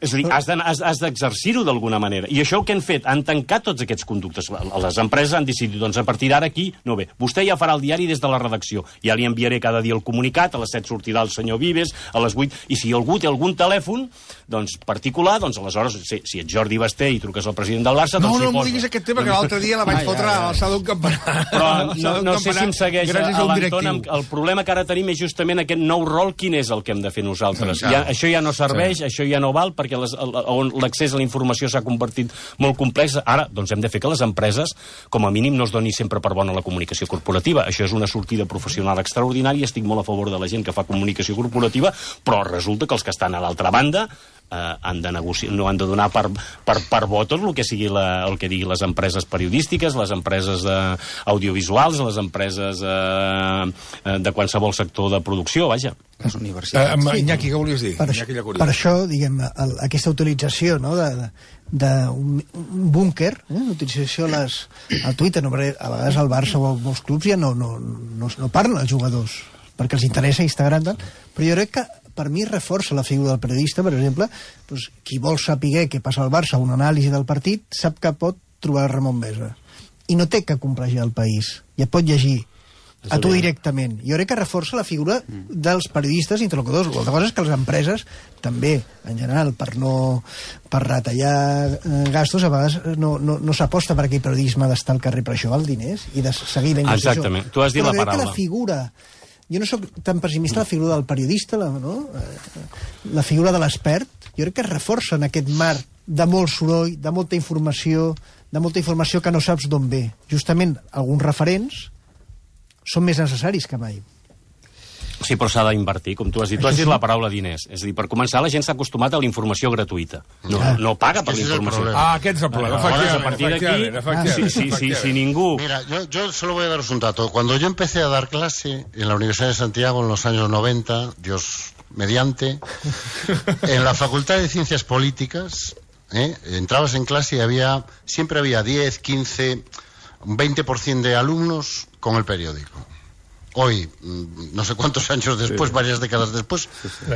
És a dir, has d'exercir-ho d'alguna manera. I això que han fet? Han tancat tots aquests conductes. Les empreses han decidit, doncs a partir d'ara aquí, no bé, vostè ja farà el diari des de la redacció. Ja li enviaré cada dia el comunicat, a les 7 sortirà el senyor Vives, a les 8, i si algú té algun telèfon, doncs particular, doncs aleshores, si ets Jordi Basté i truques al president del Barça, doncs no m'ho diguis aquest tema, que l'altre dia la vaig fotre a l'alçada d'un campanar. Però no sé si em segueix l'Anton. El problema que ara tenim és justament aquest nou rol, quin és el que hem de fer nosaltres. Això ja no serveix, això ja no val, perquè on l'accés a la informació s'ha convertit molt complex. Ara, doncs hem de fer que les empreses, com a mínim, no es doni sempre per bona la comunicació corporativa. Això és una sortida professional extraordinària, estic molt a favor de la gent que fa comunicació corporativa, però resulta que els que estan a l'altra banda han de negociar, no han de donar per bo tot el que sigui el que digui les empreses periodístiques, les empreses audiovisuals, les empreses de qualsevol sector de producció, vaja. Les universitats. Iñaki, què volies dir? Per això, diguem, aquesta utilització, no?, d'un búnquer, l'utilització al Twitter, no, perquè a vegades al Barça o a molts clubs ja no parlen els jugadors, perquè els interessa Instagram, però jo crec que per mi reforça la figura del periodista. Per exemple, doncs, qui vol saber què passa al Barça, una anàlisi del partit, sap que pot trobar Ramon Besa. I no té que complegiar el país. Ja pot llegir a tu directament. Jo crec que reforça la figura dels periodistes interlocutors. L'altra cosa és que les empreses també, en general, per retallar gastos, a vegades no s'aposta per aquell periodisme d'estar al carrer, per això val diners i de seguir la investigació. Exactament, tu has dit la paraula. Però crec que la figura... Jo no sóc tan pessimista la figura del periodista, la figura de l'expert. Jo crec que es reforça en aquest mar de molt soroll, de molta informació que no saps d'on ve. Justament alguns referents són més necessaris que mai. Sí, però s'ha d'invertir, com tu has dit. Tu has dit la paraula diners. És a dir, per començar, la gent s'ha acostumat a la informació gratuïta. No paga per la informació. Aquest és el problema. A partir d'aquí, si ningú... Mira, yo solo voy a daros un dato. Cuando yo empecé a dar clase en la Universidad de Santiago en los años 90, Dios mediante, en la Facultad de Ciencias Políticas, entrabas en clase y siempre había 10, 15, 20% de alumnos con el periódico. Hoy, no sé cuántos años después, varias décadas después,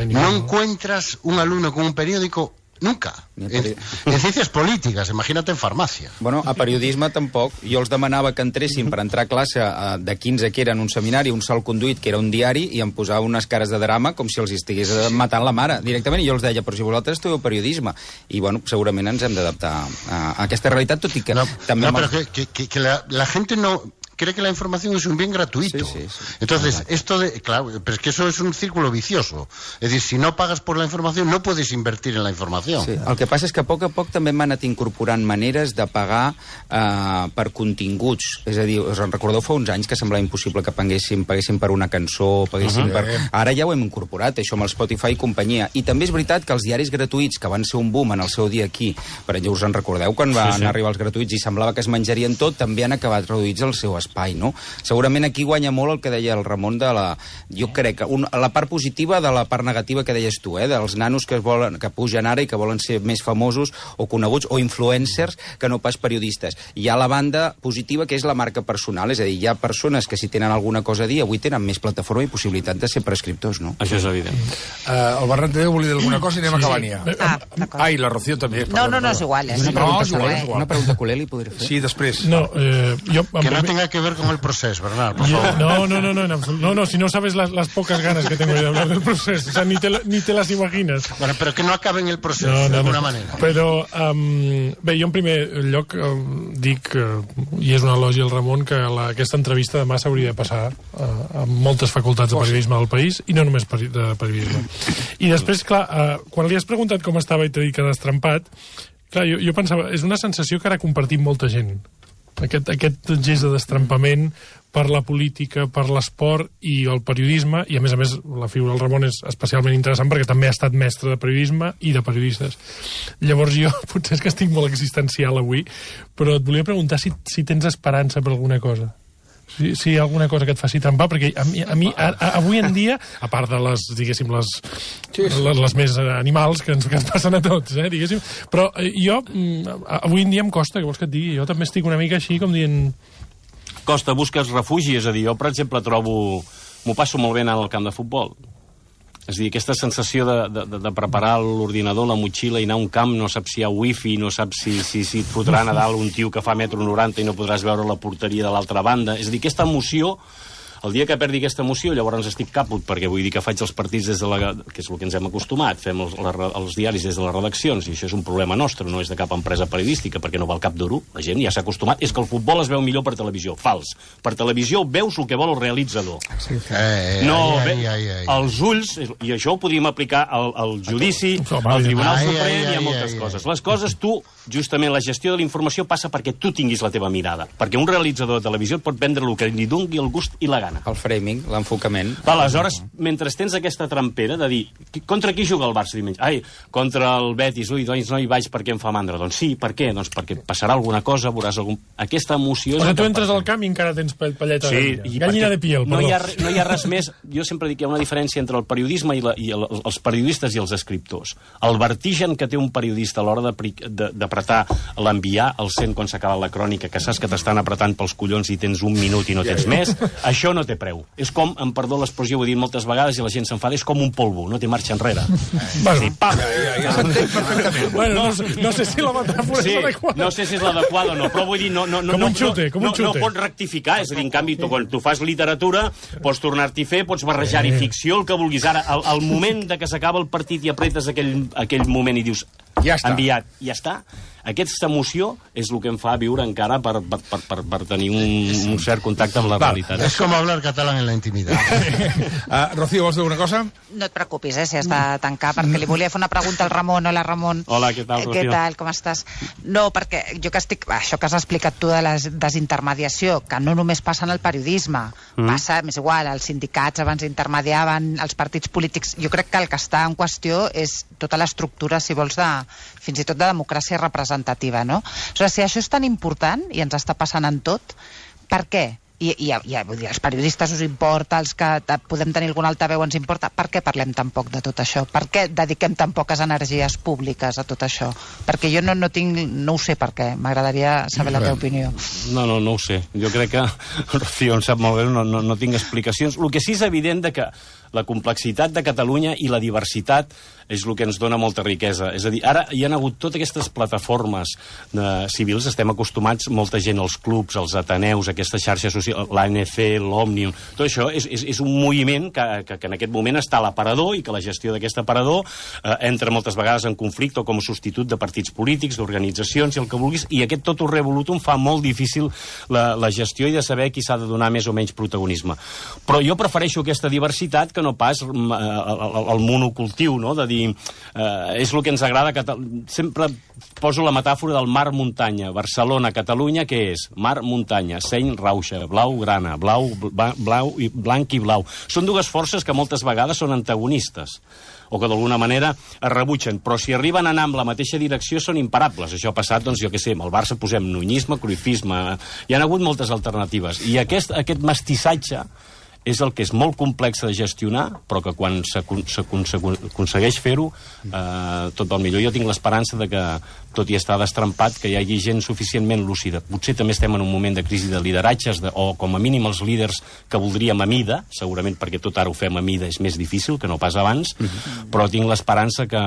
no encuentras un alumno con un periódico nunca. En ciencias polítiques, imagina't en farmàcia. Bueno, a periodisme tampoc. Jo els demanava que entressin per entrar a classe de 15 que eren un seminari, un sol conduït, que era un diari, i em posava unes cares de drama com si els estigués matant la mare, directament. I jo els deia, però si vosaltres estudieu periodisme. I, bueno, segurament ens hem d'adaptar a aquesta realitat, tot i que... Pero que la gente no... cree que la información es un bien gratuito. Entonces, claro, pero es que eso es un círculo vicioso. Es decir, si no pagas por la información, no puedes invertir en la información. Sí. El que passa és que a poc també hem anat incorporant maneres de pagar per continguts. És a dir, us en recordeu fa uns anys que semblava impossible que paguéssim per una cançó, paguéssim per... Ara ja ho hem incorporat, això amb el Spotify i companyia. I també és veritat que els diaris gratuïts, que van ser un boom en el seu dia aquí, per exemple, us en recordeu quan van arribar els gratuïts i semblava que es menjarien tot, també han acabat reduïts al seu espai, no? Segurament aquí guanya molt el que deia el Ramon de la... Jo crec que la part positiva de la part negativa que deies tu, dels nanos que pugen ara i que volen ser més famosos o coneguts o influencers que no pas periodistes. Hi ha la banda positiva que és la marca personal, és a dir, hi ha persones que si tenen alguna cosa a dir avui tenen més plataforma i possibilitat de ser prescriptors, no? Això és evident. El Berran també volia dir alguna cosa i anem acabant ja. Ai, la Rocío també. No, és igual. Una pregunta culé li podré fer? Sí, després. No, que no tenga que ver con el proceso, Bernard, por favor. No, si no sabes las pocas ganas que tengo de hablar del proceso, o sea, ni te las imaginas. Bueno, pero que no acabe en el proceso, de alguna manera. Però, bé, jo en primer lloc dic, i és una elogio al Ramon, que aquesta entrevista demà s'hauria de passar a moltes facultats de periodisme del país, i no només de periodisme. I després, clar, quan li has preguntat com estava i t'ha dit que ha destrempat, clar, jo pensava, és una sensació que ara compartim molta gent. Aquest gest de destrempament per la política, per l'esport i el periodisme, i a més, la figura del Ramon és especialment interessant perquè també ha estat mestre de periodisme i de periodistes. Llavors jo potser és que estic molt existencial avui, però et volia preguntar si tens esperança per alguna cosa. Si hi ha alguna cosa que et faci trempar, perquè a mi avui en dia, a part de les, diguéssim, les més animals que ens passen a tots, diguéssim, però jo, avui en dia em costa, que vols que et digui, jo també estic una mica així com dient... Costa, busques refugi, és a dir, jo, per exemple, m'ho passo molt bé anant al camp de futbol. És a dir, aquesta sensació de preparar l'ordinador, la motxilla i anar a un camp, no saps si hi ha wifi, no saps si et fotran a dalt un tio que fa 1,90 m i no podràs veure la porteria de l'altra banda. És a dir, aquesta emoció, el dia que perdi aquesta emoció, llavors estic caput, perquè vull dir que faig els partits des de que és el que ens hem acostumat, fem els diaris des de les redaccions, i això és un problema nostre, no és de cap empresa periodística, perquè no val cap duro, la gent ja s'ha acostumat, és que el futbol es veu millor per televisió, fals. Per televisió veus el que vol el realitzador. Els ulls, i això ho podríem aplicar al judici, al Tribunal Suprem i a moltes coses. Les coses, tu, justament, la gestió de la informació passa perquè tu tinguis la teva mirada, perquè un realitzador de televisió et pot vendre el que li doni el gust i la gana. El framing, l'enfocament. Aleshores, mentre tens aquesta trampera de dir, contra qui juga el Barça diumenge? Ai, contra el Betis, doncs no hi vaig perquè em fa mandra. Doncs sí, per què? Doncs perquè passarà alguna cosa, veuràs algun... Aquesta emoció... Perquè tu entres al camp i encara tens palleta de gallina. Gallina de piel, perdó. No hi ha res més... Jo sempre dic que hi ha una diferència entre el periodisme i els periodistes i els escriptors. El vertigen que té un periodista a l'hora d'apretar l'enviar al cent quan s'acaba la crònica, que saps que t'estan apretant pels collons i tens un minut i no tens més, això no té preu. És com, em perdó l'expressió, ho he dit moltes vegades i la gent s'enfada, és com un polvo, no té marxa enrere. Bueno, ja s'entén perfectament. Bueno, no sé si la metàfora és adequada. No sé si és l'adequada o no, però vull dir, com un xute. No pots rectificar, és a dir, en canvi, quan tu fas literatura, pots tornar-t'hi a fer, pots barrejar-hi ficció, el que vulguis. Ara, al moment de que s'acaba el partit i apretes aquell moment i dius, enviat, ja està. Aquesta emoció és el que em fa viure encara per tenir un cert contacte amb la realitat. És com hablar català en la intimitat. Rocío, vols dir alguna cosa? No et preocupis, si has de tancar, perquè li volia fer una pregunta al Ramon. Hola, Ramon. Hola, què tal, Rocío? Què tal, com estàs? No, perquè jo que estic... Això que has explicat tu de la desintermediació, que no només passa en el periodisme, passa, és igual, els sindicats abans intermediaven, els partits polítics... Jo crec que el que està en qüestió és tota l'estructura, si vols, fins i tot de democràcia representativa, no? O sigui, si això és tan important i ens està passant en tot, per què? I vull dir, els periodistes us importa, els que podem tenir algun altaveu ens importa, per què parlem tan poc de tot això? Per què dediquem tan poques energies públiques a tot això? Perquè jo no ho sé per què, m'agradaria saber la teva opinió. No ho sé, jo crec que Rocío em sap molt bé, no tinc explicacions. El que sí és evident que la complexitat de Catalunya i la diversitat és el que ens dona molta riquesa. És a dir, ara hi ha hagut totes aquestes plataformes civils, estem acostumats, molta gent als clubs, als ateneus, aquestes xarxes socials, l'ANC, l'Òmnium... Tot això és un moviment que en aquest moment està a l'aparador i que la gestió d'aquest aparador entra moltes vegades en conflicte com a substitut de partits polítics, d'organitzacions i el que vulguis, i aquest totum revolutum fa molt difícil la gestió i de saber qui s'ha de donar més o menys protagonisme. Però jo prefereixo aquesta diversitat que no pas el monocultiu, no? De dir, és el que ens agrada. Sempre poso la metàfora del mar-muntanya. Barcelona, Catalunya, què és? Mar-muntanya, seny, rauxa, blau, grana, blanc i blau. Són dues forces que moltes vegades són antagonistes o que d'alguna manera es rebutgen, però si arriben a anar en la mateixa direcció són imparables. Això ha passat, doncs, jo què sé, amb el Barça posem nunyisme, cruifisme, hi ha hagut moltes alternatives. I aquest mestissatge és el que és molt complex de gestionar, però que quan s'aconsegueix fer-ho, tot va millor. Jo tinc l'esperança de que, tot i estar destrampat, que hi hagi gent suficientment lúcida. Potser també estem en un moment de crisi de lideratges, o com a mínim els líders que voldríem a mida, segurament perquè tot ara ho fem a mida és més difícil que no pas abans, però tinc l'esperança que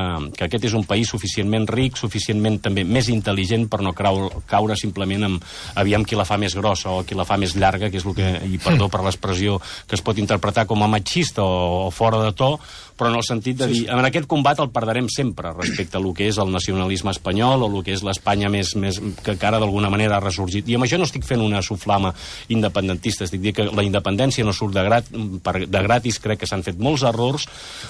aquest és un país suficientment ric, suficientment també més intel·ligent per no caure simplement en aviam qui la fa més grossa o qui la fa més llarga, que és el que, i perdó per l'expressió, que es pot interpretar com a machista o fora de to, però en el sentit de dir, en aquest combat el perdrem sempre respecte a lo que és el nacionalisme espanyol o el que és l'Espanya més que ara d'alguna manera ha ressorgit. I amb això no estic fent una soflama independentista, estic dient que la independència no surt de gratis, crec que s'han fet molts errors,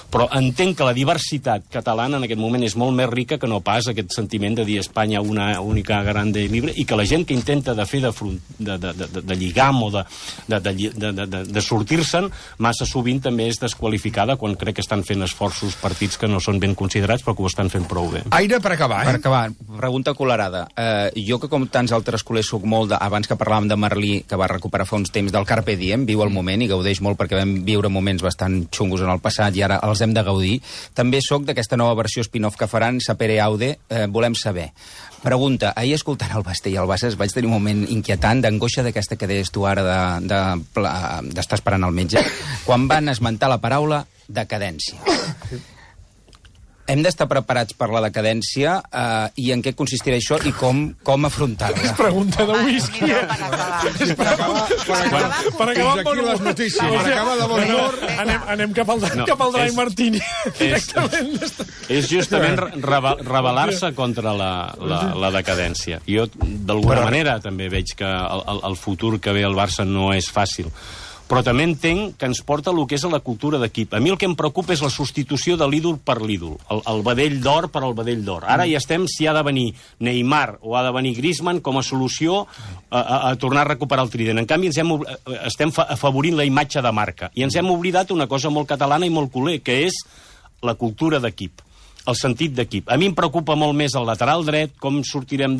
però entenc que la diversitat catalana en aquest moment és molt més rica que no pas aquest sentiment de dir Espanya una única grande i libre, i que la gent que intenta de fer de lligam o de sortir-se'n, massa sovint també és desqualificada quan crec que estan fent esforços partits que no són ben considerats però que ho estan fent prou bé. Aire per acabar, Per acabar, pregunta colorada. Jo que com tants altres col·legs soc molt abans que parlàvem de Merlí, que va recuperar fa uns temps del Carpe Diem, viu el moment i gaudeix molt perquè vam viure moments bastant xungos en el passat i ara els hem de gaudir. També soc d'aquesta nova versió spin-off que faran, Sapere Aude, volem saber. Pregunta, ahir escoltant el Basté i el Bassas vaig tenir un moment inquietant d'angoixa d'aquesta que deies tu ara d'estar esperant el metge, quan van esmentar la paraula decadència. Hem d'estar preparats per la decadència i en què consistirà això i com afrontar-la. És pregunta de whisky. Per acabar amb bon les notícies. Per acabar de bon humor. Anem cap al Dry Martini. És justament rebel·lar-se contra la decadència. Jo, d'alguna manera, també veig que el futur que ve al Barça no és fàcil. Però també entenc que ens porta el que és la cultura d'equip. A mi el que em preocupa és la substitució de l'ídol per l'ídol, el vedell d'or per al vedell d'or. Ara ja estem si ha de venir Neymar o ha de venir Griezmann com a solució a tornar a recuperar el trident. En canvi, estem afavorint la imatge de marca. I ens hem oblidat una cosa molt catalana i molt culer, que és la cultura d'equip. El sentit d'equip. A mi em preocupa molt més el lateral dret, com sortirem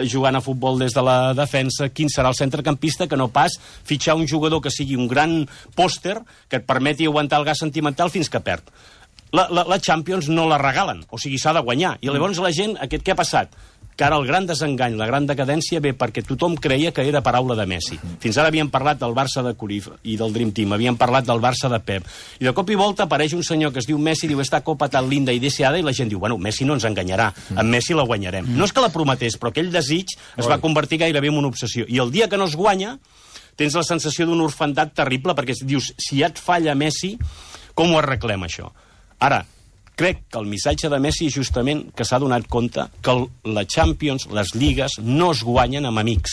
jugant a futbol des de la defensa, quin serà el centrecampista, que no pas fitxar un jugador que sigui un gran pòster que et permeti aguantar el gas sentimental fins que perd. La Champions no la regalen, o sigui, s'ha de guanyar. I llavors la gent, què ha passat? Que ara el gran desengany, la gran decadència ve perquè tothom creia que era paraula de Messi. Fins ara havíem parlat del Barça de Cruyff i del Dream Team, havíem parlat del Barça de Pep, i de cop i volta apareix un senyor que es diu Messi, diu esta copa tan linda i deseada, i la gent diu, bueno, Messi no ens enganyarà, amb Messi la guanyarem. No és que la prometés, però aquell desig es va convertir gairebé en una obsessió. I el dia que no es guanya, tens la sensació d'un orfandat terrible, perquè dius, si ja et falla Messi, com ho arreglem això? Ara, crec que el missatge de Messi és justament que s'ha donat compte que la Champions, les lligues, no es guanyen amb amics.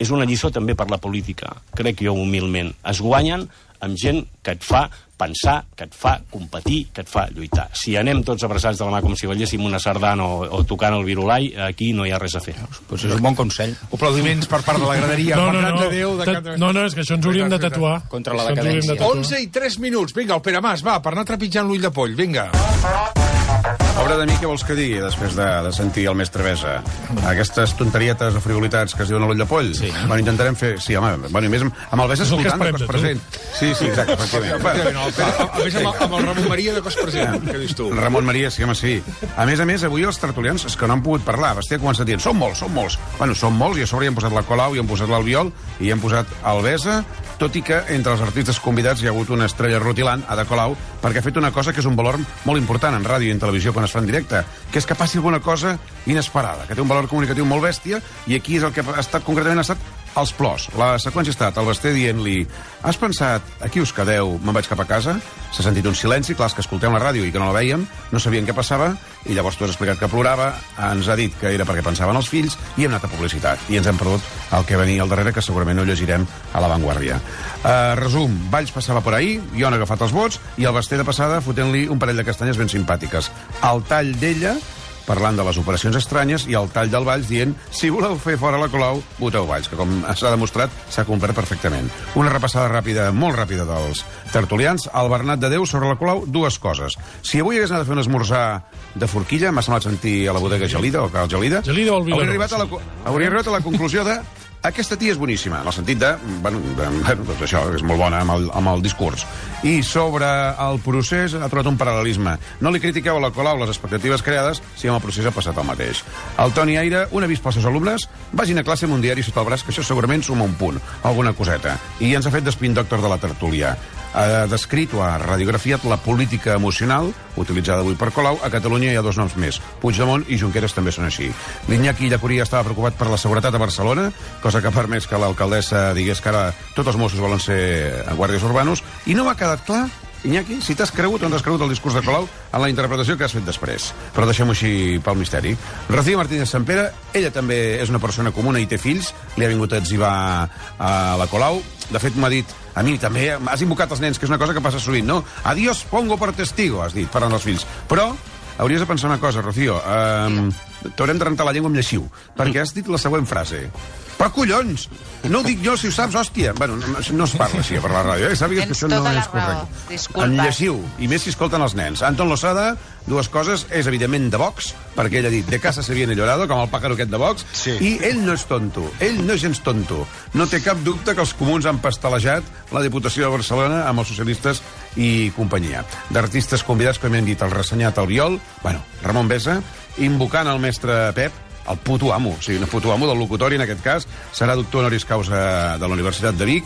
És una lliçó també per la política, crec jo humilment. Es guanyen amb gent que et fa pensar, que et fa competir, que et fa lluitar. Si anem tots abraçats de la mà com si balléssim una sardana o tocant el virulai, aquí no hi ha res a fer. Pues és un bon consell. Aplaudiments per part de la graderia. No, és que això ens hauríem de tatuar. Contra la decadència. 11 i 3 minuts. Vinga, el Pere Mas, va, per anar trepitjant l'ull de poll. Vinga. Obra de mi, què vols que digui després de sentir el mestre Besa? Aquestes tonterietes o frivolitats que es diuen a l'ull de poll? Sí. Bueno, intentarem fer... Sí, home, bueno, i més amb el Besa escoltant de cos present. Sí, exacte, efectivament. A més, amb el Ramon Maria de cos present, què dius tu? Ramon Maria, sí, home, sí. A més, avui els tertulians és que no han pogut parlar. Basté ha començat dient, som molts. Bueno, som molts, i a sobre hi hem posat la Colau, hi hem posat l'Albiol, i hi hem posat el Besa, tot i que entre els artistes convidats hi ha hagut una estrella rutilant, Ada Colau, perquè ha fet una cosa que és un valor molt important en ràdio i en televisió quan es fa en directe, que és que passi alguna cosa inesperada, que té un valor comunicatiu molt bèstia, i aquí és el que ha estat concretament els plors. La seqüència ha estat el Basté dient-li: has pensat, aquí us quedeu, me'n vaig cap a casa? S'ha sentit un silenci, clar, que escoltem la ràdio i que no la veiem, no sabien què passava, i llavors tu has explicat que plorava, ens ha dit que era perquè pensaven els fills, i hem anat a publicitat. I ens hem perdut el que venia al darrere, que segurament no llegirem a La Vanguardia. Resum, Valls passava per ahí, jo han agafat els vots, i el Basté de passada fotent-li un parell de castanyes ben simpàtiques. El tall d'ella, parlant de les operacions estranyes, i el tall del Valls dient: si voleu fer fora la Colau, voteu Valls, que com s'ha demostrat s'ha complert perfectament. Una repassada ràpida, molt ràpida, dels tertulians. El Bernat de Déu sobre la Colau, dues coses. Si avui hagués anat a fer un esmorzar de forquilla, m'ha semblat sentir a la bodega Gelida, o Cal Gelida, hauria arribat a la conclusió de: aquesta tia és boníssima, en el sentit de, doncs això, és molt bona amb el discurs. I sobre el procés ha trobat un paral·lelisme. No li critiqueu a la Colau les expectatives creades si amb el procés ha passat el mateix. El Toni Aire, un avís pels seus alumnes: vagin a classe amb un diari sota el braç, que això segurament suma un punt, alguna coseta. I ens ha fet d'espin doctor de la tertúlia. Ha descrit o ha radiografiat la política emocional utilitzada avui per Colau. A Catalunya hi ha dos noms més: Puigdemont i Junqueras també són així. L'Iñaki Llacuria estava preocupat per la seguretat a Barcelona, cosa que ha permès que l'alcaldessa digués que ara tots els Mossos volen ser guàrdies urbanos, i no m'ha quedat clar, Iñaki, si t'has cregut o no t'has cregut el discurs de Colau en la interpretació que has fet després. Però deixem-ho així pel misteri. Rocío Martínez Sampere, ella també és una persona comuna i té fills, li ha vingut a etzibar a la Colau. De fet, m'ha dit: a mi també has invocat els nens, que és una cosa que passa sovint, no? Adiós, pongo per testigo, has dit, parlant dels fills. Però hauries de pensar una cosa, Rocío. T'haurem de rentar la llengua amb lleixiu, perquè has dit la següent frase: però collons, no ho dic jo, si ho saps, hòstia. Bueno, no es parla així per la ràdio, sàpigues que això no és correcte. En lleixiu, i més si escolten els nens. Anton Losada, dues coses: és evidentment de Vox, perquè ell ha dit de casa se viene llorado, com el pájaro aquest de Vox, sí. I ell no és tonto, ell no és gens tonto. No té cap dubte que els comuns han pastelejat la Diputació de Barcelona amb els socialistes i companyia. D'artistes convidats, com hem dit, el ressenyat Albiol, Ramon Besa, invocant el mestre Pep, el puto amo, o sigui, el puto amo del locutori, en aquest cas, serà doctor honoris causa de la Universitat de Vic.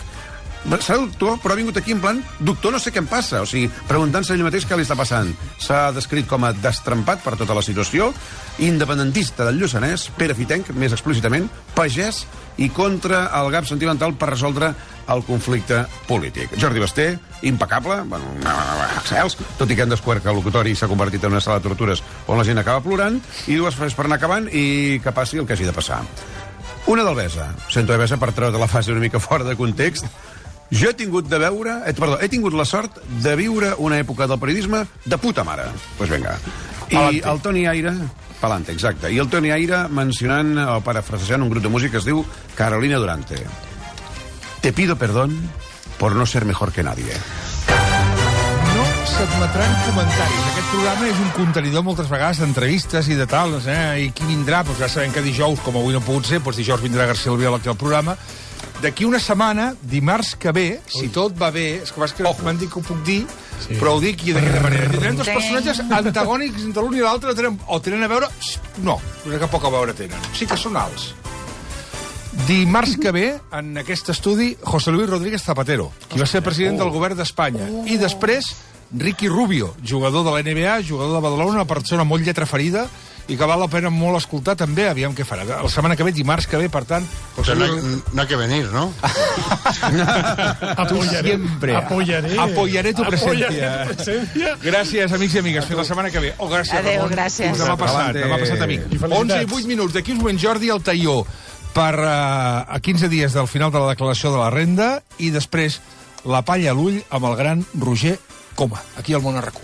Serà doctor, però ha vingut aquí en plan doctor no sé què em passa, o sigui, preguntant-se ell mateix què li està passant. S'ha descrit com a destrempat per tota la situació, independentista del Lluçanès, Pere Fitenc, més explícitament, pagès i contra el gap sentimental per resoldre el conflicte polític. Jordi Basté, impecable, excels, tot i que han descobert que el locutori s'ha convertit en una sala de tortures on la gent acaba plorant, i dues frases per anar acabant i que passi el que hagi de passar. Una del Besa, sento de Besa per treure la fase una mica fora de context. Jo he tingut la sort de viure una època del periodisme de puta mare. Doncs vinga. I el Toni Aire... Palante, exacte. I el Toni Aire mencionant o parafrasejant un grup de música que es diu Carolina Durante. Te pido perdón por no ser mejor que nadie. No s'admetran comentaris. Aquest programa és un contenidor moltes vegades d'entrevistes i de tals, I qui vindrà? Doncs ja sabem que dijous, com avui no ha pogut ser, doncs dijous vindrà García Albiol aquí al programa. D'aquí una setmana, dimarts que ve, si tot va bé, és que m'han dit que ho puc dir, sí. Però ho dic d'aquesta manera. Tindrem dos personatges antagònics entre l'un i l'altre, o tenen a veure... No, que poc a veure tenen. Sí que són alts. Dimarts que ve, en aquest estudi, José Luis Rodríguez Zapatero, qui va ser president del govern d'Espanya. I després, Ricky Rubio, jugador de la NBA, jugador de Badalona, una persona molt lletra ferida, i que val la pena molt escoltar també, aviam què farà. La setmana que ve, dimarts que ve, per tant... Però no hay que venir, ¿no? Apoyaré tu presencia. Gràcies, amics i amigues. Fins la setmana que ve. Gràcies, adéu, Ramon. gràcies. Demà passat, amic. 11 i 8 minuts. D'aquí uns moments, Jordi al Taió per a 15 dies del final de la declaració de la renda, i després la palla a l'ull amb el gran Roger Coma, aquí al Món RQ.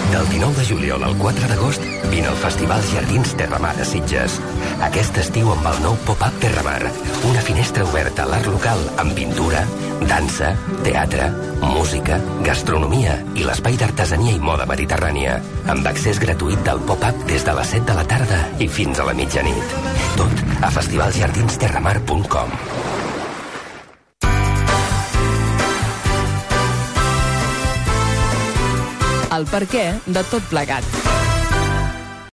Del 19 de juliol al 4 d'agost, vine al Festival Jardins Terramar a Sitges. Aquest estiu amb el nou pop-up Terramar, una finestra oberta a l'art local amb pintura, dansa, teatre, música, gastronomia i l'espai d'artesania i moda mediterrània, amb accés gratuït del pop-up des de les 7 de la tarda i fins a la mitjanit. Tot a festivaljardinsterramar.com. El perquè de tot plegat.